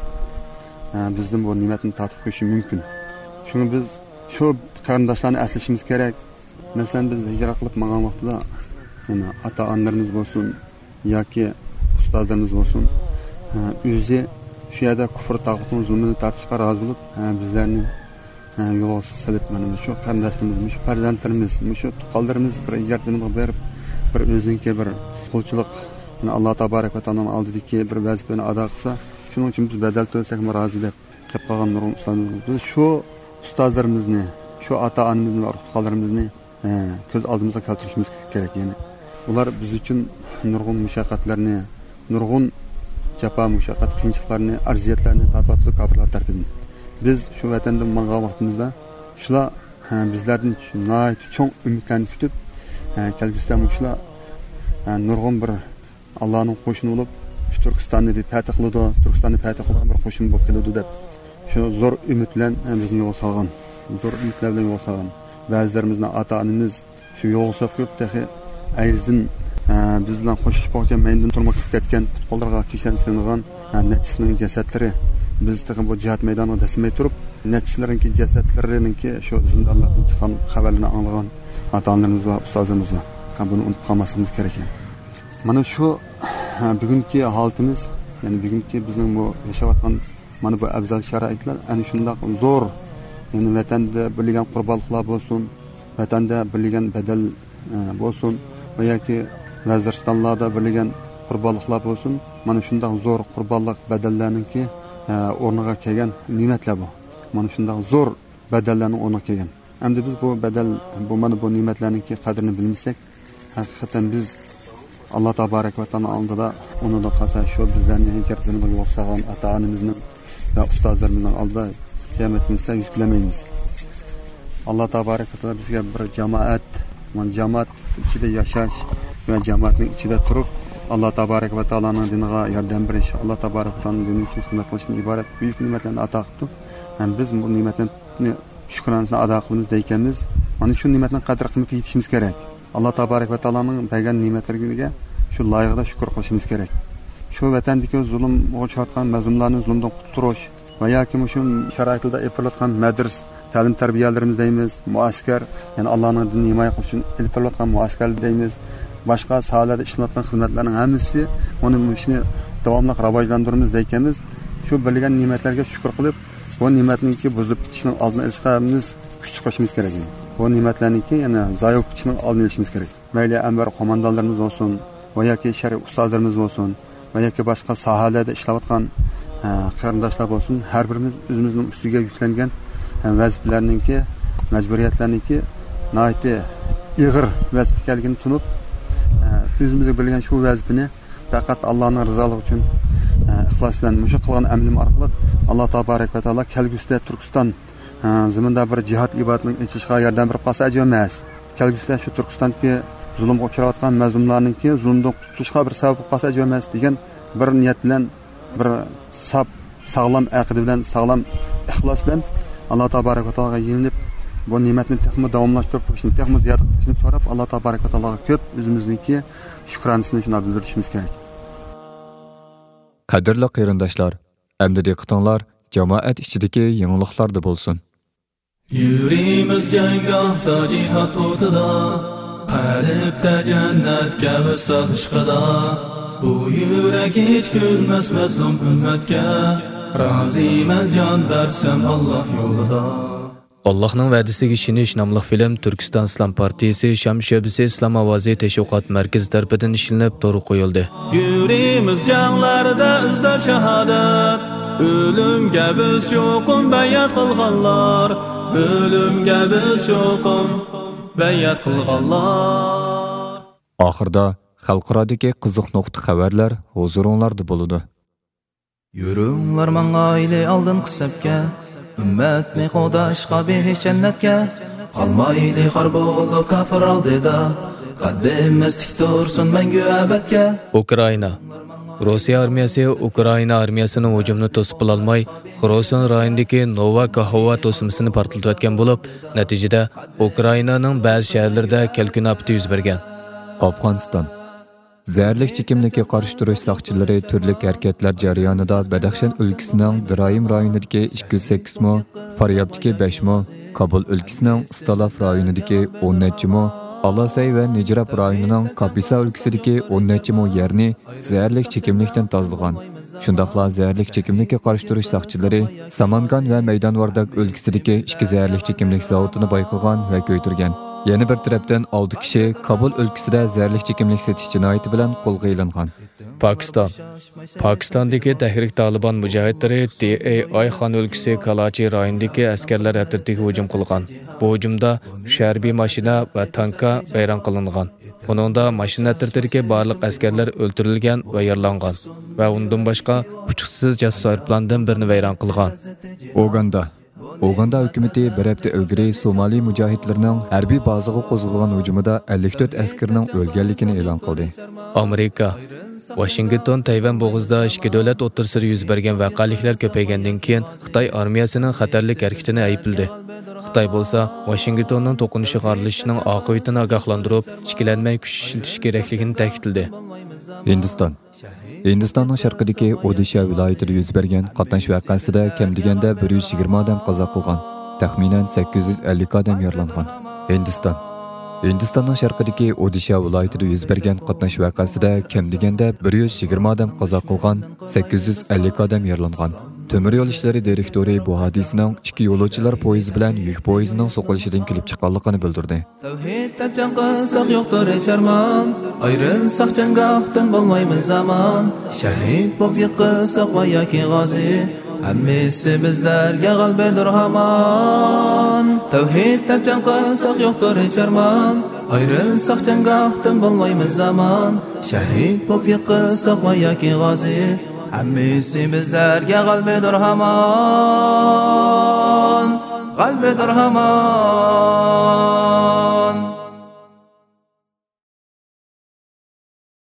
ئە، بىزدىن بۇ نېمەتنى تارتىپ قويۇشى مۇمكىن. شۇڭا بىز شۇ قېرىنداشلارنى ئەسلىشىمىز كېرەك. مەسىلەن، بىز ھىجرەت قىلىپ ماڭغان ۋاقتىدا، يەنە ئاتا-ئانىلىرىمىز بولسۇن ياكى ئۇستازلىرىمىز بولسۇن، ھە، ئۆزى شۇ يەردە كۇفر تاغۇتنىڭ زۇلمىنى تارتىشقا رازى بولۇپ، ھە، بىزلەرنى، ھە، يولغا سېلىپ، مانا مۇشۇ قېرىنداشلىرىمىز، مۇشۇ پەرزەنتلىرىمىز، مۇشۇ تۇغقانلىرىمىز بىر ھىجرەت زېمىنىغا بېرىپ، بىر ئۆزىنىڭكى بىر قۇلچىلىق، يەنى ئاللا تابارەك ۋە تائالانىڭ ئالدىدىكى بىر ۋەزىپىنى ئادا قىلسا، شۇنىڭ ئۈچۈن بىز بەدەل تۆلىسەكمۇ رازى دەپ قېلىپ قالغان نۇرغۇن ئۇستازلىرىمىز. بىز شۇ ئۇستازلىرىمىزنى، شۇ ئاتا-ئانىمىزنى ۋە ئۇتۇقلىرىمىزنى، ئە، كۆز ئالدىمىزغا كەلتۈرۈشىمىز كېرەك. يەنى ئۇلار بىز ئۈچۈن نۇرغۇن مۇشەققەتلەرنى، نۇرغۇن جاپا، مۇشەققەت، قىيىنچىلىقلارنى، ئەرزىيەتلەرنى تارتىۋاتىدۇ كاپىرلار تەرىپىدىن. بىز شۇ ۋەتەندىن ماڭغان ۋاقتىمىزدا شۇلار، ھە، بىزلەردىن ناھايىتى چوڭ ئۈمىدلەرنى كۈتۈپ، ھە، كەلگۈسىدە مۇشۇلار، ھە، نۇرغۇن بىر ئاللانىڭ قوشۇنى بولۇپ، شۇ تۈركىستاننى بىر پەتھ قىلىدۇ، تۈركىستاننى پەتھ قىلىدىغان بىر قوشۇن بولۇپ كېلىدۇ دەپ، شۇ زور ئۈمىد بىلەن، ھە، بىزنى يولغا سالغان. زور ئۈمىدلەر بىلەن يولغا سالغان. بەزىلىرىمىزنى ئاتا-ئانىمىز شۇ يولغا سوقۇپ تېخى ئەيزدىن، ھە، بىز بىلەن خوشلىشىپ بولغۇچە مەيدىندىن تۇرما كىرىپ كەتكەن، پۇت-قوللىرىغا كىشەن سېلىنغان، ھە، نەچچىسىنىڭ جەسەتلىرى بىز تېخى بۇ جىھاد مەيدانىغا دەسسىمەي تۇرۇپ، نەچچىلىرىنىڭكى جەسەتلىرىنىڭكى شۇ زىندانلاردىن چىققان خەۋەرلىرىنى ئاڭلىغان ئاتا-ئانىلىرىمىز ۋە ئۇستازلىرىمىز بار. ھە، بۇنى ئۇنتۇپ قالماسلىقىمىز كېرەك. مانا شۇ، ھە، بۈگۈنكى ھالىتىمىز، يەنى بۈگۈنكى بىزنىڭ بۇ ياشاۋاتقان مانا بۇ ئەۋزەل شارائىتلار ئەنە شۇنداق زور، يەنى ۋەتەندە بېرىلگەن قۇربانلىقلار بولسۇن، ۋەتەندە بېرىلگەن بەدەل، ئە، بولسۇن ۋە ياكى ۋەزىرىستانلاردا بېرىلگەن قۇربانلىقلار بولسۇن، مانا شۇنداق زور قۇربانلىق بەدەللەرنىڭكى، ئە، ئورنىغا كەلگەن نېمەتلەر بۇ. مانا شۇنداق زور بەدەللەرنىڭ ئورنىغا كەلگەن. ئەمدى بىز بۇ بەدەل، بۇ، مانا بۇ نېمەتلەرنىڭكى قەدرىنى بىلمىسەك، ھەقىقەتەن بىز ئاللا تابارەك ۋە تائالا ئالدىدا، ئۇنىڭدىن قالسا شۇ بىزلەرنى ھىجرەت زېمىنىغا يول سالغان ئاتا-ئانىمىزنىڭ ۋە ئۇستازلىرىمىزنىڭ ئالدىدا قىيامەت كۈنىسىدە يۈز كۆرمەيمىز. ئاللا تابارەك ۋە تائالا بىزگە بىر جامائەت، مانا جامائەت ئىچىدە ياشاش ۋە جامائەتنىڭ ئىچىدە تۇرۇپ، ئاللا تابارەك ۋە تائالانىڭ دىنىغا ياردەم بېرىش، ئاللا تابارەك ۋە تائالانىڭ دىنى ئۈچۈن خىزمەت قىلىشتىن ئىبارەت بۈيۈك نېمەتلەرنى ئاتا قىپتۇ. ھەم بىز بۇ نېمەتنى شۈكرانىسىنى ئادا قىلىمىز دەيكەنمىز، مانا شۇ نېمەتنىڭ قەدىر-قىممىتىگە يېتىشىمىز كېرەك. ئاللا تابارەك ۋە تائالانىڭ بەرگەن نېمەتلىرىگە شۇ لايىقىدا شۈكۈر قىلىشىمىز كېرەك. شۇ ۋەتەندىكى زۇلۇمغا ئۇچراتقان مەزلۇملارنى زۇلۇمدىن قۇتۇلدۇرۇش ۋە ياكى مۇشۇ شارائىتلاردا ئېلىپ بېرىلىۋاتقان مەدرىسە، تەلىم تەربىيەلىرىمىز دەيمىز، مۇئەسكەر، يەنى ئاللانىڭ دىنىنى ھىمايە قىلىش ئۈچۈن ئېلىپ بېرىلىۋاتقان مۇئەسكەر دەيمىز، باشقا ساھەلەردە ئىشلىنىۋاتقان خىزمەتلەرنىڭ ھەممىسى، ئۇنى، مۇشۇنى داۋاملىق راۋاجلاندۇرىمىز دەيكەنمىز. شۇ بېرىلگەن نېمەتلەرگە شۈكۈر قىلىپ، بۇ نېمەتنىڭكى بۇزۇلۇپ كېتىشىنىڭ ئالدىنى ئېلىشقا ھەممىمىز كۈچ چىقىرىشىمىز كېرەك. بۇ نېمەتلەرنىڭكى يەنە زايە بولۇپ كېتىشىنىڭ ئالدىنى ئېلىشىمىز كېرەك. مەيلى ئەنۋەر قوماندانلىرىمىز بولسۇن، ۋە ياكى شەرئىي ئۇستازلىرىمىز بولسۇن، ۋە ياكى باشقا ساھەلەردە ئىشلەۋاتقان، ئە، قېرىنداشلار بولسۇن، ھەر بىرىمىز ئۆزىمىزنىڭ ئۈستىگە يۈكلەنگەن، ئە، ۋەزىپىلەرنىڭكى، مەجبۇرىيەتلەرنىڭكى ناھايىتى ئېغىر ۋەزىپە ئىكەنلىكىنى تونۇپ، ئە، ئۆزىمىزگە بېرىلگەن شۇ ۋەزىپىنى پەقەت ئاللانىڭ رىزالىقى ئۈچۈن، ئە، ئىخلاس بىلەن مۇشۇ قىلغان ئەمىلىم ئارقىلىق ئاللا تابارەك ۋە تائالا كەلگۈسىدە تۈركىستان، ئە، زېمىندا بىر جىھاد ئىبادىتىنىڭ ئېچىلىشىغا ياردەم بېرىپ قالسا ئەجەب ئەمەس. كەلگۈسىدە شۇ تۈركىستاندىكى زۇلۇمغا ئۇچراۋاتقان مەزلۇملارنىڭكى زۇلۇمدىن قۇتۇلۇشىغا بىر سەۋەب بولۇپ قالسا ئەجەب ئەمەس دېگەن بىر نىيەت بىلەن، بىر ساپ، ساغلام ئەقىدە بىلەن، ساغلام ئىخلاس بىلەن ئاللا تابارەك ۋە تائالاغا يېلىنىپ، بۇ نېمەتنى تېخىمۇ داۋاملاشتۇرۇپ تۇرۇشنى، تېخىمۇ زىيادە قىلىشنى سوراپ، ئاللا تابارەك ۋە تائالاغا كۆپ ئۆزىمىزنىڭكى شۈكرانىسىنى شۇنداق بىلدۈرۈشىمىز كېرەك. قەدىرلىك قېرىنداشلار، ئەمدى دىققىتىڭلار جامائەت ئىچىدىكى يېڭىلىقلاردا بولسۇن. يۈرىمىز جەڭگاھتا جىھاد ئوتىدا، قەلبتە جەننەتكە ۋىسال ئىشقىدا. بۇ يۈرەك ھېچ كۈلمەس مەزلۇم ئۈممەتكە، رازىمەن جان بەرسەم ئاللا يولىدا. ئاللاھنىڭ ۋەدىسىگە ئىشىنىش ناملىق فىلىم تۈركىستان ئىسلام پارتىيىسى شام شۆبىسى ئىسلام ئاۋازى تەشۋىقات مەركىزى تەرىپىدىن ئىشلىنىپ تورغا قويۇلدى. يۈرىمىز جەڭلەردە ئىزدەپ شاھادەت، ئۆلۈمگە بىز چوقۇم بەيئەت قىلغانلار، ئۆلۈمگە بىز چوقۇم بەيئەت قىلغانلار. ئاخىردا خەلقئارادىكى قىزىق نۇقتا خەۋەرلەر ھۇزۇرۇڭلاردا بولىدۇ. يۈرۈڭلار ماڭايلى ئالدىنقى سەپكە، ئۈممەتنى قوغداشقا بېھىش جەننەتكە. قالمايلى خار بولۇپ كاپىر ئالدىدا، قەددىمىز تىك تۇرسۇن مەڭگۈ ئەبەدكە. ئۇكرائىنا. روسىيە ئارمىيەسى ئۇكرائىنا ئارمىيەسىنىڭ ھۇجۇمىنى توسۇپ بولالماي، خېرسون رايونىدىكى نوۋا كاھوۋا توسمىسىنى پارتلىتىۋەتكەن بولۇپ، نەتىجىدە ئۇكرائىنانىڭ بەزى شەھەرلىرىدە كەلكۈن ئاپىتى يۈز بەرگەن. ئافغانىستان. زەھەرلىك چېكىملىككە قارشى تۇرۇش ساقچىلىرى تۈرلۈك ھەرىكەتلەر جەريانىدا بەدەخشان ئۆلكىسىنىڭ دىرايىم رايونىدىكى ئىككى يۈز سەككىز مو، فاريابتىكى بەش مو، كابۇل ئۆلكىسىنىڭ ئىستالاف رايونىدىكى ئون نەچچە مو، ئالاسەي ۋە نىجراپ رايونىنىڭ كاپىسا ئۆلكىسىدىكى ئون نەچچە مو يەرنى زەھەرلىك چېكىملىكتىن تازىلىغان. شۇنداقلا زەھەرلىك چېكىملىككە قارشى تۇرۇش ساقچىلىرى سامانگان ۋە مەيدان ۋارداك ئۆلكىسىدىكى ئىككى زەھەرلىك چېكىملىك زاۋۇتىنى بايقىغان ۋە كۆيدۈرگەن. يەنە بىر تەرەپتىن، ئالتە كىشى كابۇل ئۆلكىسىدە زەھەرلىك چېكىملىك سېتىش جىنايىتى بىلەن قولغا ئېلىنغان. پاكىستان. پاكىستاندىكى تەھرىك تالىبان مۇجاھىدلىرى دى ئەي ئاي خان ئۆلكىسى كالاچى رايونىدىكى ئەسكەرلەر ئەترىتىگە ھۇجۇم قىلغان. بۇ ھۇجۇمدا ئۈچ ھەربىي ماشىنا ۋە تانكا ۋەيران قىلىنغان. ئۇنىڭدا ماشىنا ئەترىتىدىكى بارلىق ئەسكەرلەر ئۆلتۈرۈلگەن ۋە يارىلانغان ۋە ئۇنىڭدىن باشقا ئۇچقۇچىسىز جاسۇس ئايروپىلاندىن بىرنى ۋەيران قىلغان. ئوگاندا. ئوگاندا ھۆكۈمىتى بىر ھەپتە ئىلگىرى سومالى مۇجاھىدلىرىنىڭ ھەربىي بازىغا قوزغىغان ھۇجۇمىدا ئەللىك تۆت ئەسكىرىنىڭ ئۆلگەنلىكىنى ئېلان قىلدى. ئامېرىكا. ۋاشىنگتون تەيۋەن بوغۇزىدا ئىككى دۆلەت ئوتتۇرىسىدا يۈز بەرگەن ۋەقەلىكلەر كۆپەيگەندىن كېيىن، خىتاي ئارمىيەسىنىڭ خەتەرلىك ھەرىكىتىنى ئەيىبلىدى. خىتاي بولسا ۋاشىنگتوننىڭ توقۇنۇشىغا ئارىلىشىشنىڭ ئاقىۋىتىنى ئاگاھلاندۇرۇپ، ئىككىلەنمەي كۈچ ئىشلىتىش كېرەكلىكىنى تەكىتلىدى. ھىندىستان. ھىندىستاننىڭ شەرقىدىكى ئودىشا ۋىلايىتىدە يۈز بەرگەن قاتناش ۋەقەسىدە كەم دېگەندە بىر يۈز يىگىرمە ئادەم قازا قىلغان، تەخمىنەن سەككىز يۈز ئەللىك ئادەم يارىلانغان. ھىندىستان. ھىندىستاننىڭ شەرقىدىكى ئودىشا ۋىلايىتىدە يۈز بەرگەن قاتناش ۋەقەسىدە كەم دېگەندە بىر يۈز يىگىرمە ئادەم قازا قىلغان، سەككىز يۈز ئەللىك ئادەم يارىلانغان. تۆمۈر يول ئىشلىرى دىرېكتورى بۇ ھادىسىنىڭ ئىككى يولۇچىلار پويىزى بىلەن يۈك پويىزىنىڭ سوقۇلۇشىدىن كېلىپ چىققانلىقىنى بىلدۈردى. تەۋھىد دەپ جەڭ قىلساق يوقتۇر ھېچ ئارمان، ئايرىلساق جەڭگاھتىن بولمايمىز ئامان، شەھىد بولۇپ يىقىلساق ۋە ياكى غازى، ھەممىسى بىزلەرگە غەلىبىدۇر ھامان. تەۋھىد دەپ جەڭ قىلساق يوقتۇر ھېچ ئارمان، ئايرىلساق جەڭگاھتىن بولمايمىز ئامان، شەھىد بولۇپ يىقىلساق ۋە ياكى غازى، ھەممىسى بىزلەرگە غەلىبىدۇر ھامان، غەلىبىدۇر ھامان.